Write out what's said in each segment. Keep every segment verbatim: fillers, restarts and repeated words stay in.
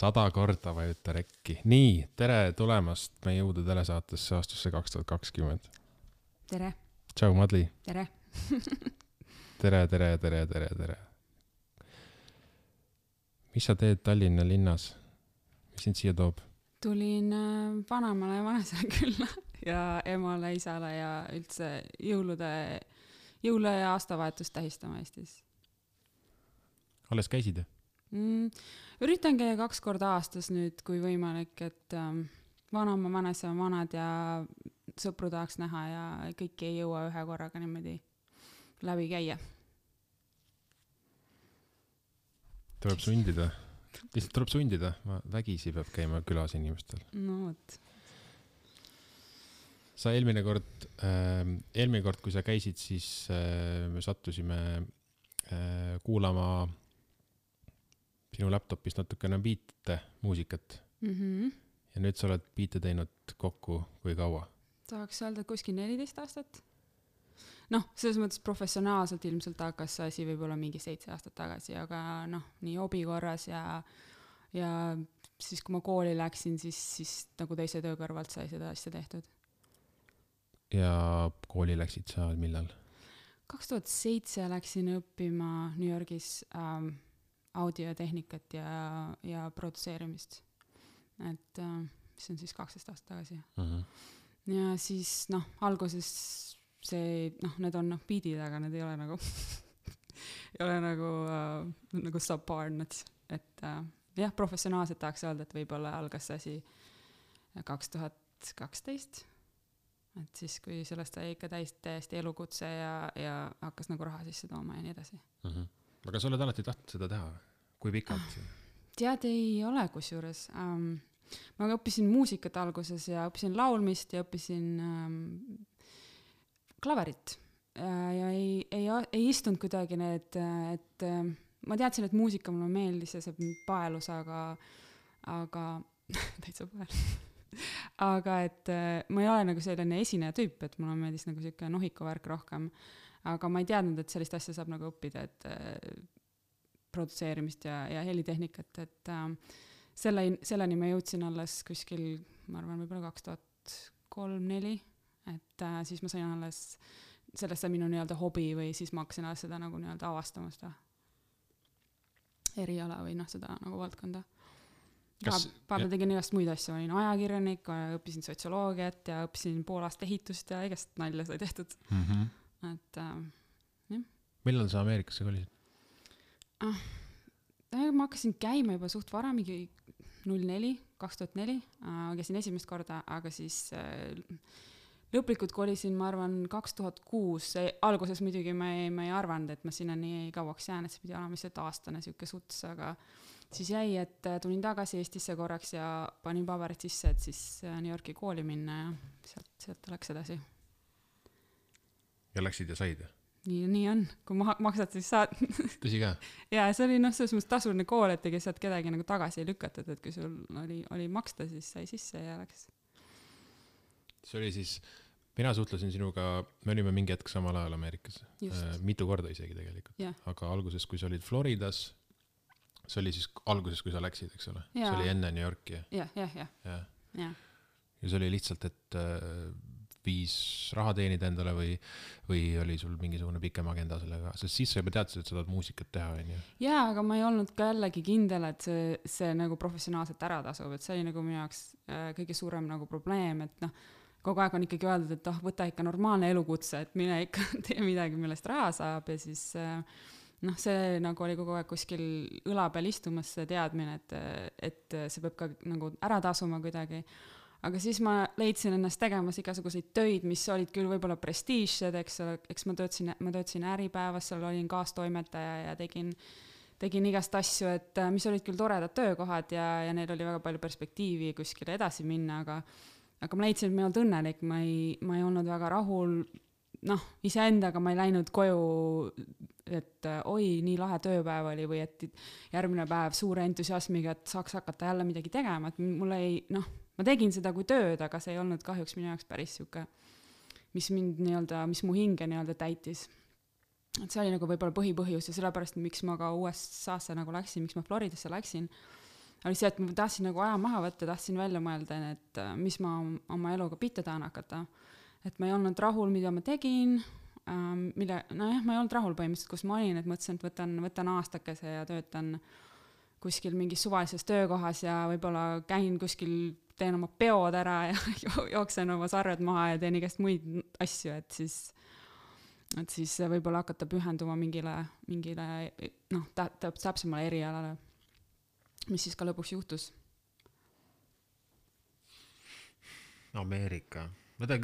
sada korda vajuta rekki. Nii, tere tulemast meie jõudu telesaatesse aastasse kaks tuhat kakskümmend. Tere. Tšau, Madli. Tere. tere, tere, tere, tere, tere. Mis sa teed Tallinna linnas? Mis sind siia toob? Tulin vanemale ja vanesele külla ja emale, isale ja üldse jõulude, jõule ja aastavahetust tähistama Eestis. Alles käisid? Mm, üritan käia kaks korda aastas nüüd, kui võimalik, et ähm, vanama, vanese, vanad ja sõpru tahaks näha ja kõiki ei jõua ühe korraga niimoodi läbi käia. Tuleb sundida. Lihtsalt tuleb sundida. Vägisi peab käima külas inimestel. No võt. Sa eelmine kord, äh, eelmine kord, kui sa käisid, siis äh, me sattusime äh, kuulama sinu laptopist natukene biite muusikat. Mm-hmm. Ja nüüd sa oled biite teinud kokku kui kaua? Tahaks öelda kuskil neliteist aastat. Noh, selles mõttes professionaalselt ilmselt hakkas see asi võib-olla mingi seitse aastat tagasi, aga noh, nii hobi korras ja, ja siis kui ma kooli läksin, siis, siis nagu teise töö kõrvalt sai seda asja tehtud. Ja kooli läksid sa millal? kaks tuhat seitse läksin õppima New Yorgis ähm, audiotehnikat ja, ja produtseerimist. Et äh, mis on siis kaksteist aastat tagasi. Uh-huh. Ja siis noh, alguses see, noh, need on noh, beatid, aga need ei ole nagu ei ole nagu, äh, nagu subpar nuts. Et äh, jah, professionaalselt tahaks öelda, et võib-olla algas see asi kaks tuhat kaksteist. Et siis, kui sellest sai ikka täis, täiesti elukutse ja, ja hakkas nagu raha sisse tooma ja nii edasi. Uh-huh. Aga sa oled alati tahtnud seda teha? Kui pikalt? Tead, ei ole kusjuures. Um, ma õppisin muusikat alguses ja õppisin laulmist ja õppisin um, klaverit. Uh, ja ei, ei, ei istunud kuidagi need, et uh, ma teadsin, et muusika mulle meeldis ja see paelus, aga, aga täitsa paelus. aga et uh, ma ei ole nagu selline esineja tüüp, et mulle meeldis nagu selline nohikuvärk rohkem. Aga ma ei teadnud, et sellist asja saab nagu õppida, et äh, produtseerimist ja, ja helitehnikat, et äh, selle, selleni ma jõudsin alles kuskil, ma arvan, võib-olla kaks tuhat kolm neli, et äh, siis ma sain alles, sellest sai minu nii-öelda hobi või siis ma hakkasin alles seda nagu nii-öelda avastama seda eriala või noh, seda nagu valdkonda. Kas, Vahepeal tegin igast muid asju, olin ajakirjanik, õppisin sotsioloogiat ja õppisin pool aasta ehitust ja igast nalja sai tehtud. Mm-hmm. Et, äh, jah. Millal sa Ameerikasse kolisid? Ah, ma hakkasin käima juba suht vara, mingi null neli, kaks tuhat neli, äh, käisin esimest korda, aga siis äh, lõplikult kolisin, ma arvan, kaks tuhat kuus. Alguses muidugi ma ei, ma ei arvanud, et ma sinna nii kauaks jään, et see pidi olema lihtsalt aastane siuke suts, aga siis jäi, et tulin tagasi Eestisse korraks ja panin paberid sisse, et siis New Yorki kooli minna ja sealt, sealt läks edasi. Ja läksid ja said? Nii, nii on, kui ma maksad, siis saad. Tõsi ka? Ja see oli noh, selles mõttes tasuline kool, et ega sealt kedagi nagu tagasi ei lükatud, et kui sul oli, oli maksta, siis sai sisse ja läks. See oli siis, mina suhtlesin sinuga, me olime mingi hetk samal ajal Ameerikas. Äh, mitu korda isegi tegelikult. Ja. Aga alguses, kui sa olid Floridas, see oli siis alguses, kui sa läksid, eks ole? Ja. See oli enne New Yorki. Ja, ja, ja. Ja, ja. ja see oli lihtsalt, et äh, viis raha teenida endale või, või oli sul mingisugune pikem agenda sellega, sest siis sa juba teadsid, et sa tahad muusikat teha. On ju? Jaa, aga ma ei olnud ka jällegi kindel, et see, see nagu professionaalselt ära tasub, et see oli nagu minu jaoks äh, kõige suurem nagu probleem, et noh, kogu aeg on ikkagi öeldud, et oh, võta ikka normaalne elukutse, et mine ikka tee midagi, millest raha saab ja siis äh, noh, see nagu oli kogu aeg kuskil õla peal istumas see teadmine, et, et see peab ka nagu ära tasuma kuidagi. Aga siis ma leidsin ennast tegemas igasuguseid töid, mis olid küll võib-olla prestiižsed, eks, eks ma töötasin, ma töötasin Äripäevas, seal olin kaastoimetaja ja tegin, tegin igast asju, et mis olid küll toredad töökohad ja, ja neil oli väga palju perspektiivi kuskile edasi minna, aga, aga ma leidsin, et ma ei olnud õnnelik, ma ei, ma ei olnud väga rahul, noh, iseendaga ma ei läinud koju, et oi, nii lahe tööpäev oli või et järgmine päev suure entusiasmiga, et saaks hakata jälle midagi tegema, et mulle ei, noh, ma tegin seda kui tööd, aga see ei olnud kahjuks minu jaoks päris siuke, mis mind nii-öelda, mis mu hinge nii-öelda täitis. Et see oli nagu võib-olla põhipõhjus ja sellepärast, miks ma ka U S A-sse nagu läksin, miks ma Floridasse läksin. oli see, et ma tahtsin nagu aja maha võtta, tahtsin välja mõelda, et mis ma oma eluga pihta tahan hakata. Et ma ei olnud rahul, mida ma tegin, mille, no jah, ma ei olnud rahul põhimõtteliselt, kus ma olin, et mõtlesin, et võtan, võtan aastakese ja töötan kuskil mingis suvalises töökohas ja võib-olla käin kuskil, teen oma peod ära ja jooksen oma sarved maha ja teen igast muid asju, et siis, et siis võib-olla hakata pühenduma mingile, mingile noh, täpsemale erialale, mis siis ka lõpuks juhtus. Ameerika. Võta,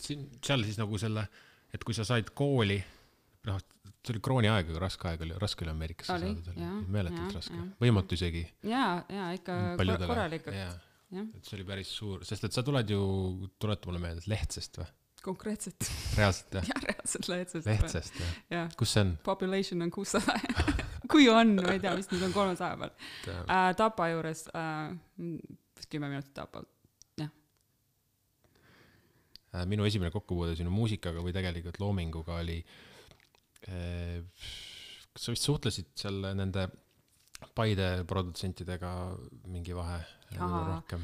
siin, seal siis nagu selle, et kui sa said kooli, noh, see oli krooni aeg, aga raske aeg oli, raske oli Ameerikasse oli, saada, jah, meeletult jah, raske. jah. Võimatu isegi. Jaa, jaa, ikka paljudele. korralikult. Jaa. Ja. Et see oli päris suur, sest et sa tuled ju, tuleta mulle meelde, Lehtsest või? Konkreetselt. Reaalselt, jah? Jah, reaalselt Lehtsest. Lehtsest, jah. Ja. Kus see on? Population on kuussada. Kui on, ma ei tea, mis nüüd on kolmesaja peal. Uh, Tapa juures, uh, kümme minutit Tapalt. Minu esimene kokkupuude sinu muusikaga või tegelikult loominguga oli, kas sa vist suhtlesid seal nende Paide produtsentidega mingi vahe rohkem?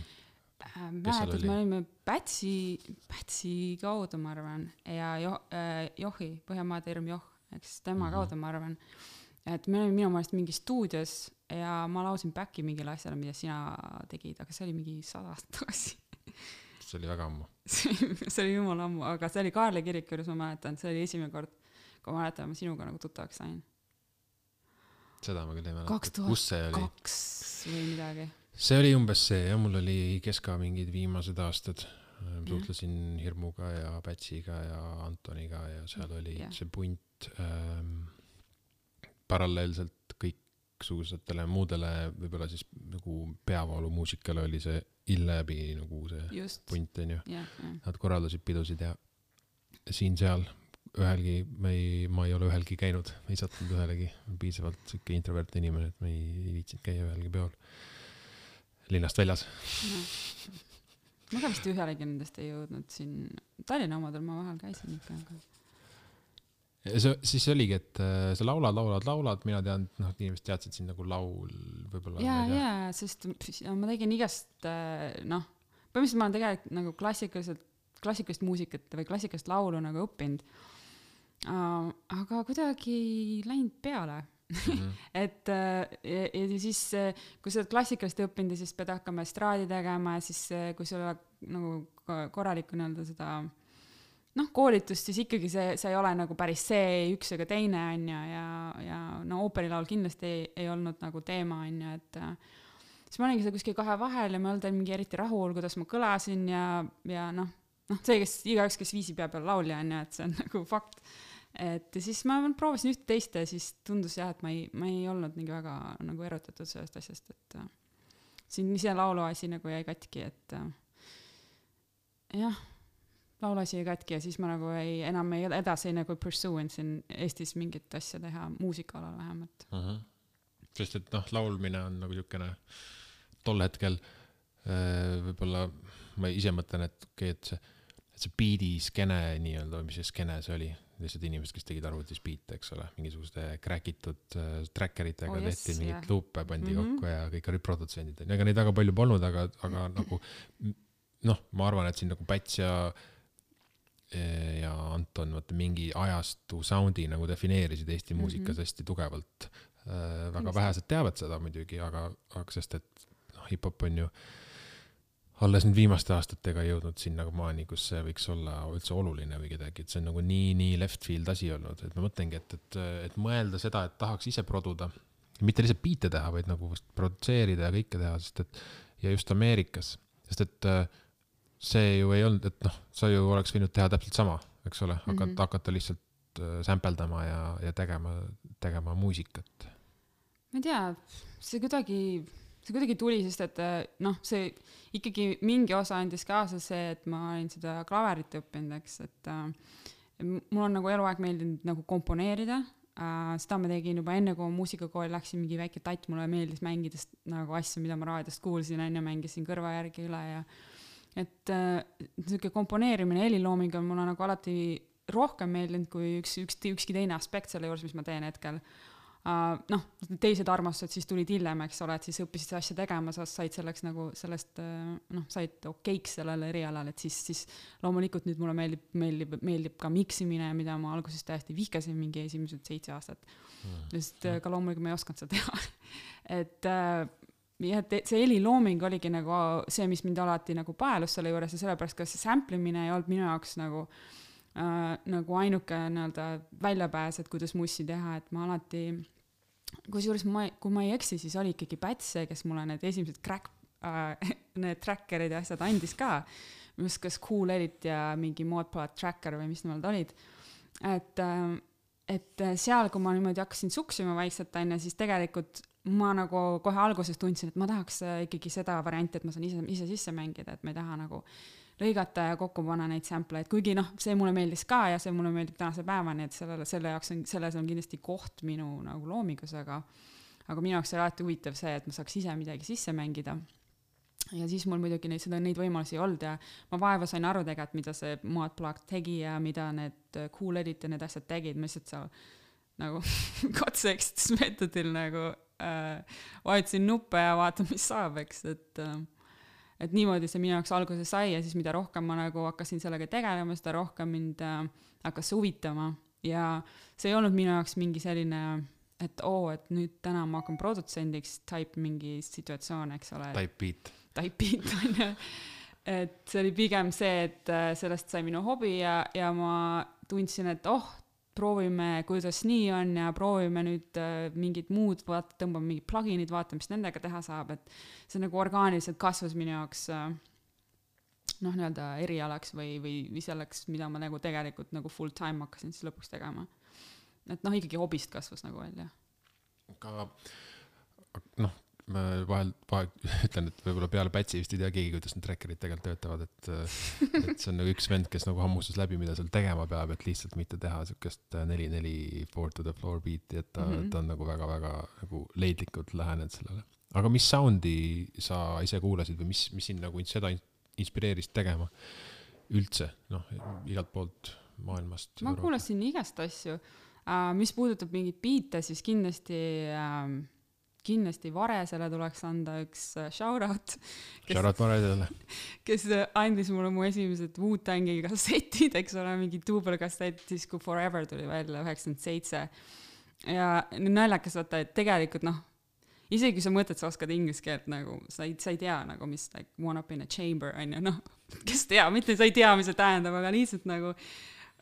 Mäletad, me olime Pätsi, Pätsi kaudu, ma arvan, ja jo, äh, Johi, Põhjamaade Irm Joh, eks tema mm-hmm. kaudu, ma arvan, et me olime minu meelest mingi stuudios ja ma lausin backi mingile asjale, mida sina tegid, aga see oli mingi sada aastat tagasi. See oli väga ammu. see oli jumala ammu, aga see oli Kaarli kirik, kuidas ma mäletan, see oli esimene kord, kui ma mäletan, ma sinuga nagu tuttavaks sain. Seda ma küll ei mäleta. kaks tuhat kaks või midagi. See oli umbes see, ja mul oli keska mingid viimased aastad. Suhtlesin Hirmuga ja Pätsiga ja Antoniga ja seal oli yeah. see punt ähm, paralleelselt kõiksugusetele muudele võib-olla siis nagu peavalu muusikale oli see Illebi nagu see Just. Punt on ju. Yeah, yeah. Nad korraldasid pidusid ja siin-seal ühelgi, ma ei, ma ei ole ühelgi käinud, ei sattunud ühelegi, piisavalt siuke introverte inimene, et ma ei, ei viitsinud käia ühelgi peol linnast väljas. No. Ma ka vist ühelegi nendest ei jõudnud siin, Tallinna omadel ma vahel käisin ikka. Aga... See, siis oligi, et sa laulad, laulad, laulad, mina tean, noh, inimesed teadsid siin nagu laul võib-olla. Jaa, jaa, sest ma tegin igast, noh, põhimõtteliselt ma olen tegelikult nagu klassikaliselt, klassikalist muusikat või klassikalist laulu nagu õppinud, uh, aga kuidagi läinud peale. Mm-hmm. et ja, ja siis, kui sa oled klassikalist õppinud, siis pead hakkama estraadi tegema ja siis, kui sul on nagu korralikku nii-öelda seda noh, koolitust, siis ikkagi see, see ei ole nagu päris see üks ega teine on ja, ja, ja no ooperilaul kindlasti ei, ei olnud nagu teema on ja, et siis ma olingi seda kuskil kahe vahel ja ma olen mingi eriti rahul, kuidas ma kõlasin ja, ja noh, noh, see, kes igaüks, kes viisi peab peal laulja on ja, et see on nagu fakt. Et siis ma proovisin üht teist ja siis tundus jah, et ma ei, ma ei olnud mingi väga nagu erutatud sellest asjast, et siin ise laulu asi nagu jäi katki, et jah, laulasi ei katki ja siis ma nagu ei, enam ei edasi nagu pursue'n siin Eestis mingit asja teha muusikaalal vähemalt. Uh-huh. Sest et noh, laulmine on nagu niisugune tol hetkel võib-olla ma ise mõtlen, et, okay, et see, et see beat'i skene nii-öelda, mis see skene see oli, lihtsalt inimesed, kes tegid arvutis beat'e, eks ole, mingisuguste kräkitud äh, trackeritega oh, yes, tehti mingit yeah. luupe pandi mm-hmm. kokku ja kõik olid produtsendid. Ega neid väga palju polnud, aga, aga nagu noh, ma arvan, et siin nagu Päts ja ja Anton võtta mingi ajastu soundi nagu defineerisid Eesti mm-hmm. muusikas hästi tugevalt. Äh, väga vähesed teavad seda muidugi, aga, aga sest, et noh, hip-hop on ju alles nüüd viimaste aastatega jõudnud sinna maani, kus see võiks olla üldse oluline või kedagi, et see on nagu nii, nii left field asi olnud, et ma mõtlengi, et, et, et mõelda seda, et tahaks ise produda, mitte lihtsalt biite teha, vaid nagu produtseerida ja kõike teha, sest et ja just Ameerikas, sest et see ju ei olnud, et noh, sa ju oleks võinud teha täpselt sama, eks ole, hakata, mm-hmm. hakata lihtsalt sämpeldama ja, ja tegema, tegema muusikat. Ma ei tea, see kuidagi, see kuidagi tuli, sest et noh, see ikkagi mingi osa andis kaasa see, et ma olin seda klaverit õppinud, eks, et äh, mul on nagu eluaeg meeldinud nagu komponeerida, äh, seda ma tegin juba enne, kui muusikakooli läksin mingi väike tatt, mulle meeldis mängidest nagu asju, mida ma raadiost kuulsin, enne mängisin kõrva järgi üle ja et äh, niisugune komponeerimine heliloominga on mulle nagu alati rohkem meeldinud kui üks, üks, ükski teine aspekt selle juures, mis ma teen hetkel. Uh, noh, teised armastused siis tulid hiljem, eks ole, et siis õppisid seda asja tegema, sa said selleks nagu sellest, noh, said okeiks sellele erialal, et siis, siis loomulikult nüüd mulle meeldib, meeldib, meeldib ka miksimine, mida ma alguses täiesti vihkasin mingi esimesed seitse aastat. Mm. Sest ka loomulikult ma ei osanud seda teha. et ja see helilooming oligi nagu see, mis mind alati nagu paelus selle juures ja sellepärast, kas see samplimine ei olnud minu jaoks nagu äh, nagu ainuke nii-öelda väljapääs, et kuidas mussi teha, et ma alati kusjuures ma, kui ma ei eksi, siis oli ikkagi Pätse, kes mulle need esimesed crack, äh, need trackerid ja asjad andis ka, mis kas Cool Edit ja mingi Modplot tracker või mis nemad olid. Et, äh, et seal, kui ma niimoodi hakkasin suksima vaikselt, aine, siis tegelikult ma nagu kohe alguses tundsin, et ma tahaks ikkagi seda varianti, et ma saan ise, ise sisse mängida, et ma ei taha nagu lõigata ja kokku panna neid sampleid, kuigi noh, see mulle meeldis ka ja see mulle meeldib tänase päevani, et sellele, selle jaoks on, selles on kindlasti koht minu nagu loomingusega, aga minu jaoks oli alati huvitav see, et ma saaks ise midagi sisse mängida ja siis mul muidugi neid, seda, neid võimalusi ei olnud ja ma vaeva sain aru tegelikult, mida see Modplot tegi ja mida need Cool Edit ja need asjad tegid, ma lihtsalt seal nagu katse-eksitusmeetodil nagu äh, vajutasin nuppe ja vaatan, mis saab, eks, et äh, et niimoodi see minu jaoks alguse sai ja siis mida rohkem ma nagu hakkasin sellega tegelema, seda rohkem mind äh, hakkas huvitama ja see ei olnud minu jaoks mingi selline, et oo, et nüüd täna ma hakkan produtsendiks type mingi situatsioon, eks ole. Type beat. Type beat, on ju. Et see oli pigem see, et sellest sai minu hobi ja, ja ma tundsin, et oh, proovime, kuidas nii on ja proovime nüüd äh, mingid muud, vaat, tõmbame mingid pluginid, vaatame, mis nendega teha saab, et see nagu orgaaniliselt kasvas minu jaoks äh, noh, nii-öelda erialaks või, või, või selleks, mida ma nagu tegelikult nagu full time hakkasin siis lõpuks tegema. Et noh, ikkagi hobist kasvas nagu välja. Aga noh, ma vahel, vahel ütlen, et võib-olla peale Pätsi vist ei tea keegi, kuidas need trackerid tegelikult töötavad, et, et see on nagu üks vend, kes nagu hammustas läbi, mida seal tegema peab, et lihtsalt mitte teha sükest neli neli four to the floor beat'i, et ta, mm-hmm. ta on nagu väga-väga nagu leidlikult lähenenud sellele. Aga mis soundi sa ise kuulasid või mis, mis sind nagu seda inspireeris tegema üldse, noh, igalt poolt maailmast? Ma kuulasin igast asju. Uh, mis puudutab mingit beat'e, siis kindlasti uh, kindlasti Varesele tuleks anda üks shoutout, kes, shoutout Varesele. kes andis mulle mu esimesed Wu-Tangi kassetid, eks ole, mingi duubelkassett, siis kui Forever tuli välja üheksakümmend seitse. Ja naljakas vaata, et tegelikult noh, isegi kui sa mõtled, sa oskad inglise keelt nagu, sa ei, sa ei tea nagu, mis like one up in a chamber on ju, noh, kes tea, mitte sa ei tea, mis see tähendab, aga lihtsalt nagu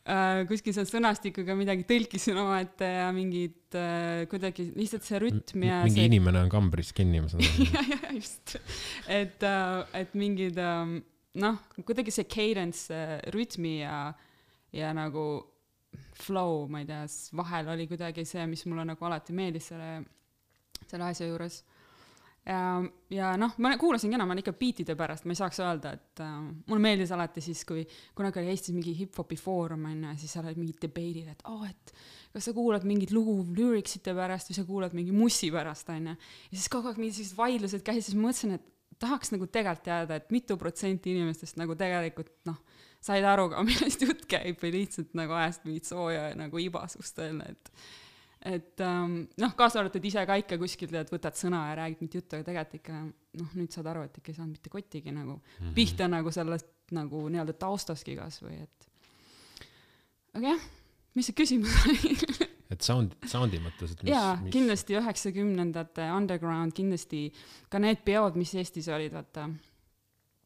Uh, kuskil seal sõnastikuga midagi tõlkisin oma ette ja mingid uh, kuidagi lihtsalt see rütm ja mingi see... inimene on kambris kinni, ma saan ja, ja, just. Et, uh, et mingid um, noh, kuidagi see cadence, uh, rütmi ja, ja nagu flow, ma ei tea, vahel oli kuidagi see, mis mulle nagu alati meeldis selle, selle asja juures. Ja, ja noh, ma kuulasin ka enam ikka beatide pärast, ma ei saaks öelda, et uh, mulle meeldis alati siis, kui kunagi oli Eestis mingi hip-hopi foorum, ja siis seal oli mingid debate'id, et oh, et kas sa kuulad mingid lugu lyricsite pärast või sa kuulad mingi mussi pärast, on ja siis kogu aeg mingid sellised vaidlused käis, siis mõtlesin, et tahaks nagu tegelikult teada, et mitu protsenti inimestest nagu tegelikult noh, said aru ka, millest jutt käib või lihtsalt nagu ajast mingit sooja ja nagu ibasust öelda, et et um, noh, kaasa arvatud ise ka ikka kuskilt, et võtad sõna ja räägid mitte juttu, aga tegelikult ikka, noh, nüüd saad aru, et ikka ei saanud mitte kottigi nagu mm-hmm. pihta nagu sellest nagu nii-öelda taustaski kas või, et aga jah, mis see küsimus oli? et sound, soundi mõttes, et mis... Jaa, mis... kindlasti üheksakümnendate underground, kindlasti ka need peod, mis Eestis olid, vaata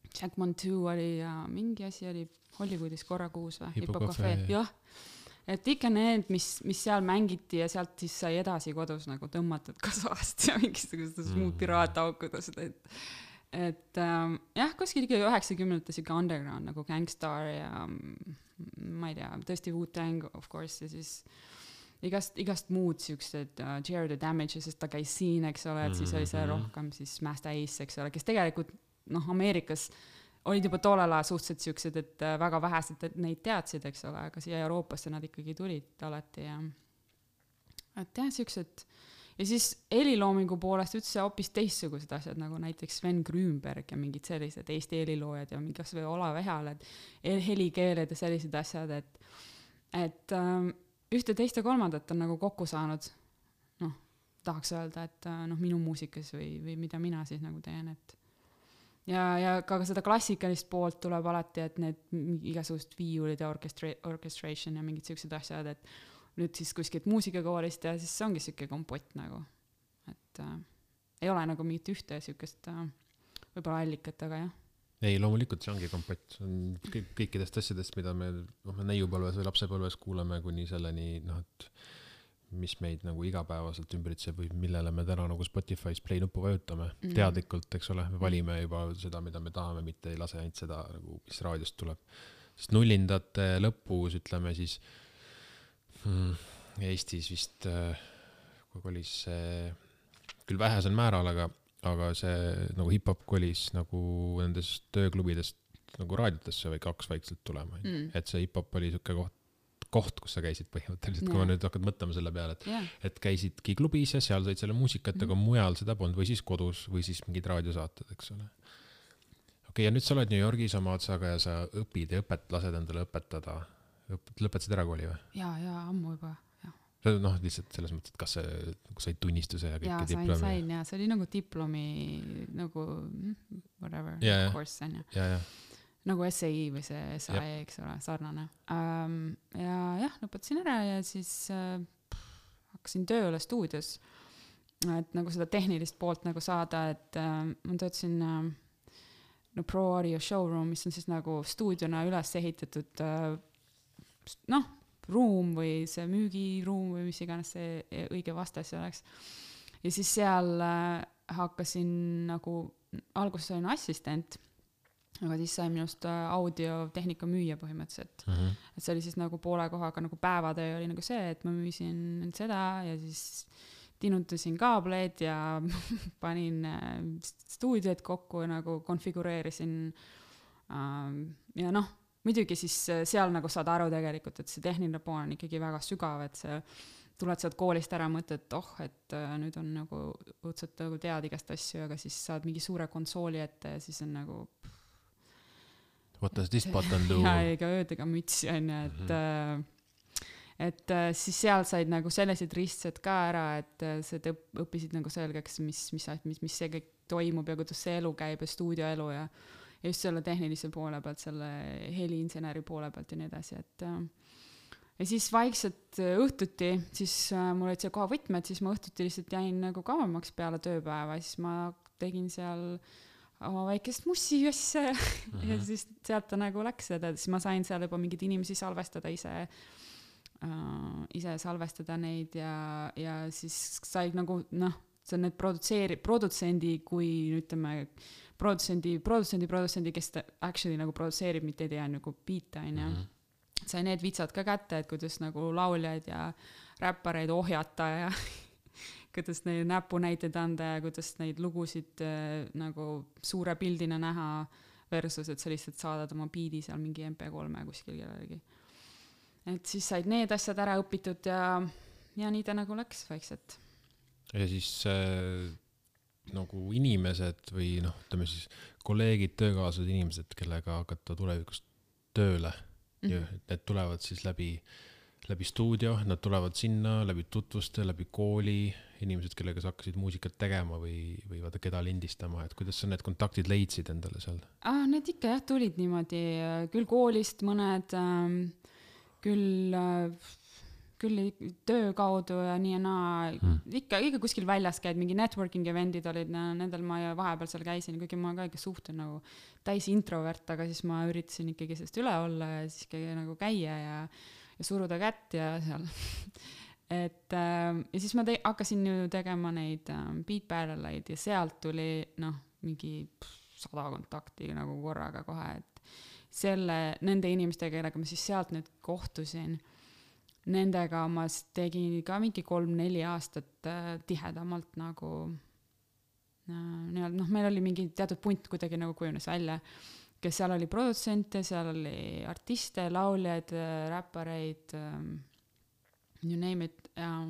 Jack Montu oli ja mingi asi oli Hollywoodis korra kuus või? Hippocafe. Jah. Et ikka need, mis, mis seal mängiti ja sealt siis sai edasi kodus nagu tõmmatud kasvast ja mingisugustes mm. muud piraataukudes, et, et ähm, jah, kuskil ikka üheksakümnendates ikka underground nagu Gangstar ja ma ei tea, tõesti Wu-Tang of course ja siis igast, igast muud siuksed uh, Jared the Damage, sest ta käis siin, eks ole, et siis oli see rohkem siis Master Ace, eks ole, kes tegelikult noh, Ameerikas olid juba tollel ajal suhteliselt siuksed, et väga vähesed neid teadsid, eks ole, aga siia Euroopasse nad ikkagi tulid alati ja et jah, siuksed ja siis heliloomingu poolest üldse hoopis teistsugused asjad, nagu näiteks Sven Grünberg ja mingid sellised Eesti heliloojad ja mingi kasvõi Olav Ehaled, helikeeled ja sellised asjad, et et ähm, ühte teist ja kolmandat on nagu kokku saanud noh, tahaks öelda, et noh, minu muusikas või, või mida mina siis nagu teen, et ja, ja ka seda klassikalist poolt tuleb alati, et need igasugust viiulid ja orchestra- orchestration ja mingid siuksed asjad, et nüüd siis kuskilt muusikakoolist ja siis see ongi siuke kompott nagu, et äh, ei ole nagu mingit ühte siukest äh, võib-olla allikat, aga jah. Ei, loomulikult see ongi kompott, see on kõik, kõikidest asjadest, mida me noh, neiupõlves või lapsepõlves kuuleme kuni selleni, noh, et mis meid nagu igapäevaselt ümbritseb või millele me täna nagu Spotify's play nuppu vajutame mm. teadlikult, eks ole, me valime juba seda, mida me tahame, mitte ei lase ainult seda, nagu, mis raadiost tuleb. Sest nullindate lõpus, ütleme siis hmm, Eestis vist, kui kolis see, küll vähesel määral, aga, aga see nagu hip-hop kolis nagu nendest tööklubidest nagu raadiotesse või kaks vaikselt tulema. Mm. Et see hip-hop oli siuke koht, koht, kus sa käisid põhimõtteliselt, yeah. kui ma nüüd hakkad mõtlema selle peale, et, yeah. et käisidki klubis ja seal said selle muusikat, mm. aga mujal seda polnud või siis kodus või siis mingid raadiosaated, eks ole. Okei, okay, ja nüüd sa oled New Yorgis oma otsaga ja sa õpid ja õpet, lased endale õpetada. Lõpetasid ära kooli või? Jaa, jaa, ammu juba, jah. See noh, lihtsalt selles mõttes, et kas see, kui said tunnistuse ja kõike jaa, diplomi? Jaa, sain, sain, jaa. See oli nagu diplomi, nagu whatever, ja, course on ju. Jaa, jaa. Nagu S A I või see S A E, eks ole, sarnane. Um, ja jah, lõpetasin ära ja siis äh, hakkasin tööle stuudios, et nagu seda tehnilist poolt nagu saada, et äh, ma töötasin äh, no, Pro Audio Showroom, mis on siis nagu stuudiona üles ehitatud äh, noh, ruum või see müügiruum või mis iganes see õige vastas oleks. Ja siis seal äh, hakkasin nagu, alguses olin assistent, aga siis sai minust audiotehnika müüja põhimõtteliselt. Mm-hmm. Et see oli siis nagu poole kohaga, nagu päevatöö oli nagu see, et ma müüsin seda ja siis tinutasin kaableid ja panin stuudiot kokku ja nagu konfigureerisin. Ja noh, muidugi siis seal nagu saad aru tegelikult, et see tehniline pool on ikkagi väga sügav, et see tuled sealt koolist ära mõtled, et oh, et nüüd on nagu õudselt nagu tead igast asju, aga siis saad mingi suure konsooli ette ja siis on nagu What does this button do? Ja ega öödega mütsi on ju, et, mm-hmm. et siis seal said nagu sellised ristsed ka ära, et see õppisid nagu selgeks, mis, mis, mis, mis see kõik toimub ja kuidas see elu käib ja stuudioelu ja just selle tehnilise poole pealt, selle heliinseneri poole pealt ja nii edasi, et ja siis vaikselt õhtuti, siis mul olid see koha võtmed, siis ma õhtuti lihtsalt jäin nagu kauemaks peale tööpäeva, siis ma tegin seal oma väikest mussi asja ja, mm-hmm. ja siis sealt ta nagu läks seda, siis ma sain seal juba mingid inimesi salvestada ise, uh, ise salvestada neid ja, ja siis sai nagu, noh, see on need produtseeri, produtsendi, kui ütleme, produtsendi, produtsendi, produtsendi, kes ta actually nagu produtseerib, mitte ei tea nagu beat'a, on ju. Sai need vitsad ka kätte, et kuidas nagu lauljaid ja räppareid ohjata ja kuidas neid näpunäiteid anda ja kuidas neid lugusid äh, nagu suure pildina näha versus, et sa lihtsalt saadad oma biidi seal mingi M P kolme kuskil kellelegi. Et siis said need asjad ära õpitud ja, ja nii ta nagu läks vaikselt. Ja siis äh, nagu inimesed või noh, ütleme siis kolleegid, töökaaslased inimesed, kellega hakata tulevikus tööle, mm-hmm. need tulevad siis läbi läbi stuudio, nad tulevad sinna, läbi tutvuste, läbi kooli, inimesed, kellega sa hakkasid muusikat tegema või, või vaata, keda lindistama, et kuidas sa need kontaktid leidsid endale seal? Ah, need ikka jah, tulid niimoodi, küll koolist mõned, küll, küll töö kaudu ja nii ja naa, hmm. ikka, ikka kuskil väljas käid, mingi networking eventid olid, nendel ma vahepeal seal käisin, kuigi ma ka ikka suhtlen nagu täis introvert, aga siis ma üritasin ikkagi sellest üle olla ja siis ikkagi nagu käia ja ja suruda kätt ja seal. et äh, ja siis ma te- hakkasin ju tegema neid äh, beat battle'id ja sealt tuli noh, mingi sada kontakti nagu korraga kohe, et selle, nende inimestega, kellega ma siis sealt nüüd kohtusin, nendega ma tegin ka mingi kolm-neli aastat äh, tihedamalt nagu äh, noh, meil oli mingi teatud punt kuidagi nagu kujunes välja, kes seal oli produtsente, seal oli artiste, lauljaid, räppareid, you name it. Ja,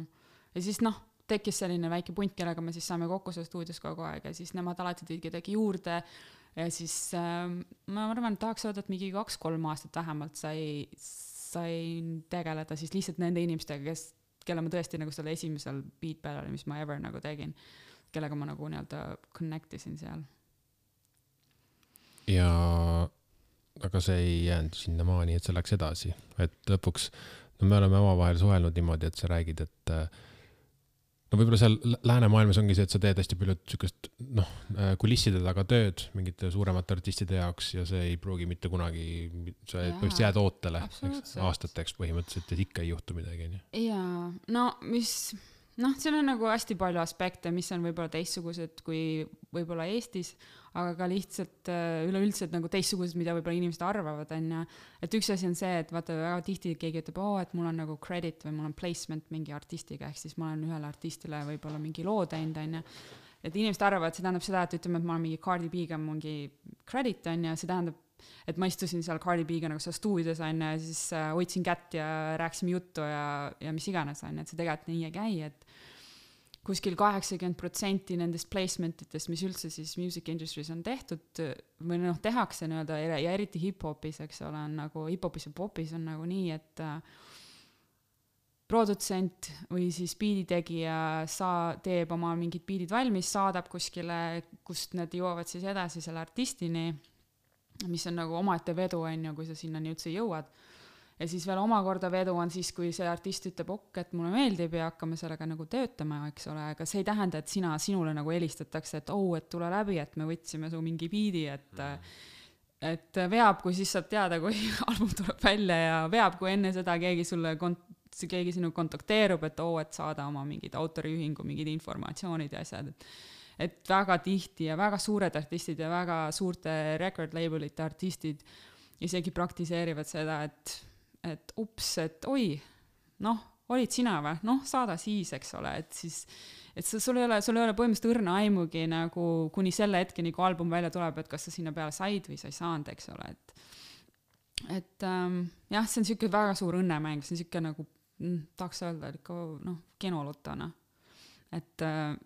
ja siis noh, tekkis selline väike punt, kellega me siis saame kokku seal stuudios kogu aeg ja siis nemad alati tõid kedagi juurde ja siis äh, ma arvan, et tahaks öelda, et mingi kaks-kolm aastat vähemalt sai, sai tegeleda siis lihtsalt nende inimestega, kes kelle ma tõesti nagu selle esimesel beat peal oli, mis ma ever nagu tegin, kellega ma nagu nii-öelda connect isin seal. Ja aga see ei jäänud sinna maani, et see läks edasi, et lõpuks no me oleme omavahel suhelnud niimoodi, et sa räägid, et no võib-olla seal läänemaailmas ongi see, et sa teed hästi palju sükest, noh, kulisside taga tööd mingite suuremate artistide jaoks ja see ei pruugi mitte kunagi, sa põhimõtteliselt jääd ootele aastateks põhimõtteliselt, et ikka ei juhtu midagi. Jaa, no mis, noh, seal on nagu hästi palju aspekte, mis on võib-olla teistsugused kui võib-olla Eestis, aga ka lihtsalt üleüldselt nagu teistsugused, mida võib-olla inimesed arvavad, on ja, et üks asi on see, et vaata väga tihti keegi ütleb, oo, et mul on nagu credit või mul on placement mingi artistiga, ehk siis ma olen ühele artistile võib-olla mingi loo teinud, on ja, et inimesed arvavad, see tähendab seda, et ütleme, et ma olen mingi Cardi B'ga mingi credit, on ja, see tähendab, et ma istusin seal Cardi B'ga nagu seal stuudios, on ja, siis äh, hoidsin kätt ja rääkisime juttu ja, ja mis iganes, on ja, et see tegelikult nii ei käi, et kuskil kaheksakümmend protsenti nendest placementitest, mis üldse siis music industry's on tehtud või noh, tehakse nii-öelda ja eriti hip-hopis, eks ole, on nagu hip-hopis ja popis on nagu nii, et äh, produtsent või siis biiditegija saa, teeb oma mingid biidid valmis, saadab kuskile, kust need jõuavad siis edasi selle artistini, mis on nagu omaette vedu, on ju, kui sa sinna nii üldse jõuad. Ja siis veel omakorda vedu on siis, kui see artist ütleb, ok, et mulle meeldib ja hakkame sellega nagu töötama, eks ole, aga see ei tähenda, et sina, sinule nagu helistatakse, et oh, et tule läbi, et me võtsime su mingi biidi, et, mm. et veab, kui siis saab teada, kui album tuleb välja ja veab, kui enne seda keegi sulle kont- keegi sinu kontakteerub, et oo, et saada oma mingid autoriühingu, mingid informatsioonid ja asjad, et, et väga tihti ja väga suured artistid ja väga suurte record labelite artistid isegi praktiseerivad seda, et et ups, et oi, noh, olid sina või? Noh, saada siis, eks ole, et siis, et sul ei ole, sul ei ole põhimõtteliselt õrna aimugi nagu kuni selle hetkeni, kui album välja tuleb, et kas sa sinna peale said või sa ei saanud, eks ole, et, et ähm, jah, see on siuke väga suur õnnemäng, see on siuke nagu, mm, tahaks öelda, ikka, noh, kenolutana, et äh,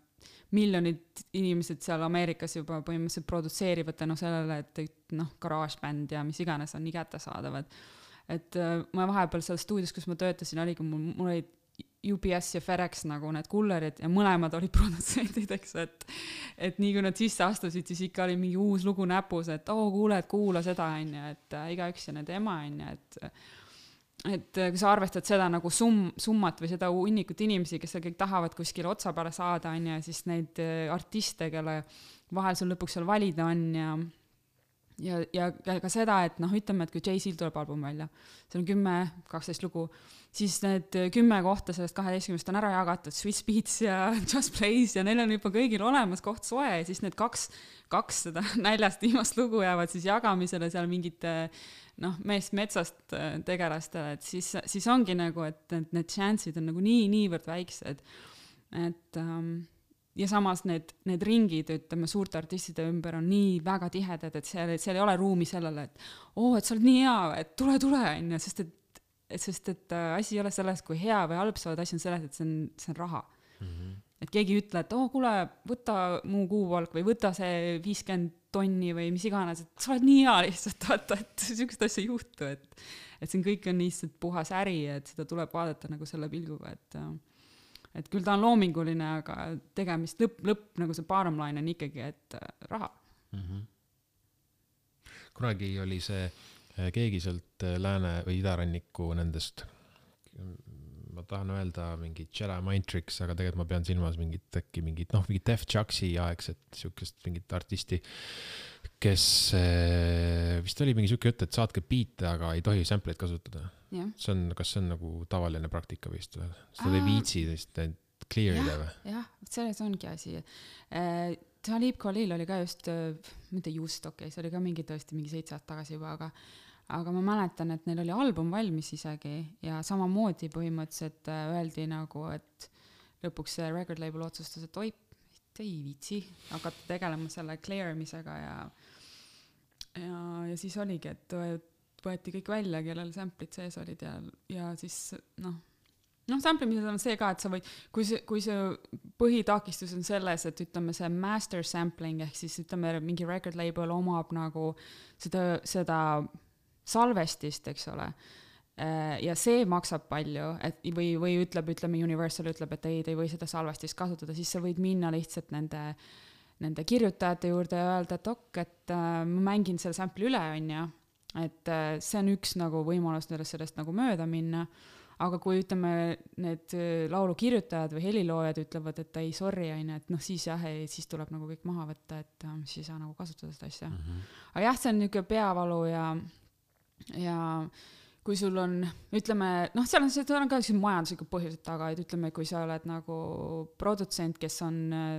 miljonid inimesed seal Ameerikas juba põhimõtteliselt produtseerivad tänu sellele, et noh, GarageBand ja mis iganes on nii kättesaadavad. Et äh, ma vahepeal seal stuudios, kus ma töötasin, oligi mul, mul olid U P S ja FedEx nagu need kullerid ja mõlemad olid produtsendid, eks, et, et nii kui nad sisse astusid, siis ikka oli mingi uus lugu näpus, et oo, kuule, et kuula seda, on ja, et äh, igaüks ja nende ema, on ja, et et kui sa arvestad seda nagu sum, summat või seda hunnikut inimesi, kes kõik tahavad kuskile otsa peale saada, on ja, siis neid artiste, kelle vahel sul lõpuks seal valida on ja Ja, ja ka seda, et noh, ütleme, et kui Jay-Z tuleb album välja, see on kümme, kaksteist lugu, siis need kümme kohta sellest kaheteistkümnest on ära jagatud, Swiss Beats ja Just Plays ja neil on juba kõigil olemas koht soe ja siis need kaks, kaks seda näljast viimast lugu jäävad siis jagamisele seal mingite noh, meest metsast tegelastele, et siis, siis ongi nagu, et need chance'id on nagu nii, niivõrd väiksed, et um, ja samas need, need ringid, ütleme, suurte artistide ümber on nii väga tihedad, et seal, seal ei ole ruumi sellele, et oo, et sa oled nii hea, et tule, tule, on ja, sest et, et, sest et äh, asi ei ole selles, kui hea või halb sa oled, asi on selles, et see on, see on raha. Mm-hmm. Et keegi ütle, et oo, kuule, võta mu kuupalk või võta see viiskümmend tonni või mis iganes, et sa oled nii hea lihtsalt, vaata, et sükest asja ei juhtu, et, et see on kõik on lihtsalt puhas äri, et seda tuleb vaadata nagu selle pilguga, et et küll ta on loominguline, aga tegemist lõpp, lõpp nagu see bottom line on ikkagi, et raha. Mm-hmm. Kunagi oli see keegi sealt lääne või idaranniku nendest, ma tahan öelda mingi Jedi Mind Tricks, aga tegelikult ma pean silmas mingit äkki mingit, noh, mingit Def Chuxi aegset siukest mingit artisti, kes vist oli mingi siuke jutt, et saatke biite, aga ei tohi sampleid kasutada. Yeah. See on, kas see on nagu tavaline praktika vist või? Seda ei viitsi need clearida või? Jah, selles ongi asi. Talib Khalil oli ka just, mitte just okei, okay, see oli ka mingi tõesti mingi seitse aastat tagasi juba, aga aga ma mäletan, et neil oli album valmis isegi ja samamoodi põhimõtteliselt öeldi nagu, et lõpuks see record label otsustas, et oi, ei viitsi hakata tegelema selle clearimisega ja, ja, ja siis oligi, et võeti kõik välja, kellel samplid sees olid ja, ja siis noh, noh, samplimised on see ka, et sa võid, kui see, kui see põhitakistus on selles, et ütleme see master sampling, ehk siis ütleme mingi record label omab nagu seda, seda salvestist, eks ole, ja see maksab palju, et või, või ütleb, ütleme Universal ütleb, et ei, te ei või seda salvestist kasutada, siis sa võid minna lihtsalt nende, nende kirjutajate juurde ja öelda, et ok, et äh, ma mängin selle sample'i üle, on ju, et äh, see on üks nagu võimalus sellest, sellest nagu mööda minna, aga kui ütleme, need laulu kirjutajad või heliloojad ütlevad, et ei, sorry, on ju, et noh, siis jah, ei, siis tuleb nagu kõik maha võtta, et äh, siis ei saa nagu kasutada seda asja. Mm-hmm. Aga jah, see on niisugune peavalu ja, ja kui sul on, ütleme, noh, seal on, seal on ka majanduslikud põhjused taga, et ütleme, kui sa oled nagu produtsent, kes on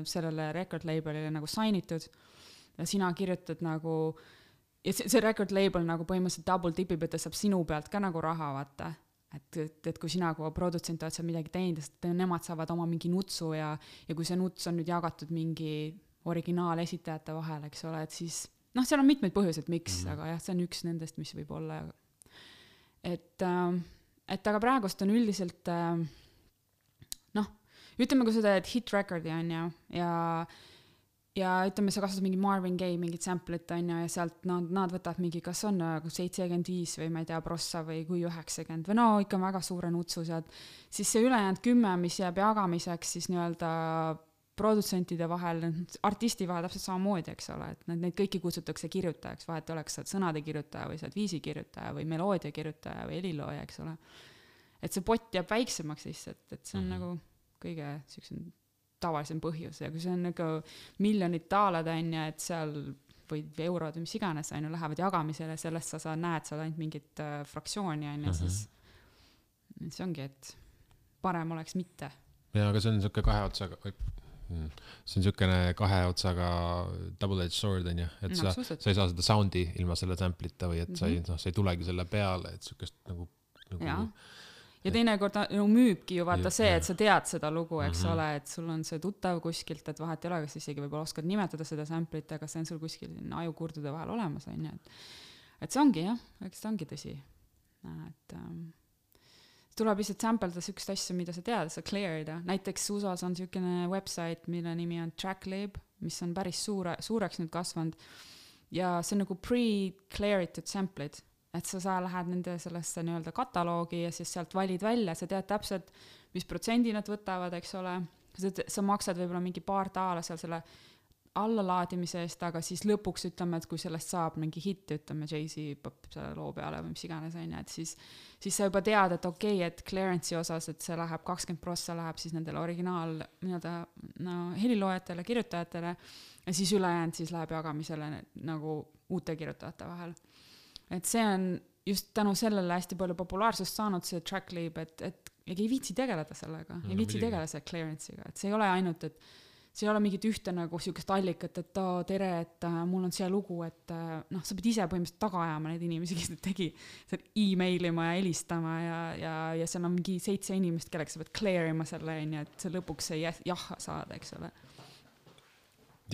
sellele record labelile nagu signitud ja sina kirjutad nagu, ja see, see record label nagu põhimõtteliselt double tipib, et ta saab sinu pealt ka nagu raha vaata, et, et, et kui sina kui produtsent oled seal midagi teinud, sest nemad saavad oma mingi nutsu ja, ja kui see nuts on nüüd jagatud mingi originaalesitajate vahel, eks ole, et siis, noh, seal on mitmeid põhjuseid, miks, mm-hmm. aga jah, see on üks nendest, mis võib olla. Et, et aga praegust on üldiselt noh, ütleme, kui sa teed hit recordi on ju, ja, ja ütleme, sa kasutad mingi Marvin Gaye mingit sample'it on ju, ja sealt nad, nad võtavad mingi, kas on seitsekümmend viis või ma ei tea, prossa või kui üheksakümmend või no ikka väga suure nutsu sealt, siis see ülejäänud kümme, mis jääb jagamiseks siis nii-öelda produtsentide vahel, artisti vahel täpselt samamoodi, eks ole, et neid, neid kõiki kutsutakse kirjutajaks, vahet oleks saad sõnade kirjutaja või saad viisi kirjutaja või meloodia kirjutaja või helilooja, eks ole. Et see pott jääb väiksemaks lihtsalt, et see on mm-hmm. nagu kõige sellisem tavalisem põhjus ja kui see on nagu miljonid taalad on ja et seal või eurod või mis iganes on ju lähevad jagamisele, sellest sa, sa näed seal ainult mingit äh, fraktsiooni on ja mm-hmm. siis see ongi, et parem oleks mitte. Ja, aga see on niisugune kahe otsaga see on niisugune kahe otsaga double-edged sword on ju, et no, sa, sa ei saa seda soundi ilma selle sample'ita või et mm-hmm. sa, ei, no, sa ei tulegi selle peale, et niisugust nagu, nagu ja, ja teinekord no, müübki ju vaata see, et sa tead seda lugu, eks mm-hmm. ole, et sul on see tuttav kuskilt, et vahet ei ole, kas isegi võib-olla oskad nimetada seda sample'it, aga see on sul kuskil ajukurdude vahel olemas on ju, et, et see ongi jah, eks see ongi tõsi, et ähm, tuleb lihtsalt sampelda sükst asja, mida sa tead, sa clearida. Näiteks U S A-s on niisugune website, mille nimi on TrackLab, mis on päris suure, suureks nüüd kasvanud. Ja see on nagu pre-clearitud sample'id, et sa, sa lähed nende sellesse nii-öelda kataloogi ja siis sealt valid välja, sa tead täpselt, mis protsendi nad võtavad, eks ole. Sa, sa maksad võib-olla mingi paar taala seal selle allalaadimise eest, aga siis lõpuks ütleme, et kui sellest saab mingi hit, ütleme Jay-Z pop selle loo peale või mis iganes on, et siis, siis sa juba tead, et okei, okay, et clearance'i osas, et see läheb kakskümmend prossa läheb siis nendele originaal nii-öelda no, heliloojatele, kirjutajatele ja siis ülejäänud siis läheb jagamisele nagu uute kirjutajate vahel. Et see on just tänu sellele hästi palju populaarsust saanud see TrackLab, et, et ei viitsi tegeleda sellega, ei viitsi tegeleda selle clearance'iga, et see ei ole ainult, et see ei ole mingit ühte nagu sihukest allikat, et oh, tere, et uh, mul on see lugu, et uh, noh, sa pead ise põhimõtteliselt taga ajama neid inimesi, kes tegi e-mailima ja helistama ja, ja, ja seal on mingi seitse inimest, kelleks sa pead clearima selle, et see lõpuks ei jah saada, eks ole.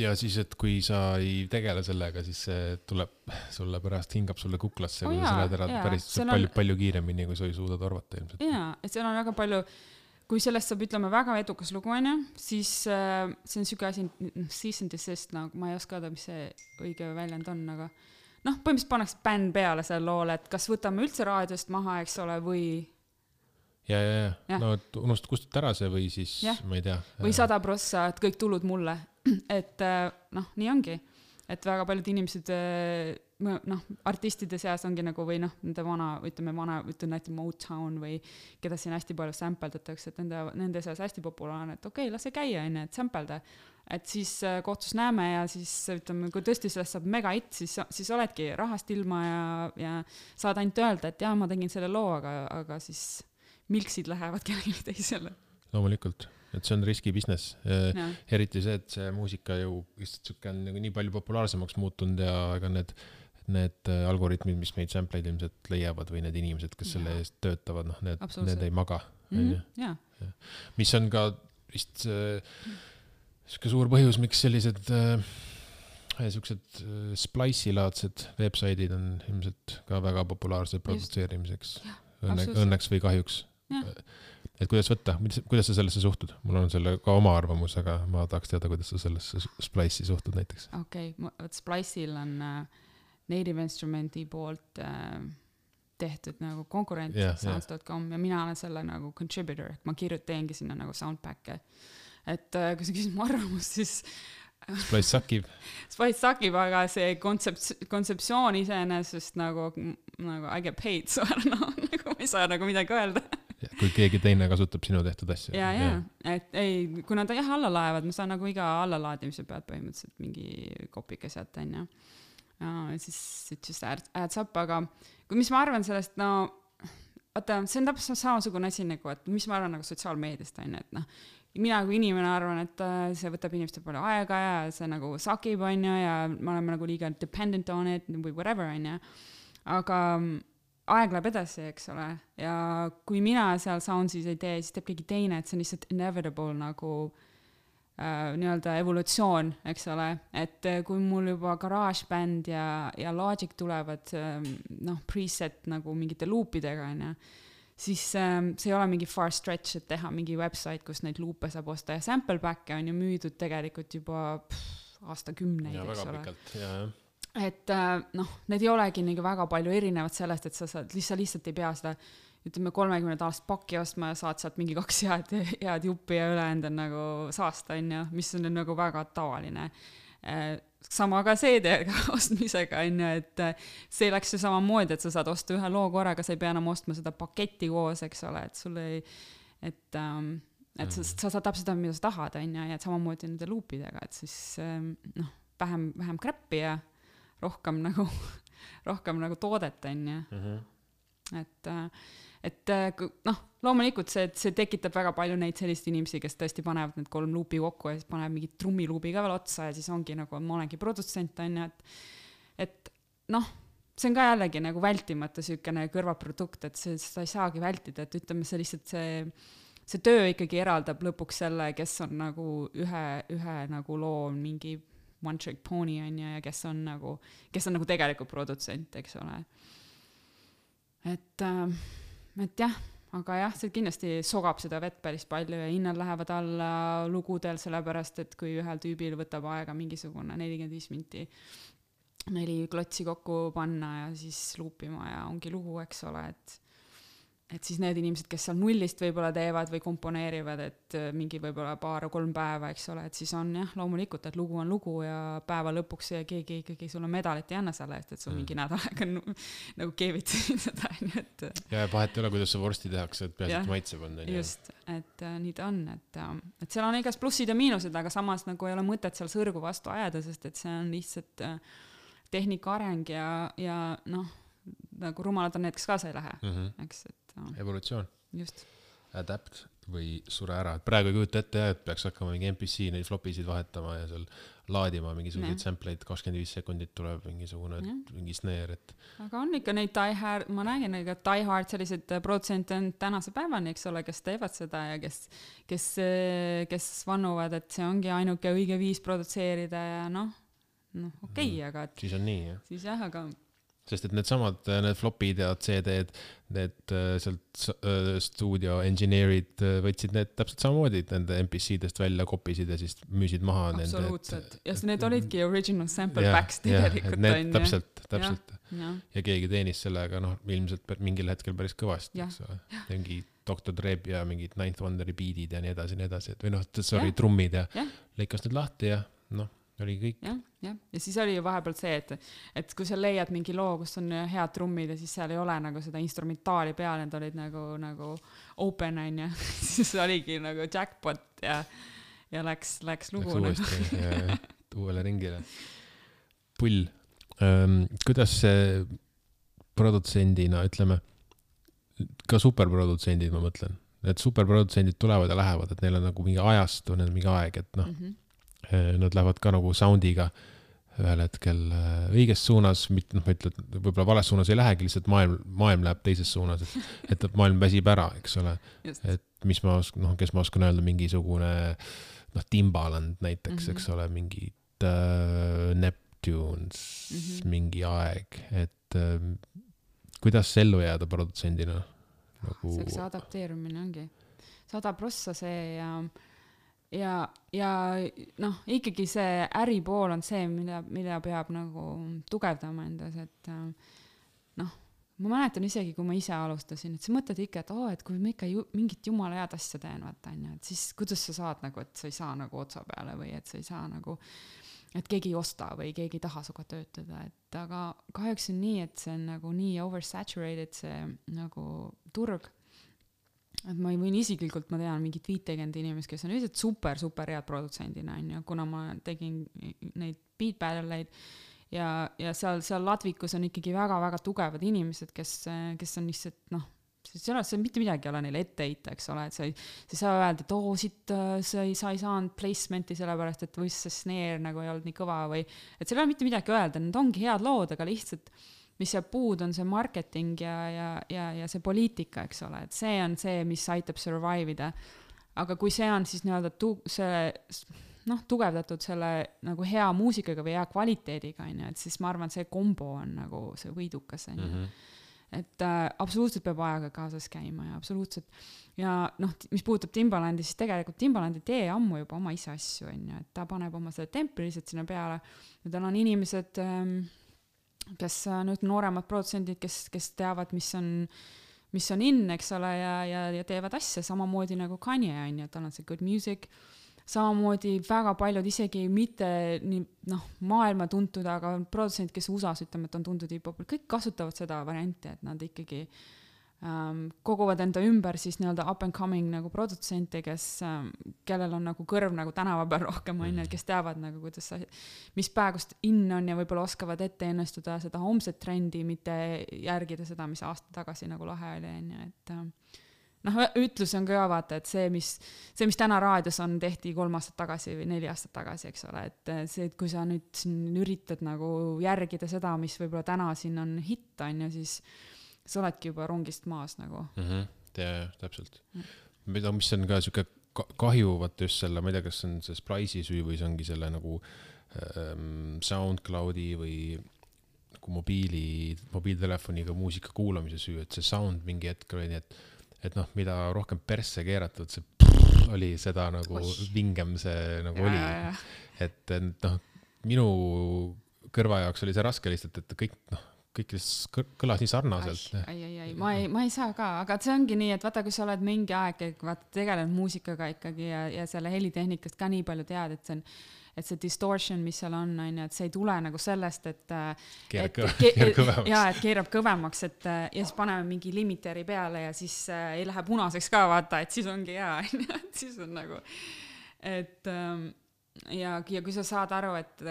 Ja siis, et kui sa ei tegele sellega, siis see tuleb sulle pärast hingab sulle kuklasse, oh, kui jaa, sa lähed ära jaa, päris palju, on... palju kiiremini, kui sa ei suuda torvata ilmselt. Jaa, et seal on väga palju kui sellest saab, ütleme, väga edukas lugu, on ju, siis äh, see on siuke asi, cease and desist, nagu ma ei oska öelda, mis see õige väljend on, aga noh, põhimõtteliselt pannakse bänn peale selle loole, et kas võtame üldse raadiost maha, eks ole, või ja, ja, ja, ja. No unust kustut ära see või siis, ja. Ma ei tea. Või sada prossa, et kõik tulud mulle. Et noh, nii ongi. Et väga paljud inimesed, noh, artistide seas ongi nagu, või noh, nende vana, ütleme vana, ütleme näiteks Motown või keda siin hästi palju sampeldatakse, et nende, nende seas hästi populaarne, et okei, okay, las see käia, enne, et sampelda. Et siis kohtus näeme ja siis ütleme, kui tõesti sellest saab mega hit, siis, siis oledki rahast ilma ja, ja saad ainult öelda, et jah, ma tegin selle loo, aga, aga siis milksid lähevad kellelegi teisele. Loomulikult, et see on riski business. Ja. Eriti see, et see muusika ju on nii palju populaarsemaks muutunud ja ega need, need algoritmid, mis meid sampleid ilmselt leiavad või need inimesed, kes ja. Selle eest töötavad, noh, need, need ei maga. Mm-hmm. Ja. Ja. Mis on ka vist siuke suur põhjus, miks sellised siuksed Splice'i-laadsed websaidid on ilmselt ka väga populaarsed produtseerimiseks. Õnne, õnneks või kahjuks. Ja. Et kuidas võtta, kuidas sa sellesse suhtud? Mul on selle ka oma arvamus, aga ma tahaks teada, kuidas sa sellesse Splice'i suhtud näiteks. Okei, okay. Splice'il on uh, Native Instrumenti poolt uh, tehtud nagu konkurent yeah, sounds dot com yeah. ja mina olen selle nagu contributor, et ma kirjuteengi sinna nagu soundpack'e. Et äh, kui sa küsid mu arvamust, siis Splice sakib. Splice sakib, aga see kontsept, kontseptsioon iseenesest nagu, nagu I get paid, so no, nagu ma ei saa nagu midagi öelda. Kui keegi teine kasutab sinu tehtud asja. Ja, ja, et ei, kui nad jah alla laevad, ma saan nagu iga allalaadimise pealt põhimõtteliselt mingi kopike sealt, on ja. Ja siis it just adds up, aga kui mis ma arvan sellest, no vaata, see on täpselt samasugune asi nagu, et mis ma arvan nagu sotsiaalmeediast, on, et noh, mina kui inimene arvan, et see võtab inimestel palju aega ja see nagu sakib, on ja, ja me oleme nagu liiga dependent on it või whatever, on ja. Aga aeg läheb edasi, eks ole, ja kui mina seal Soundsis ei tee, siis teeb keegi teine, et see on lihtsalt inevitable nagu äh, nii-öelda evolutsioon, eks ole, et kui mul juba GarageBand ja, ja Logic tulevad äh, noh, preset nagu mingite loopidega, on ja, siis äh, see ei ole mingi far stretch, et teha mingi website, kus neid loope saab osta ja sample back'e on ju müüdud tegelikult juba pff, aastakümneid, ja, eks väga ole. Pikalt, ja, ja. Et noh, need ei olegi nii väga palju erinevad sellest, et sa saad, lihtsalt, lihtsalt ei pea seda, ütleme, kolmekümnenda aast pakki ostma ja saad sealt mingi kaks head, head juppi ja üleend on nagu saasta, on ju, mis on nagu väga tavaline. Sama ka C D-ga ostmisega, on ju, et see läks ju sama moodi, et sa saad osta ühe loo korraga, sa ei pea enam ostma seda paketti koos, eks ole, et sul ei, et, et sa, sa saad täpselt, mida sa tahad, on ju, ja et samamoodi nende loopidega, et siis noh, vähem, vähem krappi ja rohkem nagu, rohkem nagu toodet, on ju. Mm-hmm. Et, et noh, loomulikult see, see tekitab väga palju neid sellist inimesi, kes tõesti panevad need kolm luupi kokku ja siis panevad mingi trummiluubi ka veel otsa ja siis ongi nagu, ma olengi produtsent, on ju, et, et noh, see on ka jällegi nagu vältimata sükene kõrvaprodukt, et see, seda ei saagi vältida, et ütleme, see lihtsalt see, see töö ikkagi eraldab lõpuks selle, kes on nagu ühe, ühe nagu loo mingi one trick pony on ja, ja kes on nagu, kes on nagu tegelikult produtsent, eks ole. Et, et jah, aga jah, see kindlasti sogab seda vett päris palju ja hinnad lähevad alla lugudel, sellepärast, et kui ühel tüübil võtab aega mingisugune nelikümmend viis minti neli klotsi kokku panna ja siis luupima ja ongi lugu, eks ole, et et siis need inimesed, kes seal nullist võib-olla teevad või komponeerivad, et mingi võib-olla paar kolm päeva, eks ole, et siis on jah, loomulikult, et lugu on lugu ja päeva lõpuks ja keegi ikkagi sulle medalit ei anna selle eest, et sul mm. mingi nädalaga nagu keevitasid seda, et ja vahet ei ole, kuidas see vorsti tehakse, et peaasi, et maitseb on. Just, et äh, nii ta on, et, äh, et seal on igast plussid ja miinused, aga samas nagu ei ole mõtet seal sõrgu vastu ajada, sest et see on lihtsalt äh, tehnika areng ja, ja noh, nagu rumalad on need, kes kaasa ei lähe, mm-hmm. eks, et evolutsioon. Just. Adapt või sure ära. Praegu ei kujuta ette, et peaks hakkama mingi M P C neid flopisid vahetama ja seal laadima mingisuguseid sampleid, kakskümmend viis sekundit tuleb mingisugune, mingi snare, et... Aga on ikka neid die hard, ma nägin, et die hard sellised produtsente on tänase päevani, eks ole, kes teevad seda ja kes, kes, kes vannuvad, et see ongi ainuke õige viis produtseerida ja noh, noh, okei, okay, aga... Et, siis on nii, jah. Siis jah, aga... Sest et need samad, need flopid ja C D-d, need sealt stuudio engineerid võtsid need täpselt samamoodi, nende M P C-dest välja kopisid ja siis müüsid maha. Absoluutselt. Ja need olidki original sample ja, packs tegelikult. Ja, need täpselt, täpselt. Ja, ja. ja keegi teenis sellega, noh, ilmselt mingil hetkel päris kõvasti. Mingi doktor Dreb ja mingid Ninth Wonderi beatid ja nii edasi, nii edasi. Või noh, sorry, ja. Trummid ja, ja. Lõikas need lahti ja noh. Oli kõik. Ja, ja. Ja siis oli ju vahepeal see, et, et kui sa leiad mingi loo, kus on head trummid ja siis seal ei ole nagu seda instrumentaali peal, need olid nagu, nagu open on ja siis oligi nagu jackpot ja, ja läks, läks lugu. Läks uuesti nagu. ja, uuele ringile. Pull. Ähm, kuidas see produtsendina, ütleme, ka superprodutsendid, ma mõtlen, et superprodutsendid tulevad ja lähevad, et neil on nagu mingi ajastu, neil on mingi aeg, et noh, mm-hmm. nad lähevad ka nagu soundiga ühel hetkel õiges suunas, mitte noh, ma ütlen, võib-olla vales suunas ei lähegi, lihtsalt maailm, maailm läheb teises suunas, et, et maailm väsib ära, eks ole. Just. Et mis ma oskan, noh, kes ma oskan öelda, mingisugune noh, Timbaland näiteks, mm-hmm. eks ole, mingid äh, Neptunes, mm-hmm. mingi aeg, et äh, kuidas ellu jääda produtsendina? Nagu... See adapteerumine ongi. Sada prossa see ja ja, ja noh, ikkagi see äripool on see, mida, mida peab nagu tugevdama endas, et noh, ma mäletan isegi, kui ma ise alustasin, et sa mõtled ikka, et oo, et kui ma ikka ju, mingit jumala head asja teen, vaata, on ju, et siis kuidas sa saad nagu, et sa ei saa nagu otsa peale või et sa ei saa nagu, et keegi ei osta või keegi ei taha suga töötada, et aga kahjuks on nii, et see on nagu nii oversaturated see nagu turg, et ma ei võin isiklikult, ma tean mingit viitekümmet inimest, kes on lihtsalt super, super head produtsendina, on ju, kuna ma tegin neid beat battle'eid ja, ja seal, seal Ladvikus on ikkagi väga-väga tugevad inimesed, kes, kes on lihtsalt, noh, see ei mitte midagi ei ole neile ette heita, eks ole, et sa ei, sa ei saa öelda, et oo, siit sa ei, sa ei saanud placement'i sellepärast, et või see snare nagu ei olnud nii kõva või, et seal ei ole mitte midagi öelda, need ongi head lood, aga lihtsalt mis jääb puud, on see marketing ja, ja, ja, ja see poliitika, eks ole, et see on see, mis aitab survive ida. Aga kui see on siis nii-öelda tu- see, noh, tugevdatud selle nagu hea muusikaga või hea kvaliteediga, on ju, et siis ma arvan, see kombo on nagu see võidukas, on ju. Mm-hmm. Et äh, absoluutselt peab ajaga kaasas käima ja absoluutselt. Ja noh, mis puudutab Timbalandi, siis tegelikult Timbalandi tee ammu juba oma ise asju, on ju, et ta paneb oma selle templi lihtsalt sinna peale ja tal on inimesed, ähm, kes nüüd nooremad produtsendid, kes, kes teavad, mis on, mis on in, eks ole, ja, ja, ja teevad asja samamoodi nagu Kanye, on ju, tal on see good music, samamoodi väga paljud isegi mitte nii, noh, maailma tuntud, aga produtsendid, kes U S A-s ütleme, et on tuntud hip-hopil, kõik kasutavad seda varianti, et nad ikkagi ähm, koguvad enda ümber siis nii-öelda up and coming nagu produtsente, kes, ähm, kellel on nagu kõrv nagu tänava peal rohkem, on ju, kes teavad nagu, kuidas sa, mis päegust in on ja võib-olla oskavad ette ennestuda seda homset trendi, mitte järgida seda, mis aasta tagasi nagu lahe oli, on ju, et ähm, noh, ütlus on ka vaata, et see mis, see, mis täna raadios on, tehti kolm aastat tagasi või neli aastat tagasi, eks ole, et see, et kui sa nüüd siin üritad nagu järgida seda, mis võib-olla täna siin on hitt, on ju, siis sa oledki juba rongist maas nagu. Mm-hmm. Ja, täpselt. Mida, mis on ka siuke kahju, vaata just selle, ma ei tea, kas on see Splice'i süü või see ongi selle nagu ähm, SoundCloudi või nagu mobiili, mobiiltelefoniga muusika kuulamise süü, et see sound mingi hetk oli nii, et et noh, mida rohkem persse keeratud, see pff, oli seda nagu Oih. Vingem see nagu ja, oli. Ja, ja. Et noh, minu kõrva jaoks oli see raske lihtsalt, et kõik, noh, kõik kõlas nii sarnaselt. Ai, ai, ai, ma ei, ma ei saa ka, aga see ongi nii, et vaata, kui sa oled mingi aeg, vaata, tegelenud muusikaga ikkagi ja, ja selle helitehnikast ka nii palju tead, et see on et see distortion, mis seal on, on ju, et see ei tule nagu sellest, et keerab kõvemaks. Jaa, et keerab kõvemaks, et ja siis paneme mingi limiteri peale ja siis äh, ei lähe punaseks ka, vaata, et siis ongi hea, et siis on nagu, et ähm, ja, ja kui sa saad aru, et,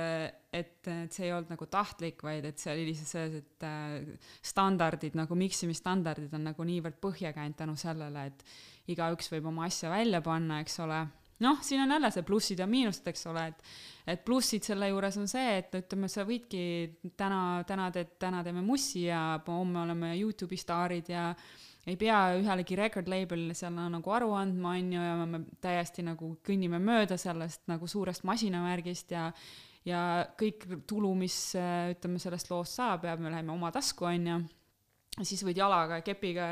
et, et see ei olnud nagu tahtlik, vaid et see oli lihtsalt selles, et äh, standardid, nagu miksimisstandardid on nagu niivõrd põhja käinud tänu sellele, et igaüks võib oma asja välja panna, eks ole. Noh, siin on jälle see plussid ja miinused, eks ole, et, et plussid selle juures on see, et ütleme, sa võidki täna, täna, teed, täna teeme mussi ja homme oleme YouTube'i staarid ja ei pea ühelegi record label'ile seal nagu aru andma, on ju, ja me täiesti nagu kõnnime mööda sellest nagu suurest masinamärgist ja, ja kõik tulu, mis ütleme sellest loost saab ja me läheme oma tasku, on ju. Siis võid jalaga ja kepiga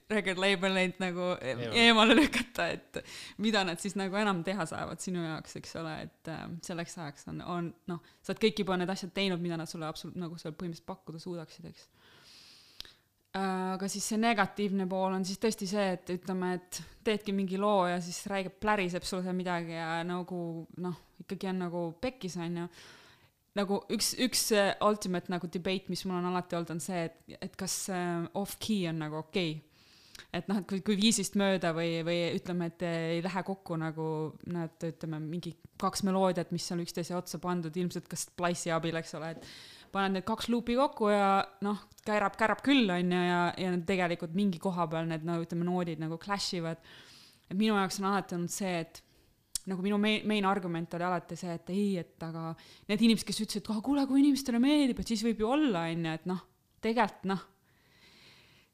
record label'eid nagu eemale lükata, et mida nad siis nagu enam teha saavad sinu jaoks, eks ole, et selleks ajaks on, on noh, sa oled kõik juba need asjad teinud, mida nad sulle absoluut nagu seal põhimõtteliselt pakkuda suudaksid, eks. Aga siis see negatiivne pool on siis tõesti see, et ütleme, et teedki mingi loo ja siis räägib, pläriseb sulle seal midagi ja nagu noh, ikkagi on nagu pekkis, on ju. Nagu üks, üks ultimate nagu debate, mis mul on alati olnud, on see, et, et kas off-key on nagu okei. Okay. Et noh, et kui, kui viisist mööda või, või ütleme, et ei lähe kokku nagu nad, ütleme, mingi kaks meloodiat, mis on üksteise otsa pandud, ilmselt kas Splice'i abil, eks ole, et paned need kaks luupi kokku ja noh, käärab, käärab küll, on ju, ja, ja tegelikult mingi koha peal need, no, ütleme, noodid nagu clashivad. Et minu jaoks on alati olnud see, et nagu minu main, main argument oli alati see, et ei, et aga need inimesed, kes ütlesid, et kuule, kui inimestele meeldib, et siis võib ju olla, on ju, et noh, tegelikult noh,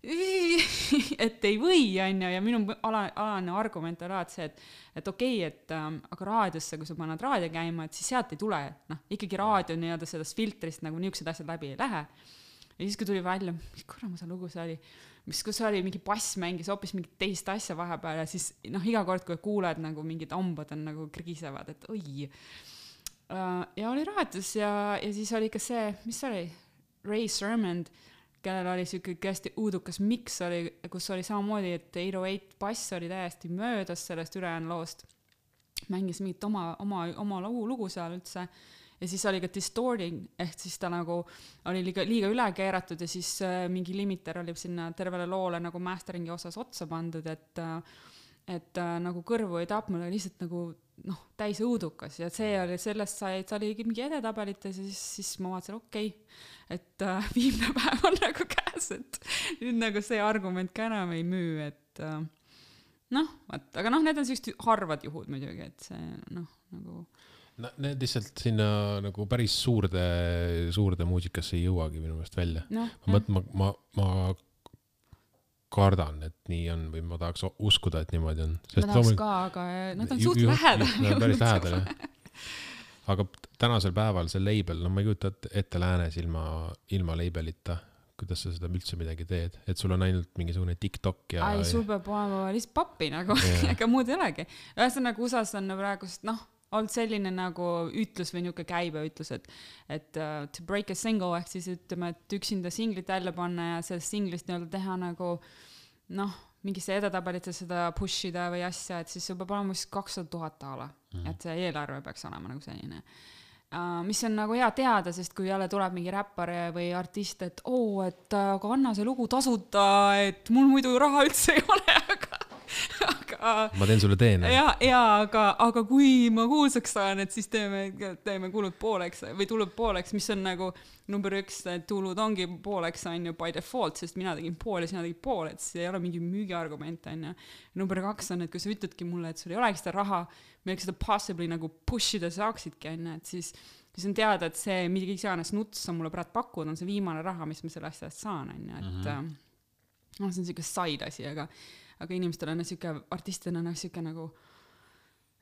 et ei või, on ju, ja minu ala, alane argument oli alati see, et, et okei, et ähm, aga raadiosse, kui sa paned raadio käima, et siis sealt ei tule, noh, ikkagi raadio nii-öelda sellest filtrist nagu niisugused asjad läbi ei lähe. Ja siis, kui tuli välja, mis kurama see lugu see oli, mis kus oli mingi bass mängis hoopis mingit teist asja vahepeal ja siis noh, iga kord, kui kuuled nagu mingid ambad on nagu krigisevad, et oi. Ja oli raadios ja, ja siis oli ka see, mis oli, Ray Sherman, kellel oli siuke hästi uudukas mix oli, kus oli samamoodi, et eight oh eight bass oli täiesti möödas sellest ülejäänud loost. Mängis mingit oma, oma, oma lugu, lugu seal üldse. Ja siis oli ka distorting, ehk siis ta nagu oli liiga, liiga üle keeratud ja siis mingi limiter oli sinna tervele loole nagu masteringi osas otsa pandud, et, et nagu kõrvu ei tapnud, aga lihtsalt nagu noh, täis õudukas ja see oli, sellest sai, et see oli mingi edetabelites ja siis, siis ma vaatasin, okei, okay, et uh, viimne päev on nagu käes, et nüüd nagu see argument ka enam ei müü, et uh, noh, vaat, aga noh, need on sellised harvad juhud muidugi, et see noh, nagu no, need lihtsalt sinna nagu päris suurde, suurde muusikasse ei jõuagi minu meelest välja. No, ma, ma, ma, ma kardan, et nii on või ma tahaks uskuda, et niimoodi on. Sest ma tahaks loomulik... ka, aga nad on suht lähedal. Nad on päris lähedal, jah. Aga tänasel päeval see label, no ma ei kujuta ette läänes ilma, ilma labelita, kuidas sa seda üldse midagi teed, et sul on ainult mingisugune TikTok ja... Ai, sul peab olema lihtsalt pappi nagu, yeah. Ega muud ei olegi. Ühesõnaga U S A-s on praegust, noh, olnud selline nagu ütlus või niuke käibe ütlus, et, et uh, to break a single, ehk siis ütleme, et üksinda singlit välja panna ja sellest singlist nii-öelda teha nagu, noh, mingisse edetabelite seda pushida või asja, et siis sul peab olema vist kakssada tuhat ala, mm. et see eelarve peaks olema nagu selline. Uh, mis on nagu hea teada, sest kui jälle tuleb mingi räppar või artist, et oo, oh, et aga anna see lugu tasuta, et mul muidu raha üldse ei ole, aga aga ma teen sulle teene. Ja, ja aga, aga kui ma kuulsaks saan, et siis teeme, teeme kulud pooleks või tulud pooleks, mis on nagu number üks, tulud ongi pooleks on ju by default, sest mina tegin pool ja sina tegin pool, et see ei ole mingi müügiargument on ju. Number kaks on, et kui sa ütledki mulle, et sul ei olegi seda raha, milleks seda possibly nagu pushida saaksidki on ju, et siis, siis on teada, et see midagi iganes nuts on mulle praegu pakkunud, on see viimane raha, mis ma selle asja saan on ju, et mm-hmm. no, see on siuke side asi, aga aga inimestel on siuke, artistidena on siuke nagu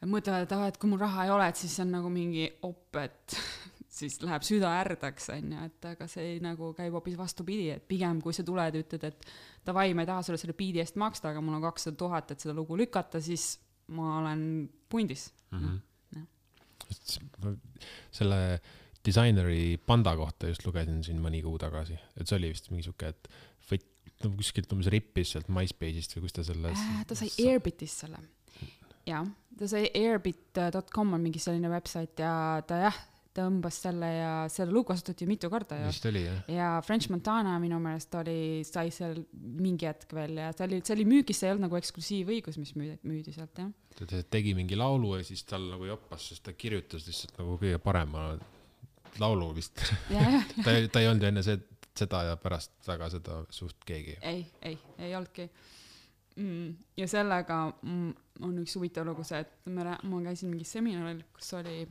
mõtlevad, et, et kui mul raha ei ole, et siis on nagu mingi op, et siis läheb süda ärdaks, on ju, et aga see nagu käib hoopis vastupidi, et pigem kui sa tuled ja ütled, et davai, ma ei taha sulle selle biidi eest maksta, aga mul on kakssada tuhat, et seda lugu lükata, siis ma olen pundis. Mm-hmm. No, selle disaineri Panda kohta just lugesin siin mõni kuu tagasi, et see oli vist mingi siuke, et võt no, kuskilt umbes rippis sealt MySpace'ist või kus ta selles äh, ta sai sa... Airbitist selle ja, ta sai airbit dot com on mingi selline website ja ta jah, ta õmbas selle ja selle lugu kasutati mitu korda ja, vist oli, jah. Ja French Montana minu meelest oli, sai seal mingi hetk veel ja ta oli, see oli müügis, see ei olnud nagu eksklusiivõigus, mis müüdi, müüdi sealt, jah. Ta tegi mingi laulu ja siis tal nagu joppas, sest ta kirjutas lihtsalt nagu kõige parema laulu vist ja, ja, ja. ta, ta ei olnud enne see seda ja pärast väga seda suht keegi. Ei, ei, ei olnudki. Mm, ja sellega mm, on üks huvitav lugu see, et ma, ma käisin mingi seminaril, kus oli,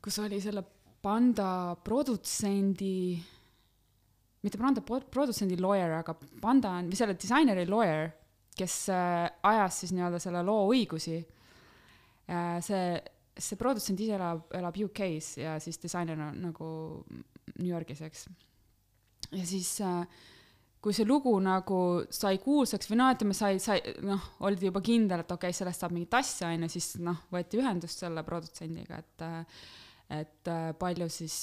kus oli selle Panda produtsendi, mitte Panda produtsendi lawyer, aga Panda on, või selle disaineri lawyer, kes äh, ajas siis nii-öelda selle loo õigusi. Äh, see, see produtsent ise elab, elab U K-s ja siis disainer on nagu New Yorgis, eks. Ja siis kui see lugu nagu sai kuulsaks või noh, ütleme, sai, sai, noh, oldi juba kindel, et okei, okay, sellest saab mingi tassi aine, siis noh, võeti ühendust selle produtsendiga, et, et palju siis,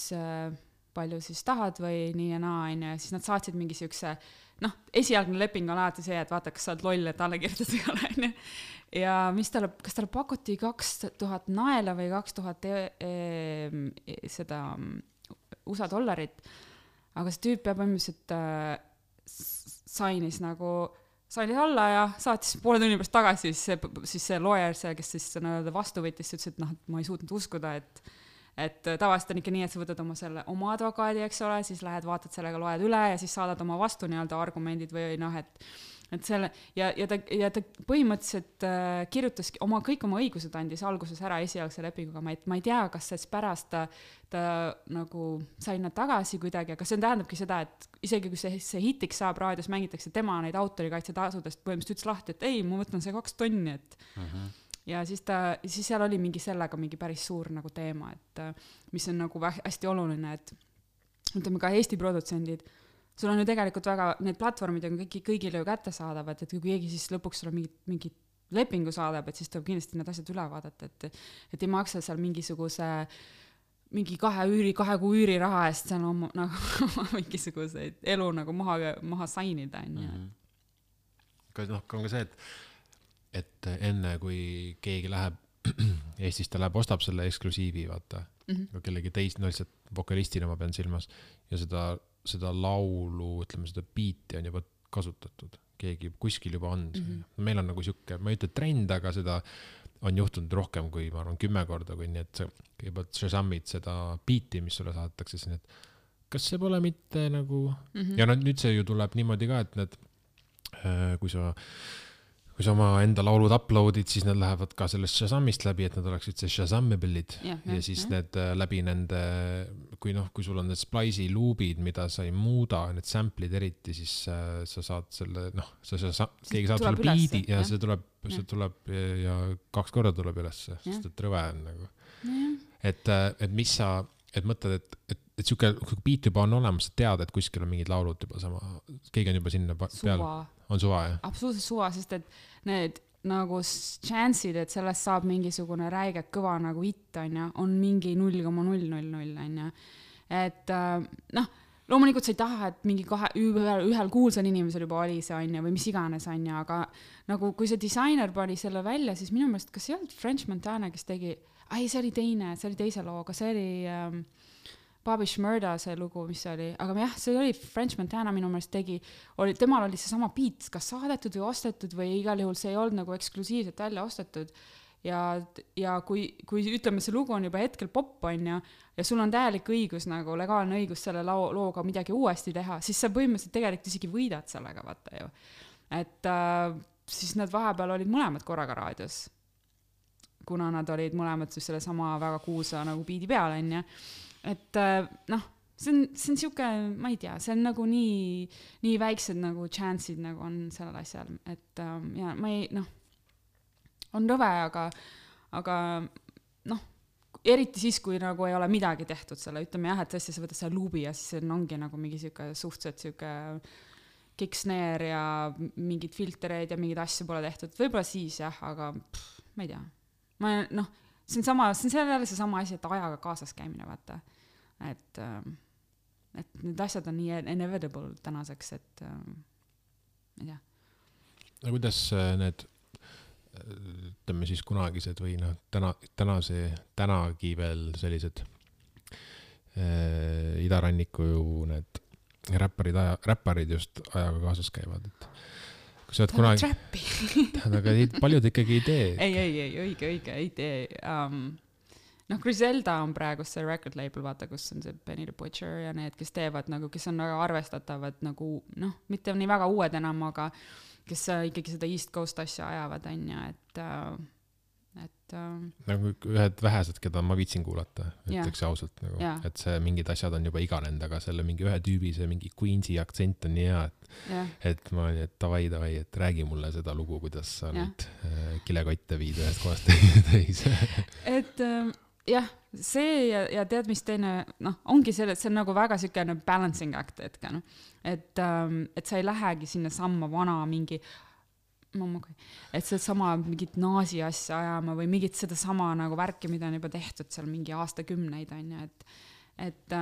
palju siis tahad või nii ja naa, aine, ja siis nad saatsid mingi siukse, noh, esialgne leping on alati see, et vaata, kas sa oled loll, et alle kirjutada ei ole, aine. Ja mis talle, kas talle pakuti kaks tuhat naela või kaks tuhat e, e, seda U S A dollarit, aga see tüüp peab põhimõtteliselt äh, sainis nagu, sainis alla ja saatis poole tunni pärast tagasi, siis see, siis see lawyer, see, kes siis vastu võttis, ütles, et noh, et ma ei suutnud uskuda, et, et tavaliselt on ikka nii, et sa võtad oma selle oma advokaadi, eks ole, siis lähed, vaatad sellega, loed üle ja siis saadad oma vastu nii-öelda argumendid või noh, et et selle, ja, ja ta, ja ta põhimõtteliselt äh, kirjutaski oma, kõik oma õigused andis alguses ära esialgse lepinguga, ma ei, ma ei tea, kas siis pärast ta, ta nagu sai nad tagasi kuidagi, aga see tähendabki seda, et isegi kui see, see hitiks saab, raadios mängitakse tema neid autorikaitse tasudest põhimõtteliselt ütles lahti, et ei, ma võtan see kaks tonni, et uh-huh. Ja siis ta, siis seal oli mingi sellega mingi päris suur nagu teema, et mis on nagu hästi oluline, et ütleme ka Eesti produtsendid, sul on ju tegelikult väga, need platvormid on kõigi, kõigile ju kätte saadavad, et kui keegi siis lõpuks sulle mingi, mingi lepingu saadab, et siis tuleb kindlasti need asjad üle vaadata, et, et ei maksa seal mingisuguse mingi kahe üüri, kahe kuu üüri raha eest seal oma, nagu mingisuguseid elu nagu maha, maha sainida, on ju. Mm-hmm. Ka, noh, on ka see, et, et enne kui keegi läheb, Eestis ta läheb, ostab selle eksklusiivi, vaata, mm-hmm. kellegi teist, no lihtsalt vokalistina ma pean silmas, ja seda, seda laulu, ütleme, seda biiti on juba kasutatud. Keegi kuskil juba on. Mm-hmm. Meil on nagu siuke, ma ei ütle trend, aga seda on juhtunud rohkem kui, ma arvan, kümme korda, kui nii, et sa kõigepealt Shazamid seda biiti, mis sulle saadetakse siin, et kas see pole mitte nagu, mm-hmm. ja no, nüüd see ju tuleb niimoodi ka, et need, kui sa, kui sa oma enda laulud uploadid, siis need lähevad ka sellest Shazamist läbi, et nad oleksid see Shazamabilid ja, ja, ja siis ja. Need läbi nende, kui noh, kui sul on need splice'i loopid, mida sa ei muuda, need sample'id eriti, siis äh, sa saad selle, noh, sa, sa, keegi saad sulle biidi ja, ja see tuleb, see tuleb ja kaks korda tuleb üles, sest et rõve on nagu. Ja. Et, et mis sa, et mõtled, et, et, et siuke biit juba on olemas, sa tead, et kuskil on mingid laulud juba sama, keegi on juba sinna peal. Suva. On suva, jah? Absoluutselt suva, sest et need nagu chance'id, et sellest saab mingisugune räige kõva nagu hit, on, ja, on mingi null koma null null null, on, ja. Et noh, loomulikult sa ei taha, et mingi kahe, ühel, ühel kuulsal inimesel juba oli see, on, ja, või mis iganes, on, ja, aga nagu kui see disainer pani selle välja, siis minu meelest, kas see olnud French Montana, kes tegi, ai, see oli teine, see oli teise looga, see oli ähm, Bobby Shmurda see lugu, mis oli, aga jah, see oli French Montana minu meelest tegi, oli, temal oli see sama beat, kas saadetud või ostetud või igal juhul see ei olnud nagu eksklusiivselt välja ostetud ja, ja kui, kui ütleme, see lugu on juba hetkel pop on ja, ja sul on täielik õigus, nagu legaalne õigus selle loo, looga midagi uuesti teha, siis sa põhimõtteliselt tegelikult isegi võidad sellega, vaata ju. Et äh, siis nad vahepeal olid mõlemad korraga raadios, kuna nad olid mõlemad siis selle sama väga kuulsa nagu beat'i peal, on ja et noh, see on, see on siuke, ma ei tea, see on nagu nii, nii väiksed nagu chance'id nagu on sellel asjal, et ja ma ei, noh, on rõve, aga, aga noh, eriti siis, kui nagu ei ole midagi tehtud selle, ütleme jah, et tõesti sa võtad selle luubi ja siis ongi nagu mingi siuke suhteliselt siuke kick-snare ja mingid filtereid ja mingid asju pole tehtud, võib-olla siis jah, aga pff, ma ei tea, ma noh, see on sama, see on selle see sama asi, et ajaga kaasas käimine, vaata. Et, et need asjad on nii inevitable tänaseks, et ma ei tea. No kuidas need, ütleme siis kunagised või noh, täna, tänase, tänagi veel sellised äh, idaranniku ju need räpparid, aja, räpparid just ajaga kaasas käivad, et kui sa oled kunagi... aga paljud ikkagi ei tee. Ei, ei, ei, õige, õige, ei tee. Um, noh, Griselda on praegu see record label, vaata, kus on see Benny the Butcher ja need, kes teevad nagu, kes on väga arvestatavad nagu, noh, mitte nii väga uued enam, aga kes ikkagi seda East Coast asja ajavad, on ja, et... Uh, et nagu ühed vähesed, keda ma viitsin kuulata, ütleks ausalt nagu, ja. Et see mingid asjad on juba iganenud, aga selle mingi ühe tüübi, see mingi Queensi aktsent on nii hea, et, et ma olin, et davai, davai, et räägi mulle seda lugu, kuidas sa ja. Nüüd äh, kilekotte viid ühest kohast teise. Et äh, jah, see ja, ja tead, mis teine, noh, ongi selle, see on nagu väga sükene balancing act, et, no, et, ähm, et sa ei lähegi sinna samma vana mingi Mammakai. Et see sama mingit naasi asja ajama või mingit seda sama nagu värki, mida on juba tehtud seal mingi aastakümneid on ja et, et,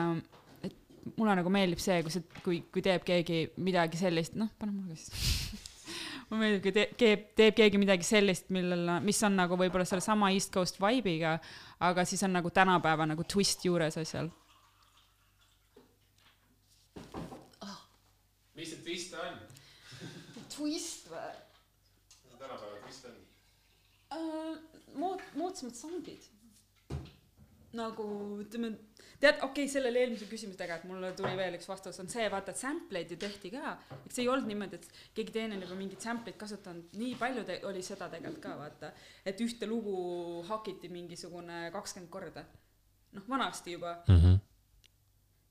et mulle nagu meeldib see, kui, see, kui, kui teeb keegi midagi sellist, noh, pane mulle siis. Mulle meeldib, kui teeb, teeb keegi midagi sellist, millel, mis on nagu võib-olla selle sama East Coast vibe'iga, aga siis on nagu tänapäeva nagu twist juures asjal. Oh. Mis see twist on? Twist või? Uh, mood, moodsamad soundid nagu ütleme, tead, okei okay,, sellele eelmise küsimusega, et mulle tuli veel üks vastus, on see, vaata, et sampleid ju tehti ka, eks see ei olnud niimoodi, et keegi teine juba mingit sampleid kasutanud, nii palju te- oli seda tegelikult ka, vaata, et ühte lugu hakiti mingisugune kakskümmend korda, noh, vanasti juba mm-hmm.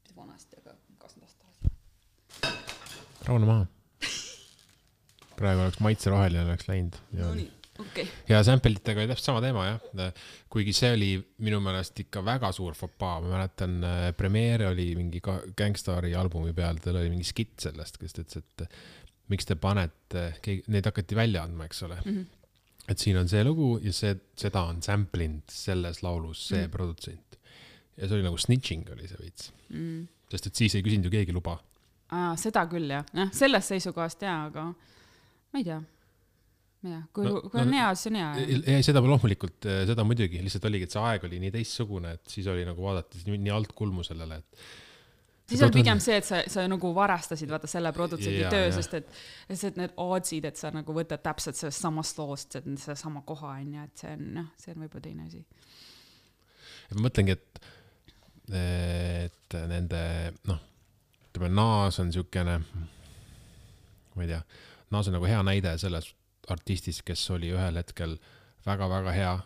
mitte vanasti, aga kakskümmend aastat rahune maha praegu oleks maitse roheline oleks läinud ja no nii. Okay. Ja sample'itega oli täpselt sama teema, jah. Kuigi see oli minu meelest ikka väga suur fopaa. Ma mäletan, Premiere oli mingi Gangstari albumi peal, tal oli mingi skitt sellest, kes ütles, et miks te panete, neid hakati välja andma, eks ole. Mm-hmm. Et siin on see lugu ja see, seda on sample'ind selles laulus see mm-hmm. produtsent. ja see oli nagu snitching oli see veits mm.. sest et siis ei küsinud ju keegi luba. Aa, seda küll jah, jah, sellest seisukohast jaa, aga ma ei tea, ma ei tea, kui, no, kui on no, hea, siis on hea. Ei, seda loomulikult, seda muidugi, lihtsalt oligi, et see aeg oli nii teistsugune, et siis oli nagu vaadati nii, nii alt kulmu sellele, et siis on pigem see, et sa, sa nagu varastasid vaata selle produtsendi ja, töö, ja. Sest et, sest et need ootsid, et sa nagu võtad täpselt sellest samast loost, et see sama koha on ja et see on, noh, see on võib-olla teine asi. Ja ma mõtlengi, et, et nende, noh, ütleme, Naas on siukene, ma ei tea, Naas on nagu hea näide selles artistis, kes oli ühel hetkel väga-väga hea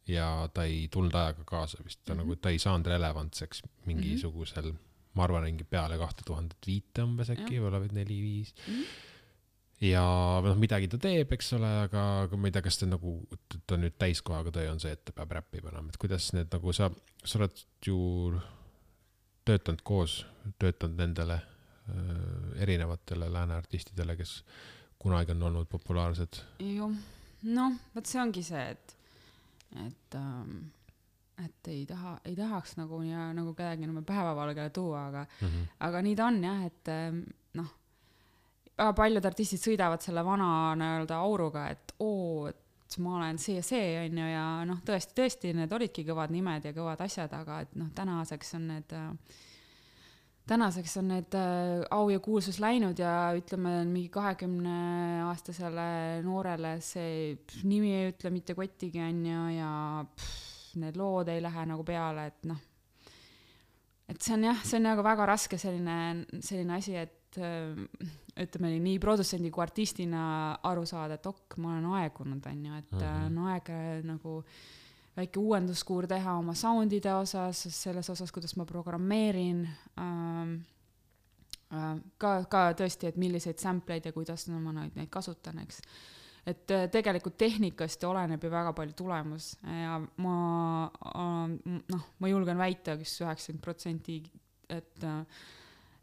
ja ta ei tulnud ajaga kaasa vist, ta, mm-hmm. nagu, ta ei saanud relevantseks mingisugusel mm-hmm. ma arvan, mingi peale kahte tuhandet viite umbes äkki, võib-olla neli, viis. Mm-hmm. Ja noh, midagi ta teeb, eks ole, aga, aga ma ei tea, kas ta nagu, ta nüüd täiskohaga töö on see, et ta peab räppi panema. Et kuidas need nagu sa, sa oled ju töötanud koos, töötanud nendele äh, erinevatele lääne artistidele, kes kunagi on olnud populaarsed? Ju, noh, võt see ongi see, et, et ähm, et ei taha, ei tahaks nagu, ja, nagu kedagi nagu päevavalgele tuua, aga, mm-hmm. aga nii ta on jah, et noh, väga paljud artistid sõidavad selle vana nii-öelda auruga, et oo, et ma olen see ja see on ju, ja noh, tõesti, tõesti, need olidki kõvad nimed ja kõvad asjad, aga et noh, tänaseks on need tänaseks on need au ja kuulsus läinud ja ütleme, mingi kahekümne aastasele noorele see nimi ei ütle mitte kottigi on ju, ja pff, need lood ei lähe nagu peale, et noh, et see on jah, see on nagu väga raske selline, selline asi, et ütleme nii produtsendi kui artistina aru saada, et ok, ma olen aegunud, on ju, et mm-hmm. on aeg nagu väike uuenduskuur teha oma soundide osas, selles osas, kuidas ma programmeerin, ähm, äh, ka, ka tõesti, et milliseid sampleid ja kuidas no, ma neid, neid kasutan, eks. Et tegelikult tehnikast oleneb ju väga palju tulemus ja ma, noh, ma julgen väita, kes üheksakümmend protsenti, et,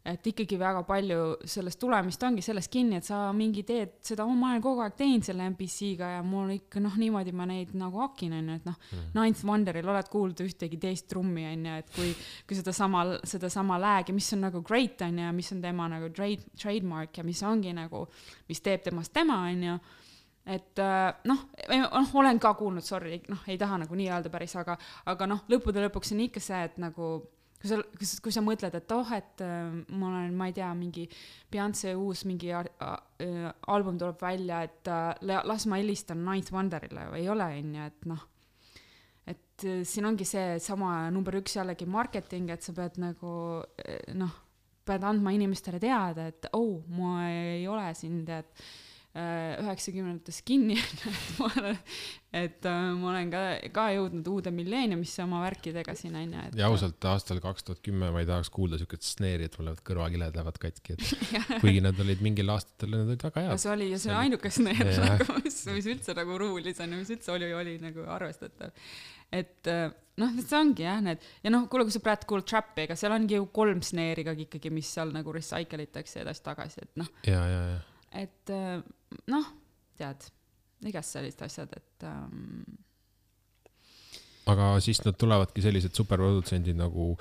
et ikkagi väga palju sellest tulemist ongi sellest kinni, et sa mingi teed seda, ma olen kogu aeg teinud selle M P C-ga ja mul ikka, noh, niimoodi ma neid nagu hakin, on ju, et noh, mm. Ninth Wonderil oled kuulda ühtegi teist trummi, on ju, et kui, kui seda sama, seda sama läägi, mis on nagu great, on ju, mis on tema nagu trade, trademark ja mis ongi nagu, mis teeb temast tema, on ju, et noh, noh, olen ka kuulnud, sorry, noh, ei taha nagu nii öelda päris, aga, aga noh, lõppude lõpuks on ikka see, et nagu, kui sa, kui sa mõtled, et oh, et ma olen, ma ei tea, mingi Beyonce uus mingi album tuleb välja, et las ma helistan Ninth Wonderile, ei ole, on ju, et noh, et siin ongi see sama number üks jällegi marketing, et sa pead nagu, noh, pead andma inimestele teada, et oh, ma ei ole siin, tead, üheksakümnendates kinni, et ma olen, et ma olen ka, ka jõudnud uude milleeniumisse oma värkidega siin, on ju. Ja ausalt, aastal kaks tuhat kümme ma ei tahaks kuulda siukest sneeri, et mul lähevad kõrvakiled lähevad katki, et kuigi nad olid mingil aastatel, nad olid väga head. See oli, ja see oli ainuke sneer, nagu, mis, mis üldse nagu ruulis on, mis üldse oli, oli nagu arvestatav. Et noh, see ongi jah, need, ja noh, kuule, kui sa praegu kuuled trappi, ega seal ongi ju kolm sneeri ka ikkagi, mis seal nagu recycleitakse edasi tagasi, et noh. Ja, ja, ja. Et noh, tead, igast sellist asjad, et ähm... aga siis nad tulevadki sellised superprodutsendid nagu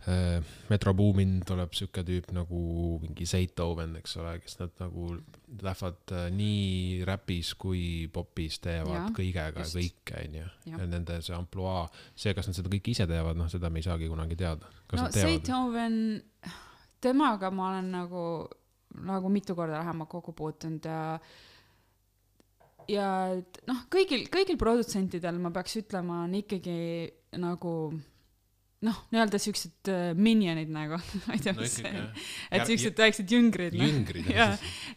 äh, Metro Boomin tuleb siuke tüüp nagu mingi Zaytoven, eks ole, kes nad nagu lähevad äh, nii räpis kui popis teevad ja, kõigega just. Kõike, on ju. Ja nende see amploa, see, kas nad seda kõik ise teevad, noh, seda me ei saagi kunagi teada. Kas no Zaytoven, temaga ma olen nagu nagu mitu korda lähema kokku puutunud ja ja noh, kõigil, kõigil produtsentidel ma peaks ütlema on ikkagi nagu noh, nii-öelda siuksed minionid nagu, ma ei tea, no, see, et siuksed väiksed jüngrid, jüngrid no. Ja,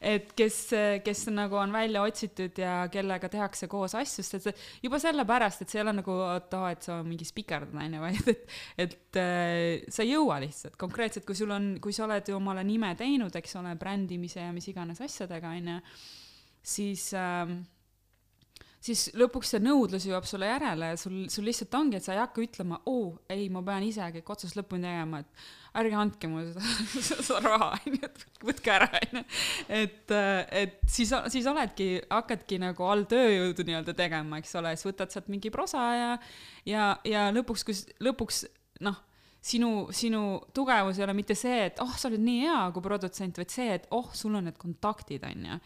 et kes, kes nagu on välja otsitud ja kellega tehakse koos asju, sest et juba selle pärast, et see ei ole nagu, et, oh, et sa mingi spikerdad, vaid et, et äh, sa ei jõua lihtsalt konkreetselt, kui sul on, kui sa oled ju omale nime teinud, eks ole, brändimise ja mis iganes asjadega, on ju, siis äh, siis lõpuks see nõudlus jõuab sulle järele ja sul, sul lihtsalt ongi, et sa ei hakka ütlema, oo, ei, ma pean ise kõik otsast lõpuni tegema, et ärge andke mulle seda, seda raha, võtke ära, et, et siis, siis oledki, hakkadki nagu all tööjõudu nii-öelda tegema, eks ole, siis võtad sealt mingi prosa ja, ja, ja lõpuks, kus, lõpuks, noh, sinu, sinu tugevus ei ole mitte see, et oh, sa oled nii hea kui produtsent, vaid see, et oh, sul on need kontaktid, on ju.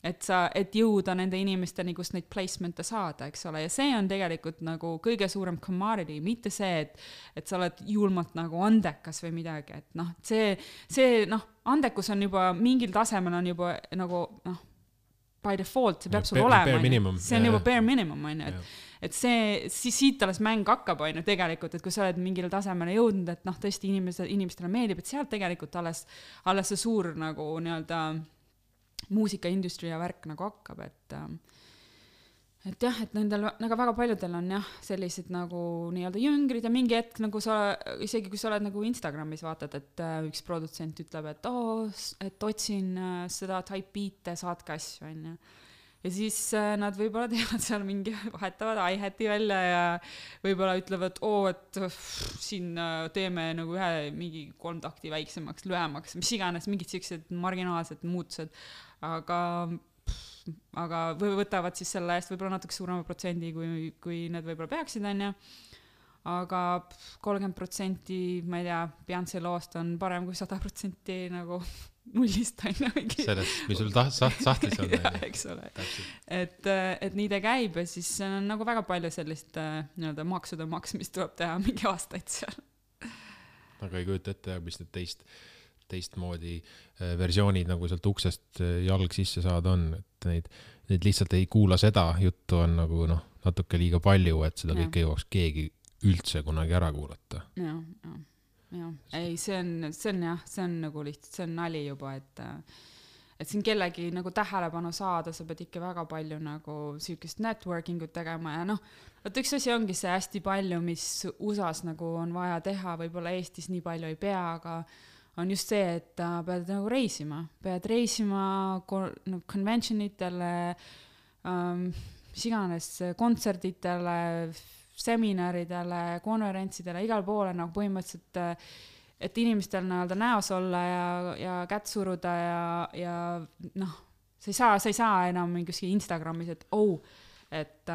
Et sa, et jõuda nende inimesteni, kus neid placement'e saada, eks ole, ja see on tegelikult nagu kõige suurem commodity, mitte see, et, et sa oled julmalt nagu andekas või midagi, et noh, see, see, noh, andekus on juba, mingil tasemel on juba nagu, noh, by default, see peab sul olema, see on juba bare minimum, on ju, et, et see, siis siit alles mäng hakkab, on ju, tegelikult, et kui sa oled mingil tasemele jõudnud, et noh, tõesti inimesed, inimestele meeldib, et sealt tegelikult alles, alles see suur nagu nii-öelda muusikaindustry ja värk nagu hakkab, et et jah, et nendel nagu väga paljudel on jah, sellised nagu nii-öelda jüngrid ja mingi hetk nagu sa, isegi kui sa oled nagu Instagramis vaatad, et üks produtsent ütleb, et oo, et otsin seda type beat'e, saatke asju, on ju. Ja siis nad võib-olla teevad seal mingi, vahetavad hi-hati välja ja võib-olla ütlevad, oo, et pff, siin teeme nagu ühe mingi kolm takti väiksemaks, lühemaks, mis iganes, mingid siuksed marginaalsed muutused, aga, pff, aga võtavad siis selle eest võib-olla natuke suurema protsendi, kui, kui need võib-olla peaksid, on ju. Aga kolmkümmend protsenti, ma ei tea, Beyonce loost on parem kui sada protsenti nagu nullist on ju. Sellest, mis sul taht, saht, sahtlis on. Ja, eks ole. Et, et nii ta käib ja siis on nagu väga palju sellist nii-öelda maksude maksmist tuleb teha mingi aastaid seal. Aga ei kujuta ette, mis need teist, teistmoodi versioonid nagu sealt uksest jalg sisse saada on, et neid, neid lihtsalt ei kuula seda, juttu on nagu noh, natuke liiga palju, et seda ja. Kõike jõuaks keegi üldse kunagi ära kuulata. Ja, ja. Ja. Ei, see on, see on jah, see on nagu lihtsalt, see on nali juba, et et siin kellegi nagu tähelepanu saada, sa pead ikka väga palju nagu süükest networking ut tegema ja noh, et üks asi ongi see hästi palju, mis U S A-s nagu on vaja teha, võib-olla Eestis nii palju ei pea, aga on just see, et pead nagu reisima, pead reisima no, conventionitele, um, mis iganes kontserditele, seminaridele, konverentsidele, igal poole nagu põhimõtteliselt, et inimestel näolda näos olla ja, ja kätt suruda ja, ja noh, sa ei saa, sa ei saa enam mingi Instagramis, et oh, et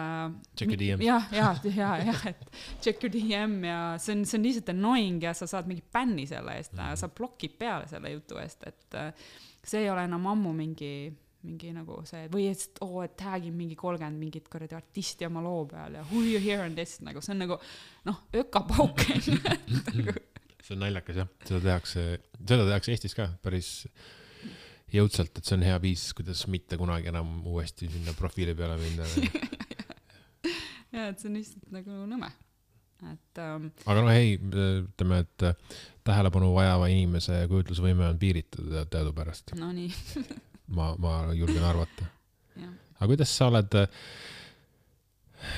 check your D M. jah, jah, jah, jah, et check your D M ja see on, see on lihtsalt annoying ja sa saad mingi bänni selle eest ja mm-hmm. sa blokid peale selle jutu eest, et see ei ole enam ammu mingi mingi nagu see, või et oo, et tagin mingi kolmkümmend mingit korredi artisti oma loo peal ja who you hear on this, nagu see on nagu noh, ökapauk see on naljakas jah, seda tehakse, seda tehakse Eestis ka päris jõudsalt, et see on hea viis, kuidas mitte kunagi enam uuesti sinna profiili peale minna. ja, et see on lihtsalt nagu nõme. Et, um... aga no hei, ütleme, et tähelepanu vajava inimese kujutlusvõime on piiritud teadu pärast. No nii. ma, ma julgen arvata. Aga kuidas sa oled,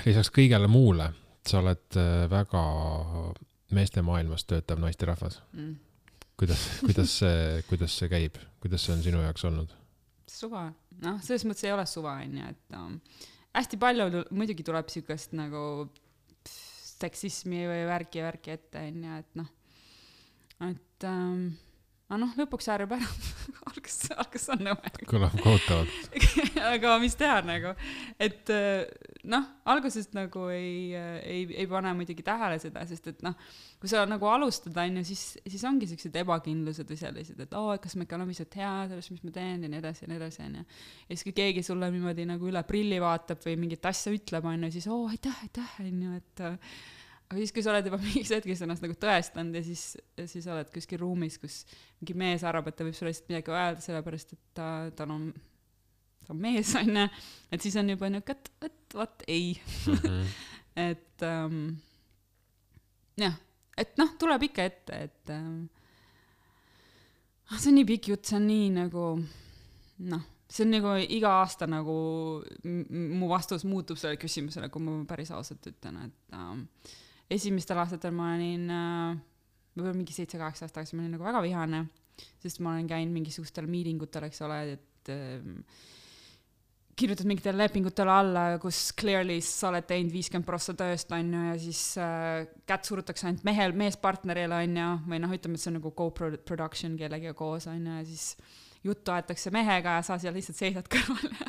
lisaks kõigele muule, sa oled väga meeste maailmas töötav naisterahvas. Mm. Kuidas, kuidas, see, kuidas see käib? Kuidas see on sinu jaoks olnud? Suva. Noh, selles mõttes ei ole suva, et um, hästi palju muidugi tuleb sükast nagu pff, seksismi või värki ja värki ette, et noh, et um, noh, lõpuks äärib ära. algus, algus on nõme. Kõlab kohutavalt. aga mis teha nagu, et noh, algusest nagu ei, ei, ei pane muidugi tähele seda, sest et noh, kui sa nagu alustad, on ju, siis, siis ongi sellised ebakindlused või sellised, et oo, kas ma ikka olen lihtsalt hea selles, mis ma teen ja nii edasi ja nii edasi, on ju. Ja siis kui keegi sulle niimoodi nagu üle prilli vaatab või mingit asja ütleb, on ju, siis oo, aitäh, aitäh, on ju, et aga siis, kui sa oled juba mingis hetkes ennast nagu tõestanud ja siis, siis oled kuskil ruumis, kus mingi mees arvab, et ta võib sulle lihtsalt midagi öelda, sellepärast, et ta, ta on, ta on mees, on ju, et siis on juba niuke, et, et vaat ei. Mm-hmm. et um, jah, et noh, tuleb ikka ette, et um, see on nii pikk jutt, see on nii nagu noh, see on nagu iga aasta nagu m- mu vastus muutub selle küsimusele, kui ma päris ausalt ütlen, et um, esimestel aastatel ma olin uh, võib-olla mingi seitse-kaheksa aastat tagasi ma olin nagu väga vihane, sest ma olen käinud mingisugustel meetingutel, eks ole, et um, kirjutad mingitele lepingutele alla, kus clearly sa oled teinud viiskümmend prossa tööst, on ju, ja siis uh, kätt surutakse ainult mehel, meespartnerile, on ju, või noh, ütleme, et see on nagu co-production kellegiga koos, on ju, ja siis juttu aetakse mehega ja sa seal lihtsalt seisad kõrval ja,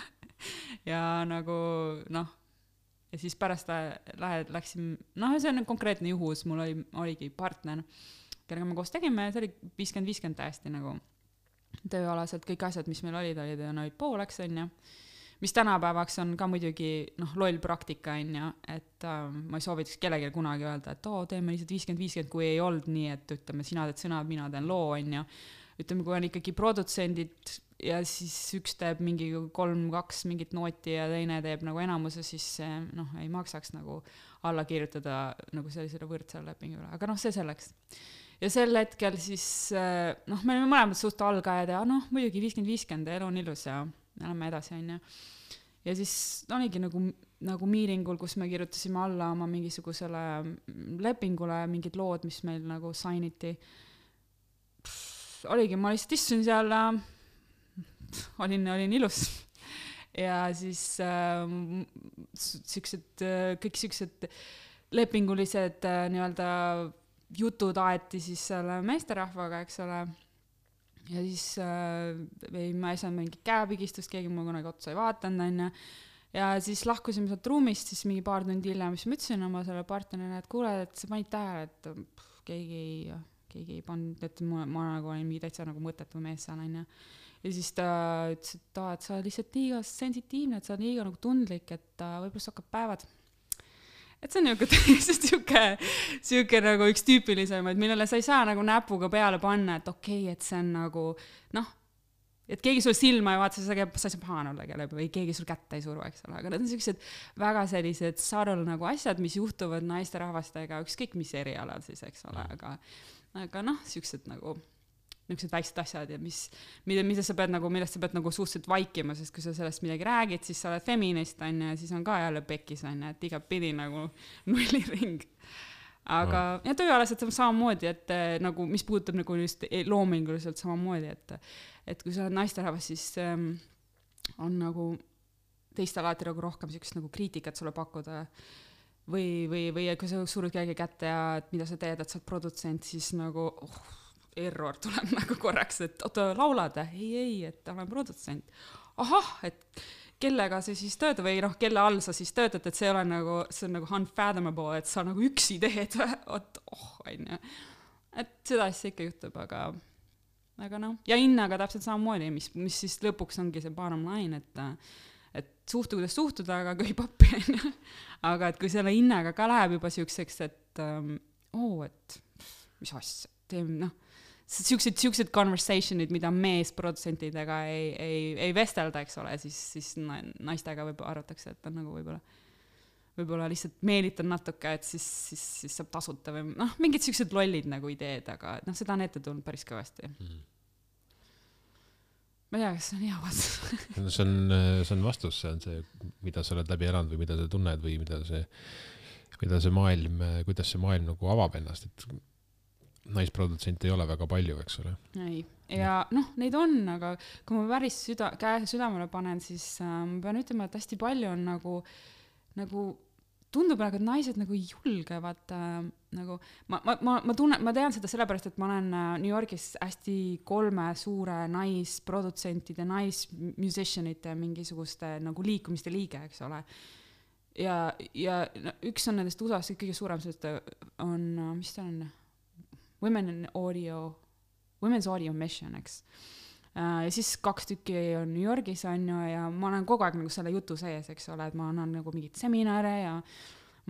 ja nagu noh, ja siis pärast lähe, läksin, noh, see on konkreetne juhus, mul oli, oligi partner, kellega me koos tegime, see oli viiskümmend viiskümmend täiesti nagu tööalaselt, kõik asjad, mis meil olid, olid, olid pooleks, on ju. Mis tänapäevaks on ka muidugi noh, loll praktika, on ju, et äh, ma ei soovitaks kellelegi kunagi öelda, et oo, teeme lihtsalt viiskümmend viiskümmend, kui ei olnud nii, et ütleme, sina teed sõnad, mina teen loo, on ju. Ütleme, kui on ikkagi produtsendid ja siis üks teeb mingi kolm, kaks mingit nooti ja teine teeb nagu enamuse, siis noh, ei maksaks nagu alla kirjutada nagu sellisele võrdsele lepingule, aga noh, see selleks. Ja sel hetkel siis, noh, me olime mõlemad suht algajad ja noh, muidugi viiskümmend viiskümmend, elu on ilus ja lähme edasi, on ju. Ja siis oligi nagu, nagu miiringul, kus me kirjutasime alla oma mingisugusele lepingule mingid lood, mis meil nagu sainiti. Oligi, ma lihtsalt istusin seal, olin, olin ilus ja siis äh, siuksed, kõik siuksed lepingulised äh, nii-öelda jutud aeti siis selle meesterahvaga, eks ole. Ja siis äh, ei, ma ei saanud mingi käepigistust, keegi mul kunagi otsa ei vaatanud, on ja. Ja siis lahkusime sealt ruumist, siis mingi paar tundi hiljem, mis ma ütlesin oma selle partnerile, et kuule, et sa panid tähele, et pff, keegi ei, keegi ei pannud, et ma, ma nagu olin mingi täitsa nagu mõttetu mees seal, on ja. Ja siis ta ütles, et, ta, et sa oled lihtsalt liiga sensitiivne, et sa oled liiga nagu tundlik, et ta võib-olla sa hakkab päevad. Et see on niisugune siuke, siuke nagu üks tüüpilisemaid, millele sa ei saa nagu näpuga peale panna, et okei, okay, et see on nagu, noh, et keegi sul silma ei vaata, sa ei saa pahane olla kelle või keegi sul kätte ei suru, eks ole. Aga need on sellised väga sellised sarul nagu asjad, mis juhtuvad naiste rahvastega, ükskõik mis erialal siis, eks ole. Aga, aga noh, siuksed nagu niisugused väiksed asjad ja mis, mida, mida sa pead nagu, millest sa pead nagu suhteliselt vaikima, sest kui sa sellest midagi räägid, siis sa oled feminist, on ja siis on ka jälle pekis, on ja, et iga pidi nagu nulliring. Aga no. Ja tööalaselt samamoodi, et nagu, mis puudutab nagu just loominguliselt samamoodi, et, et kui sa oled naisterahvas, siis ähm, on nagu teistel alati nagu rohkem sellist nagu kriitikat sulle pakkuda või, või, või kui sa surud kellegi kätte ja et mida sa teed, et sa oled produtsent, siis nagu oh, error tuleb nagu korraks, et oota, laulad, ei, ei, et olen produtsent. Ahah, et kellega see siis töötab või noh, kelle all sa siis töötad, et see ole nagu, see on nagu unfathomable, et sa nagu üksi teed, oot, oh, on ju. Et seda asja ikka juhtub, aga, aga noh. Ja hinnaga täpselt samamoodi, mis, mis siis lõpuks ongi see bottom line, et, et suhtu, kuidas suhtuda, aga köhi pappi, on ju. Aga et kui selle hinnaga ka läheb juba siukseks, et um, oo, et mis asja, teeme, noh, siuksed, siuksed conversationid, mida mees produtsentidega ei, ei, ei vestelda, eks ole, siis, siis naistega võib arvatakse, et on nagu võib-olla, võib-olla lihtsalt meelitan natuke, et siis, siis, siis saab tasuta või noh, mingid siuksed lollid nagu ideed, aga noh, seda on ette tulnud päris kõvasti. Mm. Ma ei tea, kas see on hea vastus. see, on, see on vastus, see on see, mida sa oled läbi elanud või mida sa tunned või mida see, mida see maailm, kuidas see maailm nagu avab ennast, et naisprodutsente ei ole väga palju, eks ole. Ei. Ja noh, neid on, aga kui ma päris süda, käe südamele panen, siis äh, ma pean ütlema, et hästi palju on nagu, nagu tundub nagu, et naised nagu julgevad äh, nagu, ma, ma, ma, ma tunnen, ma tean seda sellepärast, et ma olen New Yorgis hästi kolme suure naisprodutsentide, naismusicianite mingisugust nagu liikumiste liige, eks ole. Ja, ja üks on nendest U S A-s kõige suurem, sest on, mis ta on? Women in audio, Women's Audio Mission, eks. Ja siis kaks tükki on New Yorgis, on ju, ja ma olen kogu aeg nagu selle jutu sees, eks ole, et ma annan nagu mingit seminare ja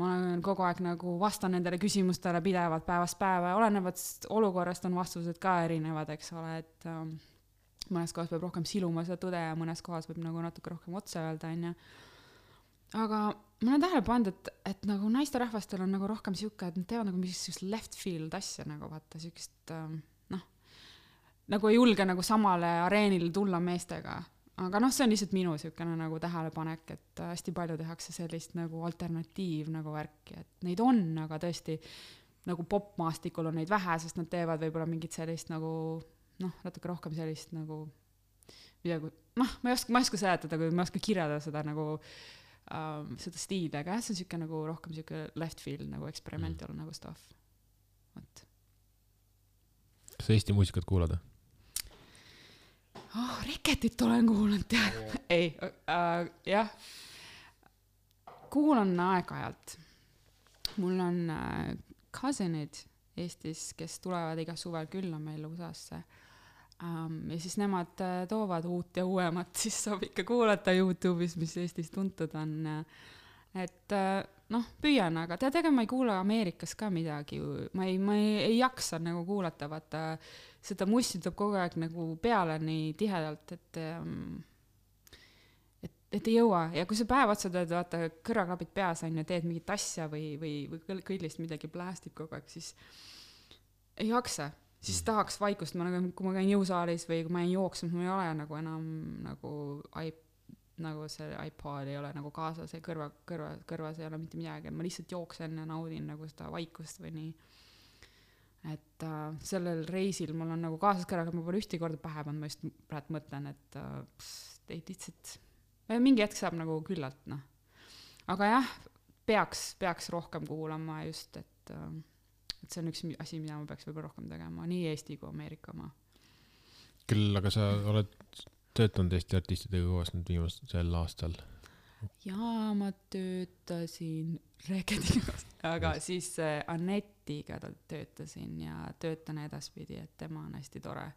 ma olen kogu aeg nagu vastan nendele küsimustele pidevalt päevast päeva ja olenevad olukorrast on vastused ka erinevad, eks ole, et um, mõnes kohas peab rohkem siluma seda tõde ja mõnes kohas võib nagu natuke rohkem otse öelda, on ju. Aga ma olen tähele pannud, et, et nagu naisterahvastel on nagu rohkem siuke, et nad teevad nagu mingisugust left field asja nagu vaata, siukest, noh, nagu ei julge nagu samale areenile tulla meestega. Aga noh, see on lihtsalt minu siukene nagu tähelepanek, et hästi palju tehakse sellist nagu alternatiiv nagu värki, et neid on, aga tõesti nagu popmaastikul on neid vähe, sest nad teevad võib-olla mingit sellist nagu, noh, natuke rohkem sellist nagu midagi, noh, ma ei oska, ma ei oska seletada, kui ma ei oska kirjada seda nagu Um, seda stiili, aga see on siuke nagu rohkem siuke left field nagu experimental mm. nagu stuff. Võt. Kas Eesti muusikat kuulada? Oh, Reketit olen kuulnud, tead. Yeah. Ei, uh, jah. Kuulan aeg-ajalt. Mul on uh, cousinid, Eestis, kes tulevad iga suvel külla meil U S A-sse. Um, ja siis nemad uh, toovad uut ja uuemat, siis saab ikka kuulata YouTube'is, mis Eestis tuntud on. Et uh, noh, püüan, aga tead, ega ma ei kuule Ameerikas ka midagi. Ma ei, ma ei, ei jaksa nagu kuulata, vaata, seda mussi tuleb kogu aeg nagu peale nii tihedalt, et, um, et, et ei jõua. Ja kui sa päev otsa teed, vaata, kõrvaklapid peas on ja teed mingit asja või, või, või kõllist midagi plästib kogu aeg, siis ei jaksa. Siis tahaks vaikust, ma nagu, kui ma käin jõusaalis või kui ma ei jooksnud, ma ei ole nagu enam nagu, iP, nagu see iPod ei ole nagu kaasas ja kõrva, kõrva, kõrvas ei ole mitte midagi, ma lihtsalt jooksen ja naudin nagu seda vaikust või nii. Et äh, sellel reisil mul on nagu kaasas kõrvaga, ma pole ühti korda pähe pannud, ma just praegu mõtlen, et äh, pst, ei lihtsalt, mingi hetk saab nagu küllalt, noh. Aga jah, peaks, peaks rohkem kuulama just, et äh, et see on üks asi, mida ma peaks võib-olla rohkem tegema, nii Eesti kui Ameerika oma. Küll, aga sa oled töötanud Eesti artistidega koos nüüd viimasel aastal? Jaa, ma töötasin Reketiga, aga siis Annetiga töötasin ja töötan edaspidi, et tema on hästi tore.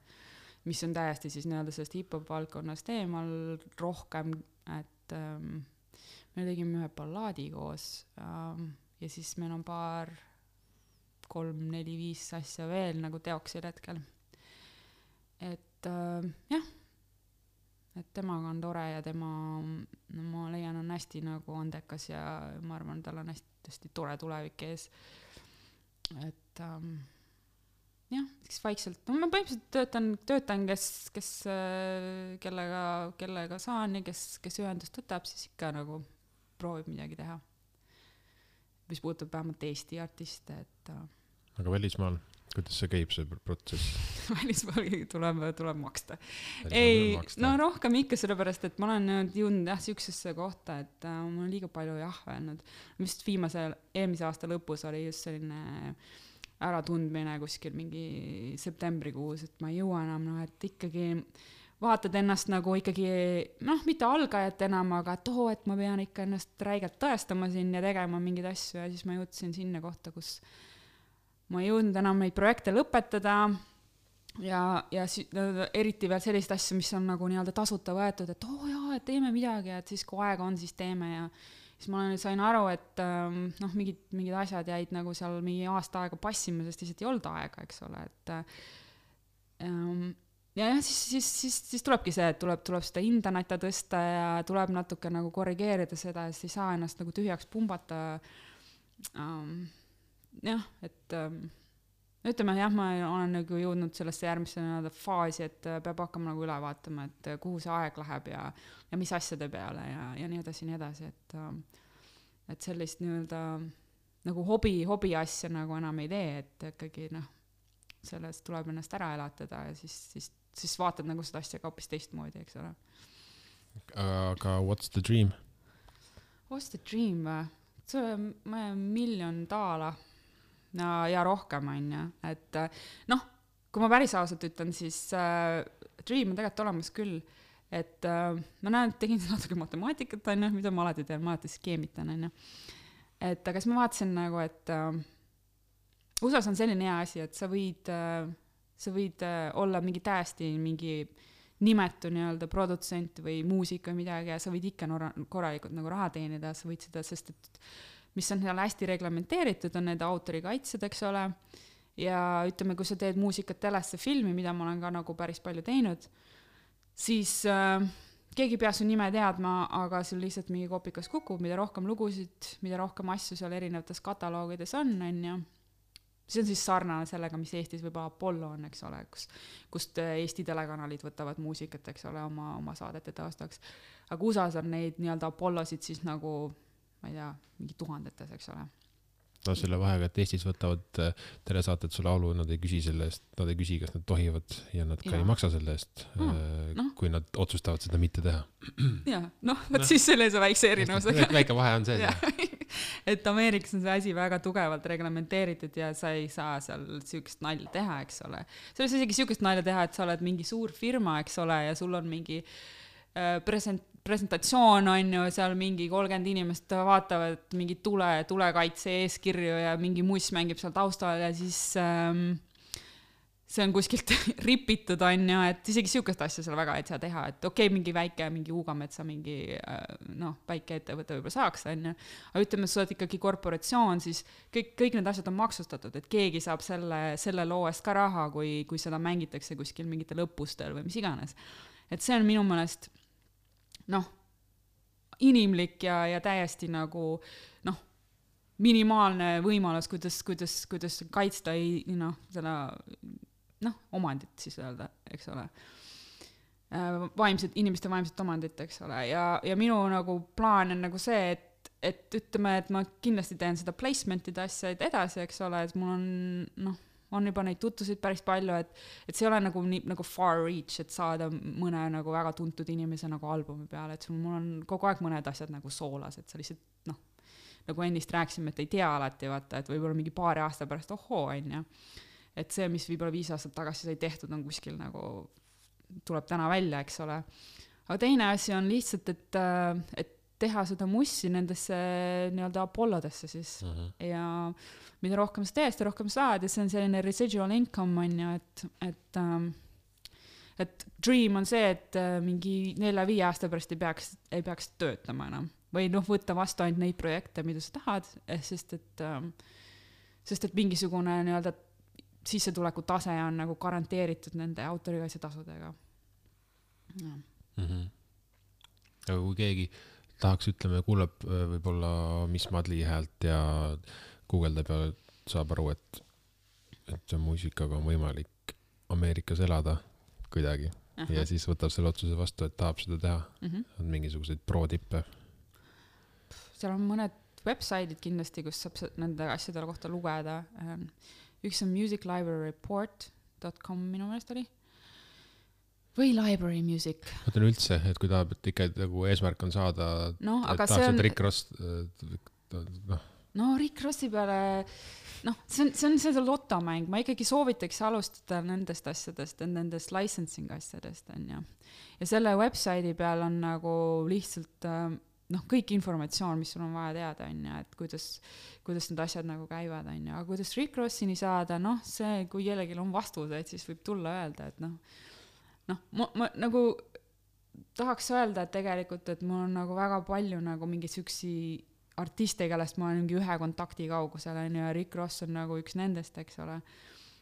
Mis on täiesti siis nii-öelda sellest hip-hop valdkonnast eemal rohkem, et ähm, me tegime ühe ballaadi koos ähm, ja siis meil on paar kolm, neli, viis asja veel nagu teoksil hetkel. Et äh, jah, et temaga on tore ja tema, no ma leian, on hästi nagu andekas ja ma arvan, tal on hästi, hästi tore tulevik ees. Et ähm, jah, siis vaikselt, no ma põhimõtteliselt töötan, töötan kes, kes, kellega, kellega saan ja kes, kes ühendust võtab, siis ikka nagu proovib midagi teha. Mis puudutab vähemalt Eesti artiste, et äh, aga välismaal, kuidas see käib, see protsess? Välismaal tuleb, tuleb maksta. Välismaal ei, maksta. No rohkem ikka sellepärast, et ma olen jõudnud jah, siuksesse kohta, et äh, ma olen liiga palju jah öelnud. Vist viimase, eelmise aasta lõpus oli just selline äratundmine kuskil mingi septembrikuus, et ma ei jõua enam, no, et ikkagi vaatad ennast nagu ikkagi, noh, mitte algajat enam, aga et oo, et ma pean ikka ennast räigelt tõestama siin ja tegema mingeid asju ja siis ma jõudsin sinna kohta, kus ma ei jõudnud enam neid projekte lõpetada ja, ja si-, eriti veel sellist asju, mis on nagu nii-öelda tasuta võetud, et oo jaa, et teeme midagi, et siis kui aega on, siis teeme ja siis ma sain aru, et noh, mingid, mingid asjad jäid nagu seal mingi aasta aega passima, sest lihtsalt ei olnud aega, eks ole, et ähm, ja jah, siis, siis, siis, siis tulebki see, et tuleb, tuleb seda interneta tõsta ja tuleb natuke nagu korrigeerida seda, siis ei saa ennast nagu tühjaks pumbata. Um, jah, et um, ütleme, jah, ma olen nagu jõudnud sellesse järgmisse faasi, et peab hakkama nagu üle vaatama, et kuhu see aeg läheb ja, ja mis asjade peale ja, ja nii edasi, nii edasi, et, um, et sellist nii-öelda nagu hobi, hobi asja nagu enam ei tee, et ikkagi noh, sellest tuleb ennast ära elatada ja siis, siis siis vaatad nagu seda asja ka hoopis teistmoodi, eks ole. Aga what's the dream? What's the dream? See on miljon daala ja, ja rohkem on ja. Et noh, kui ma päris ausalt ütlen, siis äh, dream on tegelikult olemas küll. Et äh, ma näen, et tegin natuke matemaatikat, on, mida ma alati teen, ma alati skeemitan. On, et aga siis ma vaatasin nagu, et äh, U S A-s on selline hea asi, et sa võid... Äh, sa võid olla mingi täiesti mingi nimetu nii-öelda produtsent või muusik või midagi ja sa võid ikka nora, korralikult nagu raha teenida, sa võid seda, sest et mis on seal hästi reglementeeritud, on need autorikaitsed, eks ole, ja ütleme, kui sa teed muusikat telesse filmi, mida ma olen ka nagu päris palju teinud, siis äh, keegi ei pea su nime teadma, aga sul lihtsalt mingi kopikas kukub, mida rohkem lugusid, mida rohkem asju seal erinevates kataloogides on, on ju. See on siis sarnane sellega, mis Eestis võib-olla Apollo on, eks ole, kus, kust Eesti telekanalid võtavad muusikat, eks ole, oma, oma saadete taastaks. Aga U S A-s on neid nii-öelda Apollosid siis nagu, ma ei tea, mingi tuhandetes, eks ole. No selle vahega, et Eestis võtavad telesaated su laulu, nad ei küsi selle eest, nad ei küsi, kas nad tohivad ja nad ka ja. ei maksa selle eest, mm, no. kui nad otsustavad seda mitte teha. Ja, noh, võt no. siis selle see väikse erinevus. Väike vahe on see. Ja. Et Ameerikas on see asi väga tugevalt reglementeeritud ja sa ei saa seal siukest nalja teha, eks ole. See on isegi siukest nalja teha, et sa oled mingi suur firma, eks ole, ja sul on mingi present, presentatsioon on ju, seal mingi kolmkümmend inimest vaatavad mingi tule, tulekaitse eeskirju ja mingi muss mängib seal taustal ja siis ähm, see on kuskilt ripitud on ju, et isegi sihukest asja seal väga ei saa teha, et okei okay,, mingi väike, mingi Uugametsa, mingi noh, väike ettevõte võib-olla saaks on ju, aga ütleme, sa oled ikkagi korporatsioon, siis kõik, kõik need asjad on maksustatud, et keegi saab selle, selle loo eest ka raha, kui, kui seda mängitakse kuskil mingitel õppustel või mis iganes. Et see on minu meelest noh, inimlik ja, ja täiesti nagu noh, minimaalne võimalus, kuidas, kuidas, kuidas kaitsta ei, noh, seda noh, omandit siis öelda, eks ole. Vaimset, inimeste vaimset omandit, eks ole. Ja, ja minu nagu plaan on nagu see, et, et ütleme, et ma kindlasti teen seda placement'ide asja edasi, eks ole, et mul on, noh, on juba neid tutvusid päris palju, et, et see ei ole nagu, nagu far reach, et saada mõne nagu väga tuntud inimese nagu albumi peale, et sul, mul on kogu aeg mõned asjad nagu soolas, et sa lihtsalt, noh, nagu ennist rääkisime, et ei tea alati, vaata, et võib-olla mingi paari aasta pärast, ohoo, on ja. Et see, mis võib-olla viis aastat tagasi sai tehtud, on kuskil nagu, tuleb täna välja, eks ole. Aga teine asi on lihtsalt, et, et teha seda mussi nendesse nii-öelda Apollodesse siis. Uh-huh. Ja mida rohkem sa teed, seda rohkem saad ja see on selline residual income on ju, et, et, et dream on see, et mingi nelja-viie aasta pärast ei peaks, ei peaks töötama enam. Või noh, võtta vastu ainult neid projekte, mida sa tahad, sest et, sest et mingisugune nii-öelda sissetuleku tase on nagu garanteeritud nende autorikaitse tasudega. Ja. Mm-hmm. Aga kui keegi tahaks, ütleme, kuuleb võib-olla Miss Madli häält ja guugeldab ja saab aru, et, et muusikaga on võimalik Ameerikas elada kuidagi. Aha. Ja siis võtab selle otsuse vastu, et tahab seda teha. Mm-hmm. On mingisuguseid pro-tippe? Seal on mõned webside'id kindlasti, kus saab nende asjadele kohta lugeda. Üks on music library report dot com minu meelest oli. Või library music. Mõtlen üldse, et kui tahab, et ikka nagu eesmärk on saada, no, et tahaks, on... et Rick Ross... No. no Rick Rossi peale... noh, see on, see on see lotomäng. Ma ikkagi soovitaks alustada nendest asjadest, nendest licensing asjadest. On, ja. ja selle webside'i peal on nagu lihtsalt... noh, kõik informatsioon, mis sul on vaja teada, on ja, et kuidas, kuidas need asjad nagu käivad, on ja, aga kuidas Rick Rossini saada, noh, see, kui jellegil on vastused, siis võib tulla öelda, et noh, noh, ma, ma nagu tahaks öelda, et tegelikult, et mul on nagu väga palju nagu mingi süksi artiste, kellest ma olen mingi ühe kontakti kaugusel, on ja Rick Ross on nagu üks nendest, eks ole.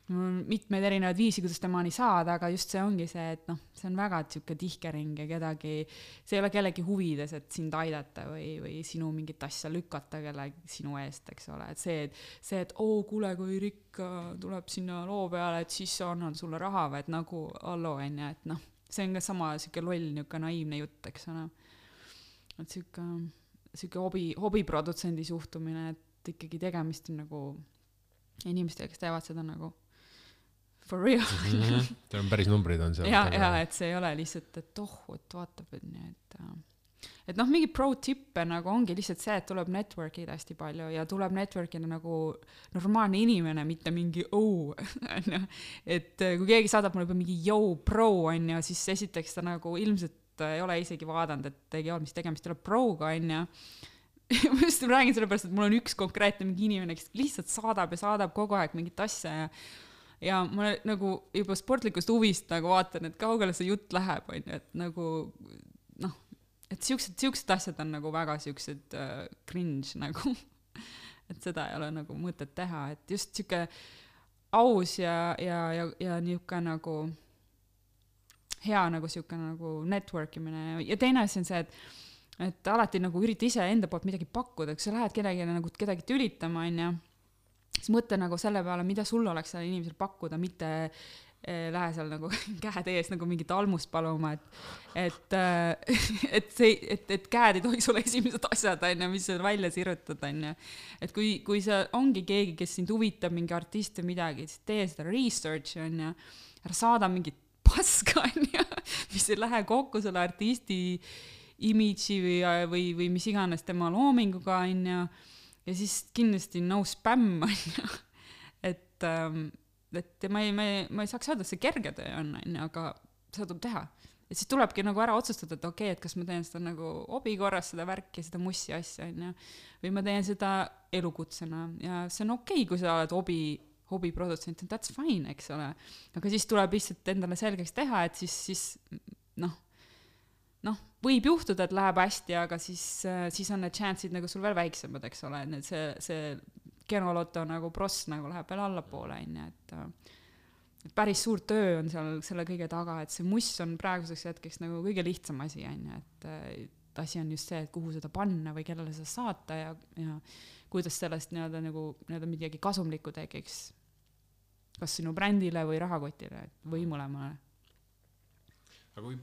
Mul on mitmeid erinevaid viisi, kuidas temani saada, aga just see ongi see, et noh, see on väga tšuke tihkering ja kedagi, see ei ole kellegi huvides, et sind aidata või, või sinu mingit asja lükata kellegi sinu eest, eks ole. Et see, et, see, et oo, kuule, kui Rick tuleb sinna loo peale, et siis annan sulle raha või et nagu allo, enne, et noh, see on ka sama siuke loll, niuke naiivne jutt, eks ole. Et siuke, siuke hobi, hobiprodutsendi suhtumine, et ikkagi tegemist on nagu inimestega, kes teevad seda nagu for real. Mm-hmm. Teil on päris numbrid on seal. Ja, ja, et see ei ole lihtsalt, et oh, et vaatab, et nii, et et noh, mingi pro-tippe nagu ongi lihtsalt see, et tuleb network'id hästi palju ja tuleb network'ina nagu normaalne inimene, mitte mingi oh, et kui keegi saadab mulle juba mingi yo pro on ja siis esiteks ta nagu ilmselt ei ole isegi vaadanud, et ei ole mis tegemist, ei ole pro-ga on ja ma just räägin selle pärast, et mul on üks konkreetne mingi inimene, kes lihtsalt saadab ja saadab kogu aeg mingit asja ja ja ma nagu juba sportlikust huvist nagu vaatan, et kaugele see jutt läheb, on ju, et nagu noh, et siuksed, siuksed asjad on nagu väga siuksed uh, cringe nagu, et seda ei ole nagu mõtet teha, et just siuke aus ja, ja, ja, ja niuke nagu hea nagu siuke nagu networkimine ja teine asi on see, et et alati nagu ürita ise enda poolt midagi pakkuda, kui sa lähed kedagi nagu kedagi tülitama, on ja siis mõtle nagu selle peale, mida sul oleks selle inimesel pakkuda, mitte eh, lähe seal nagu käed ees nagu mingit almust paluma, et et, et, see, et, et käed ei tohiks olla esimesed asjad, on, mis sa välja sirutad, on. Et kui, kui sa ongi keegi, kes sind huvitab mingi artist või midagi, siis tee seda research, on, ja ära saada mingit paska, on, ja, mis ei lähe kokku selle artisti imidži või, või, või mis iganes tema loominguga, on, ja ja siis kindlasti no spam, on ju. Et, et ma ei, ma, ei, ma ei saaks öelda, et see kerge töö on, on, aga seda tuleb teha. et siis tulebki nagu ära otsustada, et okei okay,, et kas ma teen seda nagu hobi korras, seda värki, seda mussi asja, on ju, või ma teen seda elukutsena ja see on okei okay,, kui sa oled hobi, hobiprodutsent, that's fine, eks ole. Aga siis tuleb lihtsalt endale selgeks teha, et siis, siis noh, noh, võib juhtuda, et läheb hästi, aga siis, siis on need chance'id nagu sul veel väiksemad, eks ole, et see, see genoloto nagu pross nagu läheb veel allapoole, on ju, et et päris suur töö on seal selle kõige taga, et see muss on praeguseks hetkeks nagu kõige lihtsam asi, on ju, et, et asi on just see, et kuhu seda panna või kellele seda saata ja, ja kuidas sellest nii-öelda nagu nii-öelda midagi kasumlikku tekiks kas sinu brändile või rahakotile või mõlemale. Aga kui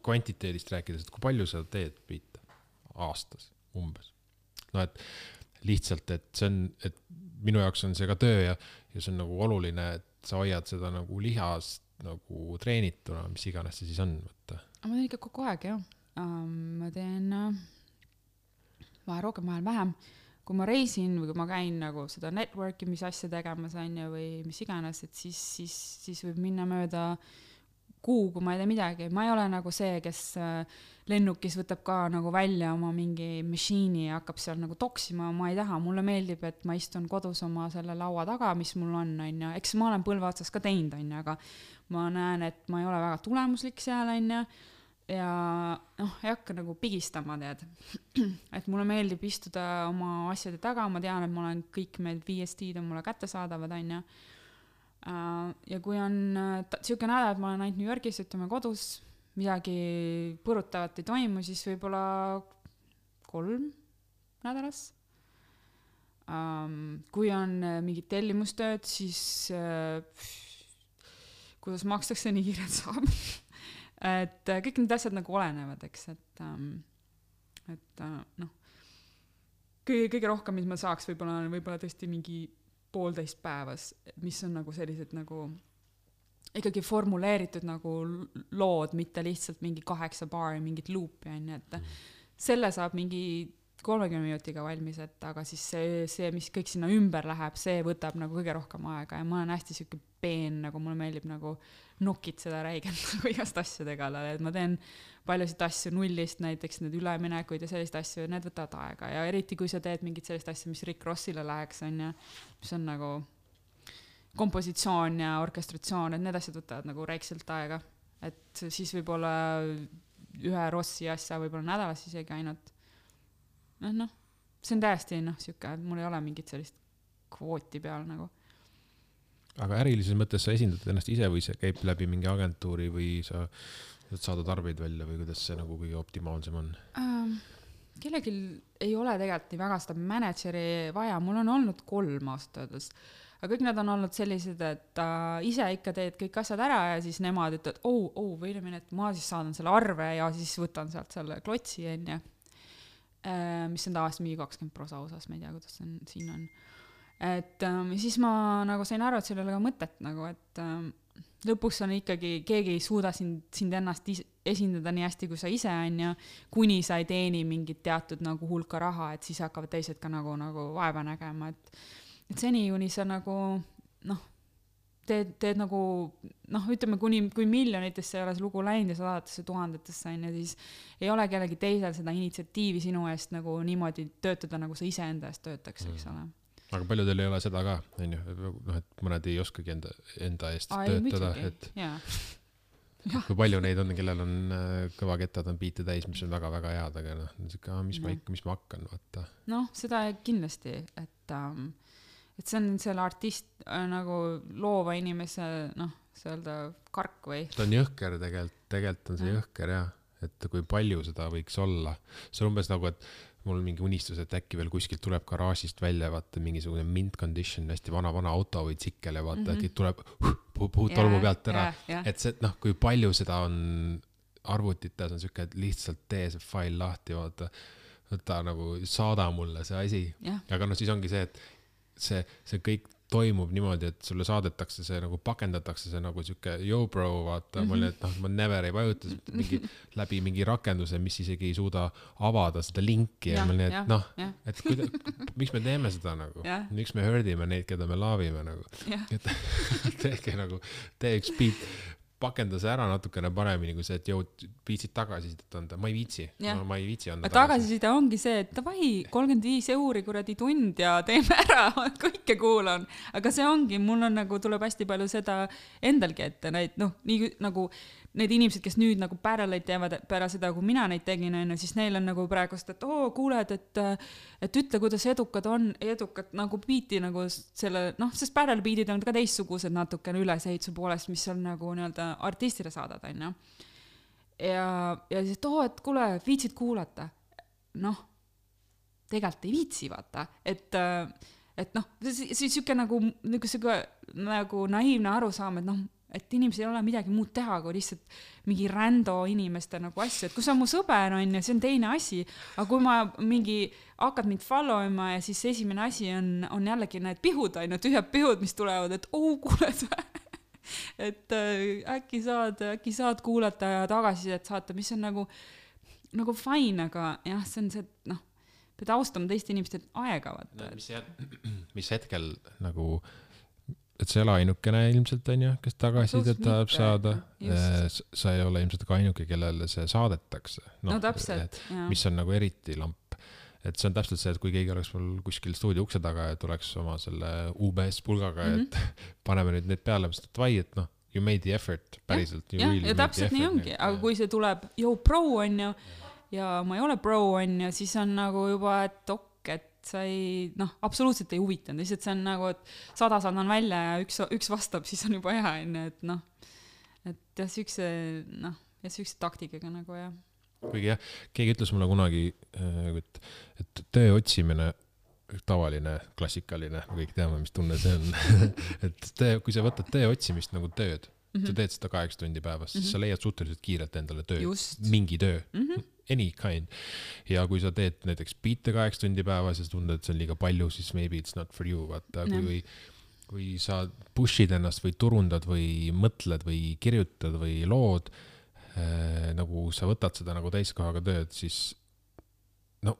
kvantiteedist rääkides, et kui palju sa teed biite aastas umbes? No et lihtsalt, et see on, et minu jaoks on see ka töö ja, ja see on nagu oluline, et sa hoiad seda nagu lihast nagu treenituna, mis iganes see siis on. Võtta. Ma teen ikka kogu aeg, jah. Um, ma teen vahel rohkem, vahel vähem. Kui ma reisin või kui ma käin nagu seda networki, mis asja tegema sain ja või mis iganes, et siis, siis, siis võib minna mööda kuu, kui ma ei tee midagi. Ma ei ole nagu see, kes lennukis võtab ka nagu välja oma mingi machine'i ja hakkab seal nagu toksima. Ma ei taha, mulle meeldib, et ma istun kodus oma selle laua taga, mis mul on, on ja eks ma olen põlve otsas ka teinud, on ja, aga ma näen, et ma ei ole väga tulemuslik seal, on ja, ja noh, ei hakka nagu pigistama, tead. Et mulle meeldib istuda oma asjade taga, ma tean, et ma olen kõik need V S T-d on mulle kättesaadavad, on ja. Ja kui on siuke nädal, et ma olen ainult New Yorgis, ütleme kodus, midagi põrutavat ei toimu, siis võib-olla kolm nädalas. Kui on mingid tellimustööd, siis kuidas makstakse nii kiirelt saab. Et kõik need asjad nagu olenevad, eks, et, et noh, kõige, kõige rohkem, mis ma saaks, võib-olla on võib-olla tõesti mingi poolteist päevas, mis on nagu sellised nagu ikkagi formuleeritud nagu lood, mitte lihtsalt mingi kaheksa baari, mingit luupi, et selle saab mingi kolmekümne minutiga valmis, et aga siis see, see, mis kõik sinna ümber läheb, see võtab nagu kõige rohkem aega ja ma olen hästi siuke peen, nagu mulle meeldib nagu nokid seda räigelt nagu igast asjade kallal, et ma teen paljusid asju nullist, näiteks need üleminekuid ja sellist asju, need võtavad aega ja eriti kui sa teed mingit sellist asja, mis Rick Rossile läheks, on ja, mis on nagu kompositsioon ja orkestratsioon, et need asjad võtavad nagu räikselt aega, et siis võib-olla ühe Rossi asja võib-olla nädalas isegi ainult. noh, noh, see on täiesti noh, siuke, et mul ei ole mingit sellist kvooti peal nagu. Aga ärilises mõttes sa esindad ennast ise või see käib läbi mingi agentuuri või sa saada tarbeid välja või kuidas see nagu kõige optimaalsem on? Ähm, kellelgi ei ole tegelikult nii väga seda manageri vaja, mul on olnud kolm aastades, aga kõik nad on olnud sellised, et äh, ise ikka teed kõik asjad ära ja siis nemad ütlevad, oh, oh, või ilmine, et ma siis saadan selle arve ja siis võtan sealt selle klotsi, enne, äh, mis on tavaliselt mingi kakskümmend prosa osas, ma ei tea, kuidas on, siin on. Et ähm, siis ma nagu sain aru, et seal ei ole ka mõtet nagu, et ähm, lõpuks on ikkagi, keegi ei suuda sind, sind ennast is- esindada nii hästi, kui sa ise on ja kuni sa ei teeni mingit teatud nagu hulka raha, et siis hakkavad teised ka nagu, nagu vaeva nägema, et, et seni kuni sa nagu noh, teed, teed nagu noh, ütleme kuni, kui miljonitesse ei ole see lugu läinud ja sadatesse tuhandetesse on ja siis ei ole kellegi teisel seda initsiatiivi sinu eest nagu niimoodi töötada, nagu sa ise enda eest töötaks, eks ole. Aga paljudel ei ole seda ka, on ju, noh, et mõned ei oskagi enda, enda eest Ai, töötada, et yeah. kui palju neid on, kellel on kõva kettad on biite täis, mis on väga-väga head, aga noh, mis ma ikka, mis ma hakkan, vaata. Noh, seda kindlasti, et, um, et see on selle artist äh, nagu loova inimese, noh, see öelda kark või? Ta on jõhker tegelikult, tegelikult on see ja. jõhker, jah, et kui palju seda võiks olla. See on umbes nagu, et mul on mingi unistus, et äkki veel kuskilt tuleb garaažist välja, vaata mingisugune mint condition, hästi vana-vana auto või tsikkel ja vaata, mm-hmm. äkki tuleb puhud tolmu yeah, pealt ära. Yeah, yeah. Et see, noh, kui palju seda on arvutites, on siuke, et lihtsalt tee see fail lahti, vaata, võta nagu saada mulle see asi. Yeah. Aga noh, siis ongi see, et see, see kõik toimub niimoodi, et sulle saadetakse see nagu pakendatakse see nagu siuke yo bro, vaata, mm-hmm. ma olin, et noh, ma never ei vajuta mingi, läbi mingi rakenduse, mis isegi ei suuda avada seda linki ja, ja ma olin, et noh, et kuida, miks me teeme seda nagu, ja. Miks me hõrdime neid, keda me laavime nagu, et tehke nagu, tee üks beat, pakenda see ära natukene paremini kui see, et jõud viitsid tagasisidet anda. Ma ei viitsi, no, ma ei viitsi anda tagasi. Tagasiside ongi see, et davai, kolmkümmend viis euri kuradi tund ja teeme ära, kõike kuulan. Aga see ongi, mul on nagu, tuleb hästi palju seda endalgi ette, neid, noh, nii nagu need inimesed, kes nüüd nagu paralleid teevad pära seda, kui mina neid tegin, on, siis neil on nagu praegust, et oo, kuuled, et, et ütle, kuidas edukad on, edukad nagu biiti nagu selle, noh, sest parallel biitid on ka teistsugused natukene ülesehituse poolest, mis on nagu nii-öelda artistile saadad, on ju. Ja, ja siis, et oo, et kuule, viitsid kuulata. Noh, tegelikult ei viitsi, vaata, et, et noh, siis siuke nagu, nagu, nagu naiivne arusaam, et noh, et inimesel ei ole midagi muud teha, kui lihtsalt mingi rando inimeste nagu asju, et kui see on mu sõber, on ja see on teine asi, aga kui ma mingi hakkad mind follow ima ja siis esimene asi on, on jällegi need pihud, on ju, tühjad pihud, mis tulevad, et oo, kuuled et äh, äkki saad, äkki saad kuulata ja tagasisidet saata, mis on nagu, nagu fine, aga jah, see on see, noh, pead austama teiste inimeste aega, vaata. Mis, mis hetkel nagu et see ei ole ainukene ilmselt, on ju, kes tagasisidet tahab saada. Sa ei ole ilmselt ka ainuke, kellele see saadetakse. No, no täpselt, et, mis on nagu eriti lamp. Et see on täpselt see, et kui keegi oleks mul kuskil stuudio ukse taga ja tuleks oma selle U B S pulgaga, mm-hmm. et paneme nüüd need peale, mis et vai, et noh, you made the effort päriselt. Ja, ja, ja täpselt nii ongi, aga kui see tuleb, jo, pro on ju, ja ma ei ole pro on ju, siis on nagu juba, et ok, et sa ei, noh, absoluutselt ei huvitanud, lihtsalt see on nagu, et sada saadan välja ja üks, üks vastab, siis on juba hea, et noh, et jah, sükse, noh, ja sükse taktikaga nagu, jah. Kuigi jah, keegi ütles mulle kunagi, et, et töö otsimine, tavaline, klassikaline, kõik teame, mis tunne see on, et töö, kui sa võtad töö otsimist nagu tööd, mm-hmm. sa teed seda kaheksa tundi päevas, siis mm-hmm. sa leiad suhteliselt kiirelt endale töö, Just. mingi töö. Mm-hmm. Any kind. Ja kui sa teed näiteks biite kaheksa tundi päevas ja sa tunded, et see on liiga palju, siis maybe it's not for you. Vaata, kui, kui sa pushid ennast või turundad või mõtled või kirjutad või lood, äh, nagu sa võtad seda nagu täiskohaga tööd, siis no,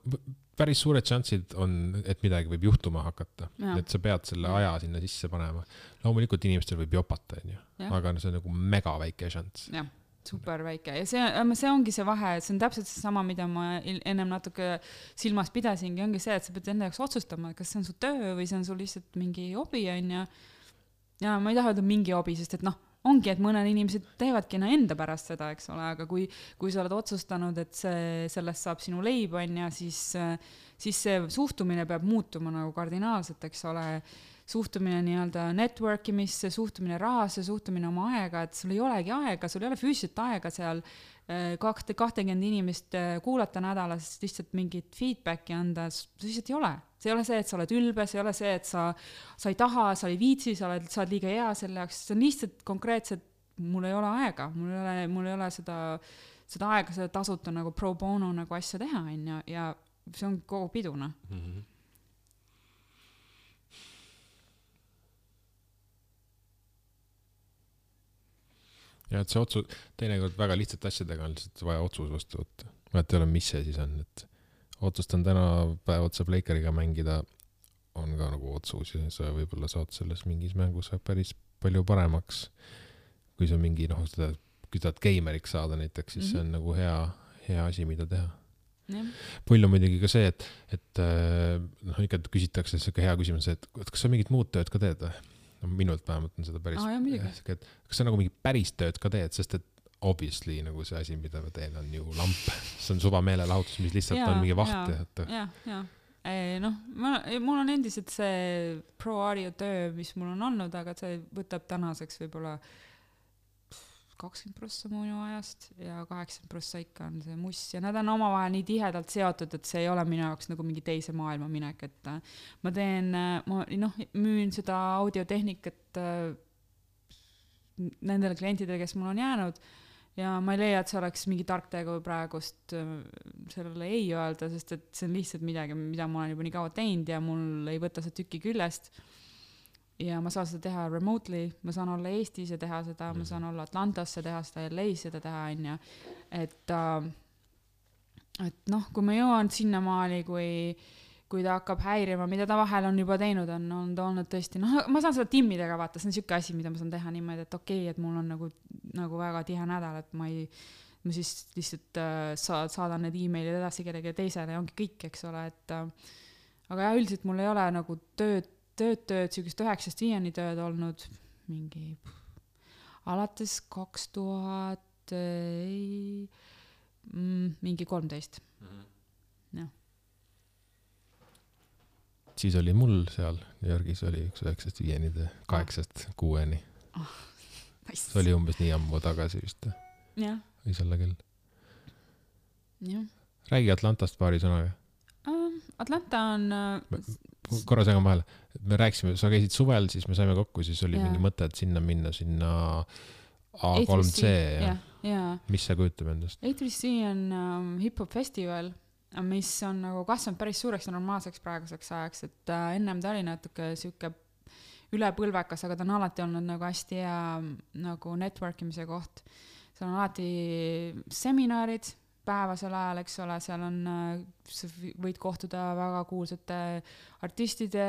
päris suured šansid on, et midagi võib juhtuma hakata. Ja. Et sa pead selle aja sinna sisse panema. Loomulikult inimestel võib jopata, on ju. Aga see on nagu mega väike šants. Jah. Super väike ja see, see ongi see vahe, see on täpselt see sama, mida ma ennem natuke silmas pidasingi, ongi see, et sa pead enda jaoks otsustama, kas see on su töö või see on sul lihtsalt mingi hobi on ja, ja ma ei taha öelda mingi hobi, sest et noh, ongi, et mõned inimesed teevadki enda pärast seda, eks ole, aga kui, kui sa oled otsustanud, et see, sellest saab sinu leib on ja siis, siis see suhtumine peab muutuma nagu kardinaalselt, eks ole, suhtumine nii-öelda networkimisse, suhtumine rahasse, suhtumine oma aega, et sul ei olegi aega, sul ei ole füüsiliselt aega seal kahte, kahtekümmend inimest kuulata nädalas, lihtsalt mingit feedbacki anda, see lihtsalt ei ole. See ei ole see, et sa oled ülbe, see ei ole see, et sa, sa ei taha, sa ei viitsi, sa oled, sa oled liiga hea selle jaoks, see on lihtsalt konkreetselt, mul ei ole aega, mul ei ole, mul ei ole seda, seda aega, seda tasuta nagu pro bono nagu asja teha, ja, ja see on kogu piduna. Mm-hmm. Ja et see otsus, teinekord väga lihtsalt asjadega on lihtsalt vaja otsus vastu võtta. Ma et ei ole, mis see siis on, et otsustan täna päev otsa Blakeriga mängida, on ka nagu otsus ja sa võib-olla saad selles mingis mängus päris palju paremaks, kui sa mingi, noh, seda, kui tahad geimeriks saada näiteks, siis mm-hmm. see on nagu hea, hea asi, mida teha. Yeah. Pull on muidugi ka see, et, et noh, ikka küsitakse see hea küsimus, et kas sa mingit muud tööd ka teed või? No, minult vähemalt on seda päris, ah, jah, et kas sa nagu mingi päris tööd ka teed, sest et obviously nagu see asi, mida ma teen, on ju lamp. See on suva meelelahutus, mis lihtsalt ja, on mingi vaht. Ja, ja. Ei, noh, ma, mul on endiselt see pro audio töö, mis mul on olnud, aga see võtab tänaseks võib-olla kakskümmend prossa minu ajast ja kaheksakümmend prossa ikka on see muss ja nad on omavahel nii tihedalt seotud, et see ei ole minu jaoks nagu mingi teise maailma minek, et ma teen, ma noh, müün seda audiotehnikat nendele klientidele, kes mul on jäänud ja ma ei leia, et see oleks mingi tark tegu praegust sellele ei öelda, sest et see on lihtsalt midagi, mida ma olen juba nii kaua teinud ja mul ei võta see tüki küljest. Ja ma saan seda teha remotely, ma saan olla Eestis ja teha seda, ma saan olla Atlantasse teha seda, L A-s seda teha, on ja. Et, et noh, kui ma jõuan sinnamaali, kui, kui ta hakkab häirima, mida ta vahel on juba teinud, on, on ta olnud tõesti, noh, ma saan seda timmidega vaata, see on siuke asi, mida ma saan teha niimoodi, et okei okay,, et mul on nagu, nagu väga tihe nädal, et ma ei, ma siis lihtsalt äh, saad, saadan need emailid edasi kellegi teisele ja ongi kõik, eks ole, et äh, aga jah, üldiselt mul ei ole nagu tööd, tööd, tööd, siukest üheksast viieni tööd olnud mingi alates kaks tuhat ei, mm, mingi kolmteist. Mm-hmm. Jah. Siis oli mul seal New Yorgis oli üks üheksast viieni, kaheksast kuueni. Oh, nice. See oli umbes nii ammu tagasi vist. Jah. Või selle küll. Jah. Räägi Atlantast paari sõnaga. Um, Atlanta on... Uh, korra segan vahele. Me rääksime, sa käisid suvel, siis me saime kokku, siis oli yeah. mingi mõte, et sinna minna sinna A kolm C. Ja. Yeah. Mis see kujutab endast? A kolm C on um, hip-hop festival, mis on nagu kasvanud päris suureks ja normaalseks praeguseks ajaks, et äh, ennem ta oli natuke siuke ülepõlvekas, aga ta on alati olnud nagu hästi hea nagu networkimise koht. Seal on alati seminarid päevasel ajal, eks ole, seal on, sa võid kohtuda väga kuulsate artistide,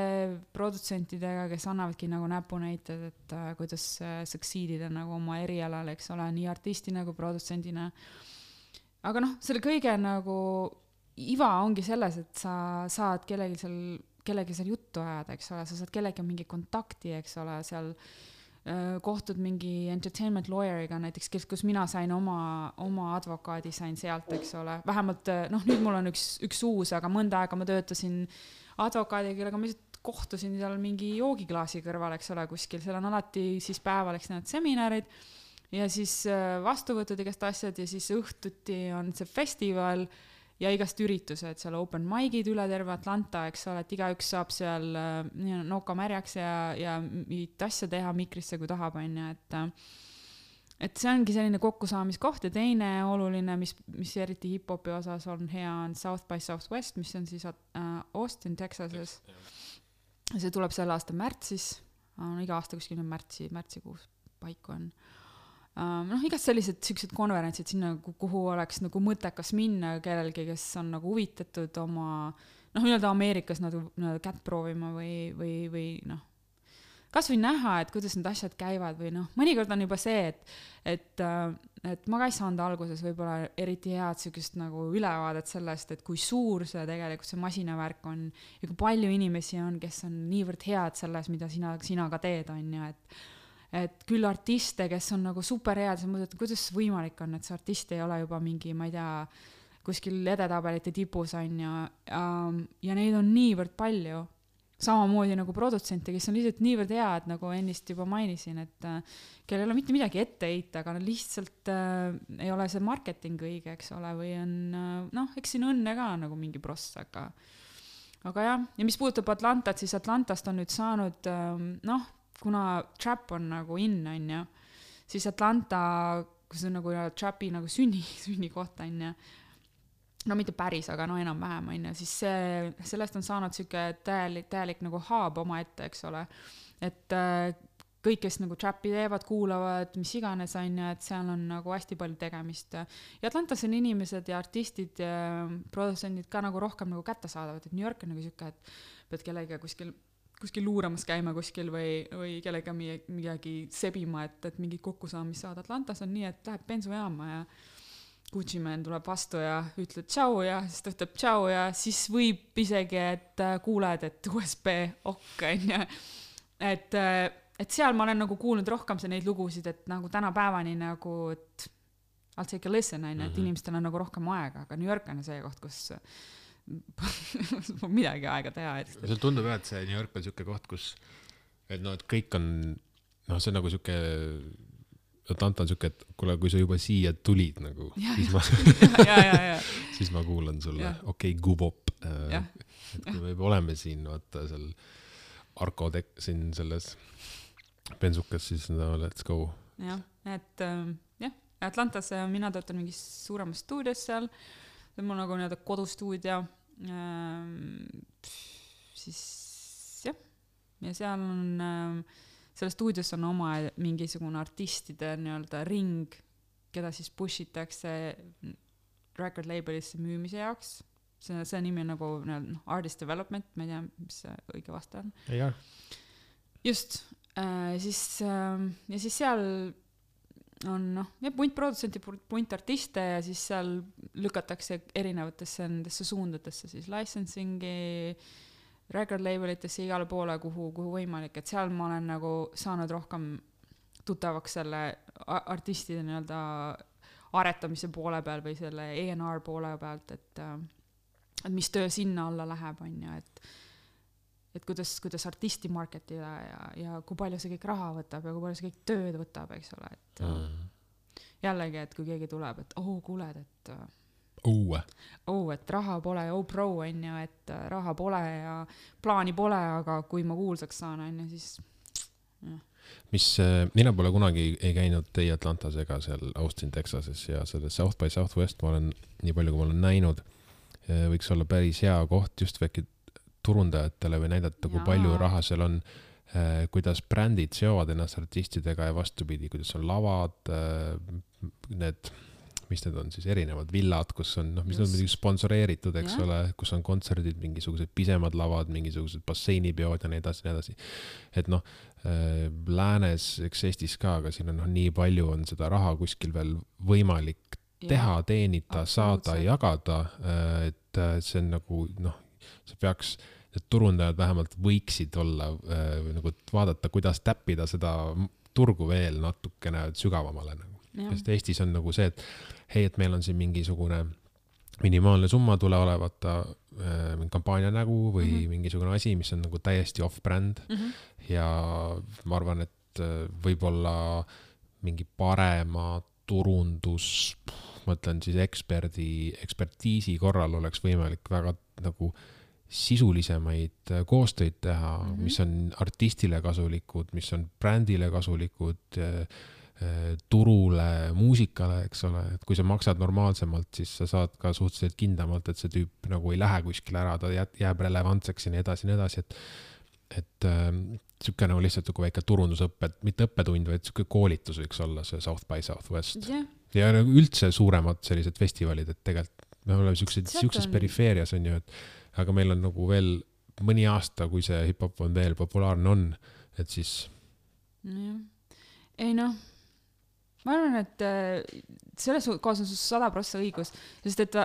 produtsentidega, kes annavadki nagu näpunäited, et äh, kuidas äh, succeedida nagu oma erialal, eks ole, nii artistina kui produtsendina. Aga noh, selle kõige nagu iva ongi selles, et sa saad kellegi seal, kellegi seal juttu ajada, eks ole, sa saad kellegi mingi kontakti, eks ole, seal äh, kohtud mingi entertainment lawyeriga näiteks, kes, kus mina sain oma, oma advokaadi sain sealt, eks ole, vähemalt, noh, nüüd mul on üks, üks uus, aga mõnda aega ma töötasin advokaadiga, kellega ma lihtsalt kohtusin seal mingi joogiklaasi kõrval, eks ole, kuskil, seal on alati siis päeval, eks need seminarid ja siis vastuvõtud igast asjad ja siis õhtuti on see festival ja igast üritused, seal open mic'id üle terve Atlanta, eks ole, et igaüks saab seal äh, noka märjaks ja, ja mingit asja teha mikrisse, kui tahab, on ju, et et see ongi selline kokkusaamiskoht ja teine oluline, mis, mis eriti hip-hopi osas on hea, on South by Southwest, mis on siis äh, Austin, Texases. See tuleb selle aasta märtsis, on iga aasta kuskil märtsi, märtsikuus paiku on. Um, noh, igast sellised siuksed konverentsid sinna, kuhu oleks nagu mõttekas minna kellelgi, kes on nagu huvitatud oma, noh, nii-öelda Ameerikas nagu kätt proovima või, või, või noh, kas või näha, et kuidas need asjad käivad või noh, mõnikord on juba see, et, et, et ma ka ei saanud alguses võib-olla eriti head siukest nagu ülevaadet sellest, et kui suur see tegelikult see masinavärk on ja kui palju inimesi on, kes on niivõrd head selles, mida sina, sina ka teed, on ju, et et küll artiste, kes on nagu super head, sa mõtled, kuidas võimalik on, et see artist ei ole juba mingi, ma ei tea, kuskil edetabelite tipus on ja, ja neid on niivõrd palju. Samamoodi nagu produtsente, kes on lihtsalt niivõrd head, nagu ennist juba mainisin, et kellel ei ole mitte midagi ette heita, aga lihtsalt äh, ei ole see marketing õige, eks ole, või on, noh, eks siin õnne ka nagu mingi pross, aga aga jah, ja mis puudutab Atlantat, siis Atlantast on nüüd saanud, äh, noh, kuna trap on nagu in, on ju, siis Atlanta, kus on nagu trapi nagu sünni, sünni kohta, on ju, no mitte päris, aga no enam vähem, on ju, siis see, sellest on saanud siuke täielik, täielik nagu hub oma ette, eks ole, et äh, kõik, kes nagu trapi teevad, kuulavad, mis iganes, on ju, et seal on nagu hästi palju tegemist. Ja Atlantas on inimesed ja artistid ja produtsendid ka nagu rohkem nagu kätte saadavad, et New York on nagu siuke, et pead kellega kuskil kuskil luuramas käima kuskil või, või kellega midagi sebima, et, et mingi kokkusaamist saada. Atlantas on nii, et läheb bensujaama ja Gucci Man tuleb vastu ja ütleb tšau ja siis ta ütleb tšau ja siis võib isegi, et kuuled, et U S B ok, on ju. Et, et seal ma olen nagu kuulnud rohkem see neid lugusid, et nagu tänapäevani nagu, et I'll take a listen, on ju, et inimestel on nagu rohkem aega, aga New York on see koht, kus midagi aega teha. See tundub jah, et see New York on siuke koht, kus et no, et kõik on, noh, see on nagu siuke Atlanta on siuke, et kuule, kui sa juba siia tulid nagu, ja, siis, ma, ja, ja, ja. siis ma kuulan sulle, okei, okay, gubop. Et kui me juba oleme siin, vaata seal Arko tek- siin selles bensukas, siis no let's go. Jah, et jah, Atlantas mina töötan mingis suuremas stuudios seal, see on mul nagu nii-öelda kodustuudio, siis jah, ja seal on, selles stuudios on oma mingisugune artistide nii-öelda ring, keda siis pushitakse record labelisse müümise jaoks, see, see nimi on nagu no, artist development, ma ei tea, mis see õige vaste on. Ja. Just, äh, siis äh, ja siis seal on noh, ja punt produtsenti, punt artiste ja siis seal lükatakse erinevatesse nendesse suundadesse siis licensingi, record labelitesse igale poole, kuhu, kuhu võimalik, et seal ma olen nagu saanud rohkem tuttavaks selle artistide nii-öelda aretamise poole peal või selle A and R poole pealt, et, et mis töö sinna alla läheb, on ju, et et kuidas, kuidas artisti marketida ja, ja kui palju see kõik raha võtab ja kui palju see kõik tööd võtab, eks ole, et mm. jällegi, et kui keegi tuleb, et oh, kuuled, et oh, oh, et raha pole, oh pro, on ju, et raha pole ja plaani pole, aga kui ma kuulsaks saan, on ju, siis jah. Mis, mina pole kunagi ei käinud teie Atlantas ega seal Austin, Texases ja selles South by Southwest ma olen, nii palju kui ma olen näinud, võiks olla päris hea koht just väike turundajatele või näidata, kui palju raha seal on, eh, kuidas brändid seovad ennast artistidega ja vastupidi, kuidas on lavad, eh, need, mis need on siis erinevad villad, kus on, noh, mis just. On midagi sponsoreeritud, eks ja. Ole, kus on kontserdid, mingisugused pisemad lavad, mingisugused basseinipeod ja nii edasi, nii edasi. Et noh, eh, läänes, eks Eestis ka, aga siin on noh, nii palju on seda raha kuskil veel võimalik teha, ja. Teenida, saada, jagada, et see on nagu, noh, see peaks, et turundajad vähemalt võiksid olla äh, nagu vaadata, kuidas täppida seda turgu veel natukene sügavamale nagu. Sest Eestis on nagu see, et hei, et meil on siin mingisugune minimaalne summa tule olevata äh, kampaania nägu või mm -hmm. mingisugune asi, mis on nagu täiesti off-brand mm -hmm. ja ma arvan, et äh, võib-olla mingi parema turundus, ma mõtlen siis eksperdi, ekspertiisi korral oleks võimalik väga nagu sisulisemaid koostöid teha, mm -hmm. mis on artistile kasulikud, mis on brändile kasulikud, turule, muusikale, eks ole, et kui sa maksad normaalsemalt, siis sa saad ka suhteliselt kindlamalt, et see tüüp nagu ei lähe kuskile ära, ta jääb relevantseks ja nii edasi, nii edasi, et et äh, siuke nagu lihtsalt nagu väike turundusõppe, mitte õppetund, vaid siuke koolitus võiks olla see South by Southwest yeah. ja nagu üldse suuremad sellised festivalid, et tegelikult me oleme siuksed, siukses on... perifeerias on ju, et aga meil on nagu veel mõni aasta, kui see hip-hop on veel populaarne on, et siis ja. Ei noh, ma arvan, et selles kohas on sada prossa õigus, sest et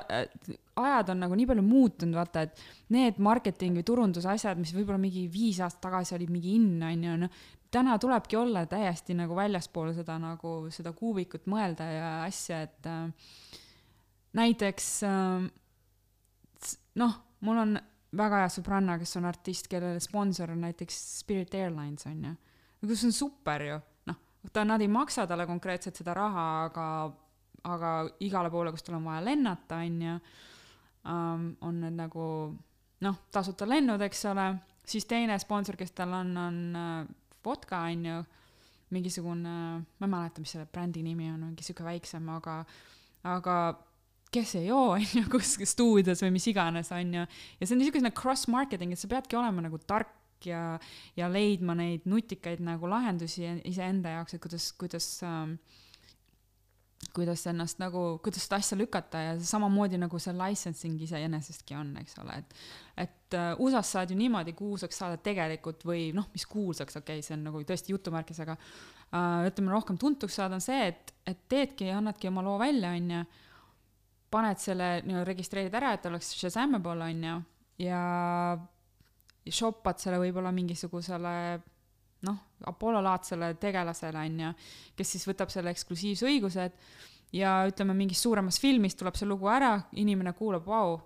ajad on nagu nii palju muutunud, vaata, et need marketingi või turunduse asjad, mis võib-olla mingi viis aastat tagasi olid mingi inn, on ju, no, täna tulebki olla täiesti nagu väljaspool seda, nagu, seda kuubikut mõelda ja asja, et äh, näiteks äh, noh, mul on väga hea sõbranna, kes on artist, kellele sponsor on näiteks Spirit Airlines, on ju. Kus on super ju. Noh, ta, nad ei maksa talle konkreetselt seda raha, aga, aga igale poole, kus tal on vaja lennata, on ju, um, on need nagu, noh, tasuta lennud, eks ole. Siis teine sponsor, kes tal on, on uh, vodka, on ju, mingisugune, ma ei mäleta, mis selle brändi nimi on, mingi siuke väiksem, aga, aga kes ei joo, on ju, kus stuudios või mis iganes, on ju. Ja see on niisugune cross-marketing, et sa peadki olema nagu tark ja, ja leidma neid nutikaid nagu lahendusi iseenda jaoks, et kuidas, kuidas, ähm, kuidas ennast nagu, kuidas seda asja lükata ja samamoodi nagu see licensing ise enesestki on, eks ole. Et, et uh, U S A-s saad ju niimoodi kuulsaks saada tegelikult või noh, mis kuulsaks, okei, okay, see on nagu tõesti jutumärkis, aga uh, ütleme rohkem tuntuks saada on see, et, et teedki ja annadki oma loo välja, on ju. Paned selle, no, registreerid ära, et oleks Shazamable, on ju, ja shoppad selle võib-olla mingisugusele, noh, Apollo-laadsele tegelasele, on ju, kes siis võtab selle eksklusiivse õigused ja ütleme, mingis suuremas filmis tuleb see lugu ära, inimene kuulab, vau,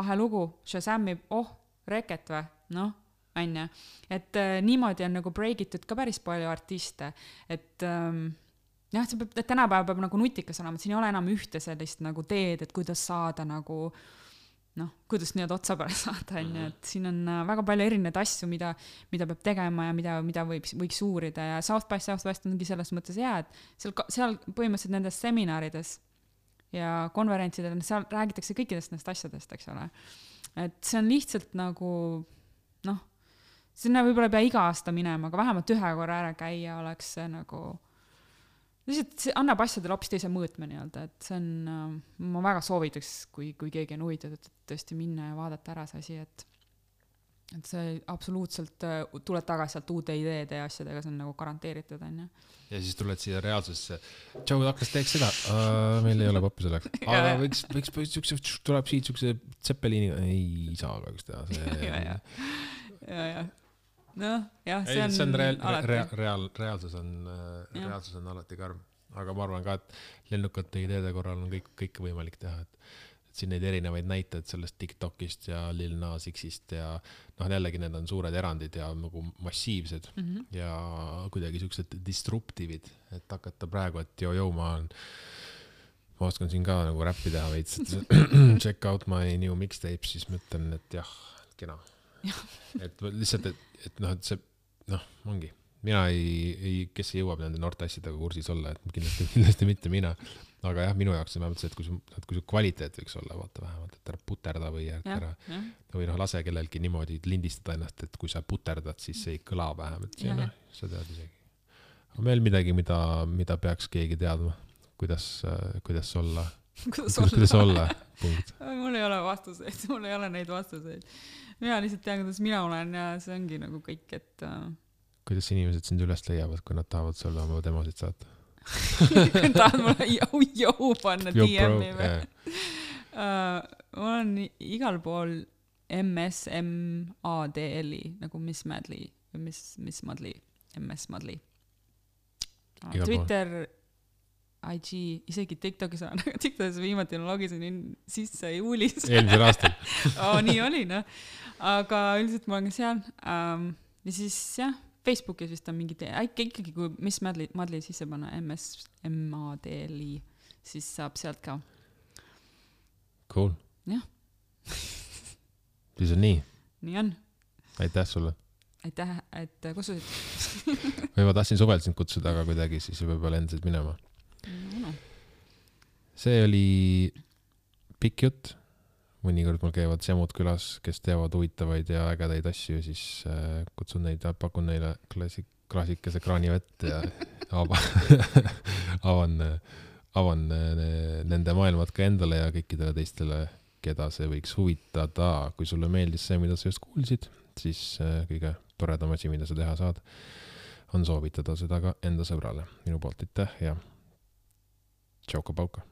lahe lugu, Shazamib, oh, reket või, noh, on ju. Et äh, niimoodi on nagu breakitud ka päris palju artiste, et ähm, jah, see peab, tänapäeva peab nagu nutikas olema, et siin ei ole enam ühte sellist nagu teed, et kuidas saada nagu, noh, kuidas nii-öelda otsa peale saada, on ju, et siin on väga palju erinevaid asju, mida, mida peab tegema ja mida, mida võib, võiks uurida ja South by Southwest ongi selles mõttes hea, et seal, seal põhimõtteliselt nendes seminarides ja konverentsidel, seal räägitakse kõikidest nendest asjadest, eks ole. Et see on lihtsalt nagu, noh, sinna võib-olla pea iga aasta minema, aga vähemalt ühe korra ära käia oleks see nagu lihtsalt see annab asjadele hoopis teise mõõtme nii-öelda, et see on, ma väga soovitaks, kui, kui keegi on huvitatud, et tõesti minna ja vaadata ära see asi, et et see absoluutselt tuleb tagasi sealt uute ideede ja asjadega, see on nagu garanteeritud, on ju. Ja siis tuled siia reaalsusesse. Tšau, hakkas teeks seda. Uh, meil ei ole pappi selleks. Aga võiks, võiks, võiks, tuleb siit sukse Zeppelini. Ei saa kahjuks teha. See... ja, ja. Ja, ja. No, jah, see ei, on, see on real, alati. Real, real, reaalsus, on, reaalsus on alati karm. Aga ma arvan ka, et lennukate ideede korral on kõik, kõik võimalik teha. Et, et siin neid erinevaid näiteid sellest TikTokist ja Lil Nas Xist ja noh, jällegi need on suured erandid ja nagu massiivsed mm -hmm. ja kuidagi siuksed disruptivid, et hakata praegu, et jo-jo, ma on ma oskan siin ka nagu räppi teha veits, et check out my new mixtape, siis mõtlen, et jah, kena. et lihtsalt, et, et noh, et see, noh, ongi. Mina ei, ei, kes ei jõuab nende noorte asjadega kursis olla, et kindlasti, kindlasti mitte mina. Aga jah, minu jaoks on vähemalt see, et kui su, et kui su kvaliteet võiks olla, vaata vähemalt, et ära puterda või ära, ja, ja. või noh, lase kellelgi niimoodi lindistada ennast, et kui sa puterdad, siis see ei kõla vähemalt. See, noh, sa tead isegi. On meil midagi, mida, mida peaks keegi teadma, kuidas, kuidas olla. Kuidas, kuidas, kuidas olla, punkt. Mul ei ole vastuseid, mul ei ole neid vastuseid. Mina lihtsalt tean, kuidas mina olen ja see ongi nagu kõik, et... Kuidas inimesed sind üles leiavad, kui nad tahavad sulle oma demosid saata? Kui tahad mulle jõu, jõu panna D M-i või? Uh, ma olen igal pool M S M A D L I, nagu Miss Madly, Miss, Miss Madly, M S Madly. Uh, Twitter, I G, isegi TikTokis on, aga TikTokis viimati logisin sisse juulis. Eelmisel aastal. oh, nii oli, noh. Aga üldiselt ma olen ka seal. Um, ja siis, jah, Facebookis vist on mingi tee, ikkagi kui Miss Madly, Madly sisse panna M S M A D L I, siis saab sealt ka. Cool. Jah. Siis on nii. Nii on. Aitäh sulle. Aitäh, et kutsusid. või ma tahtsin suvelt sind kutsuda, aga kuidagi siis võib-olla endiselt minema. No, no. See oli pikk jutt. Mõnikord mul käivad semud külas, kes teevad huvitavaid ja ägedaid asju, siis äh, kutsun neid ja pakun neile klassik, klassikese kraanivett ja avan, avan, avan nende maailmad ka endale ja kõikidele teistele, keda see võiks huvitada. Kui sulle meeldis see, mida sa just kuulsid, siis äh, kõige toredam asi, mida sa teha saad, on soovitada seda ka enda sõbrale. Minu poolt aitäh ja tšauka-pauka.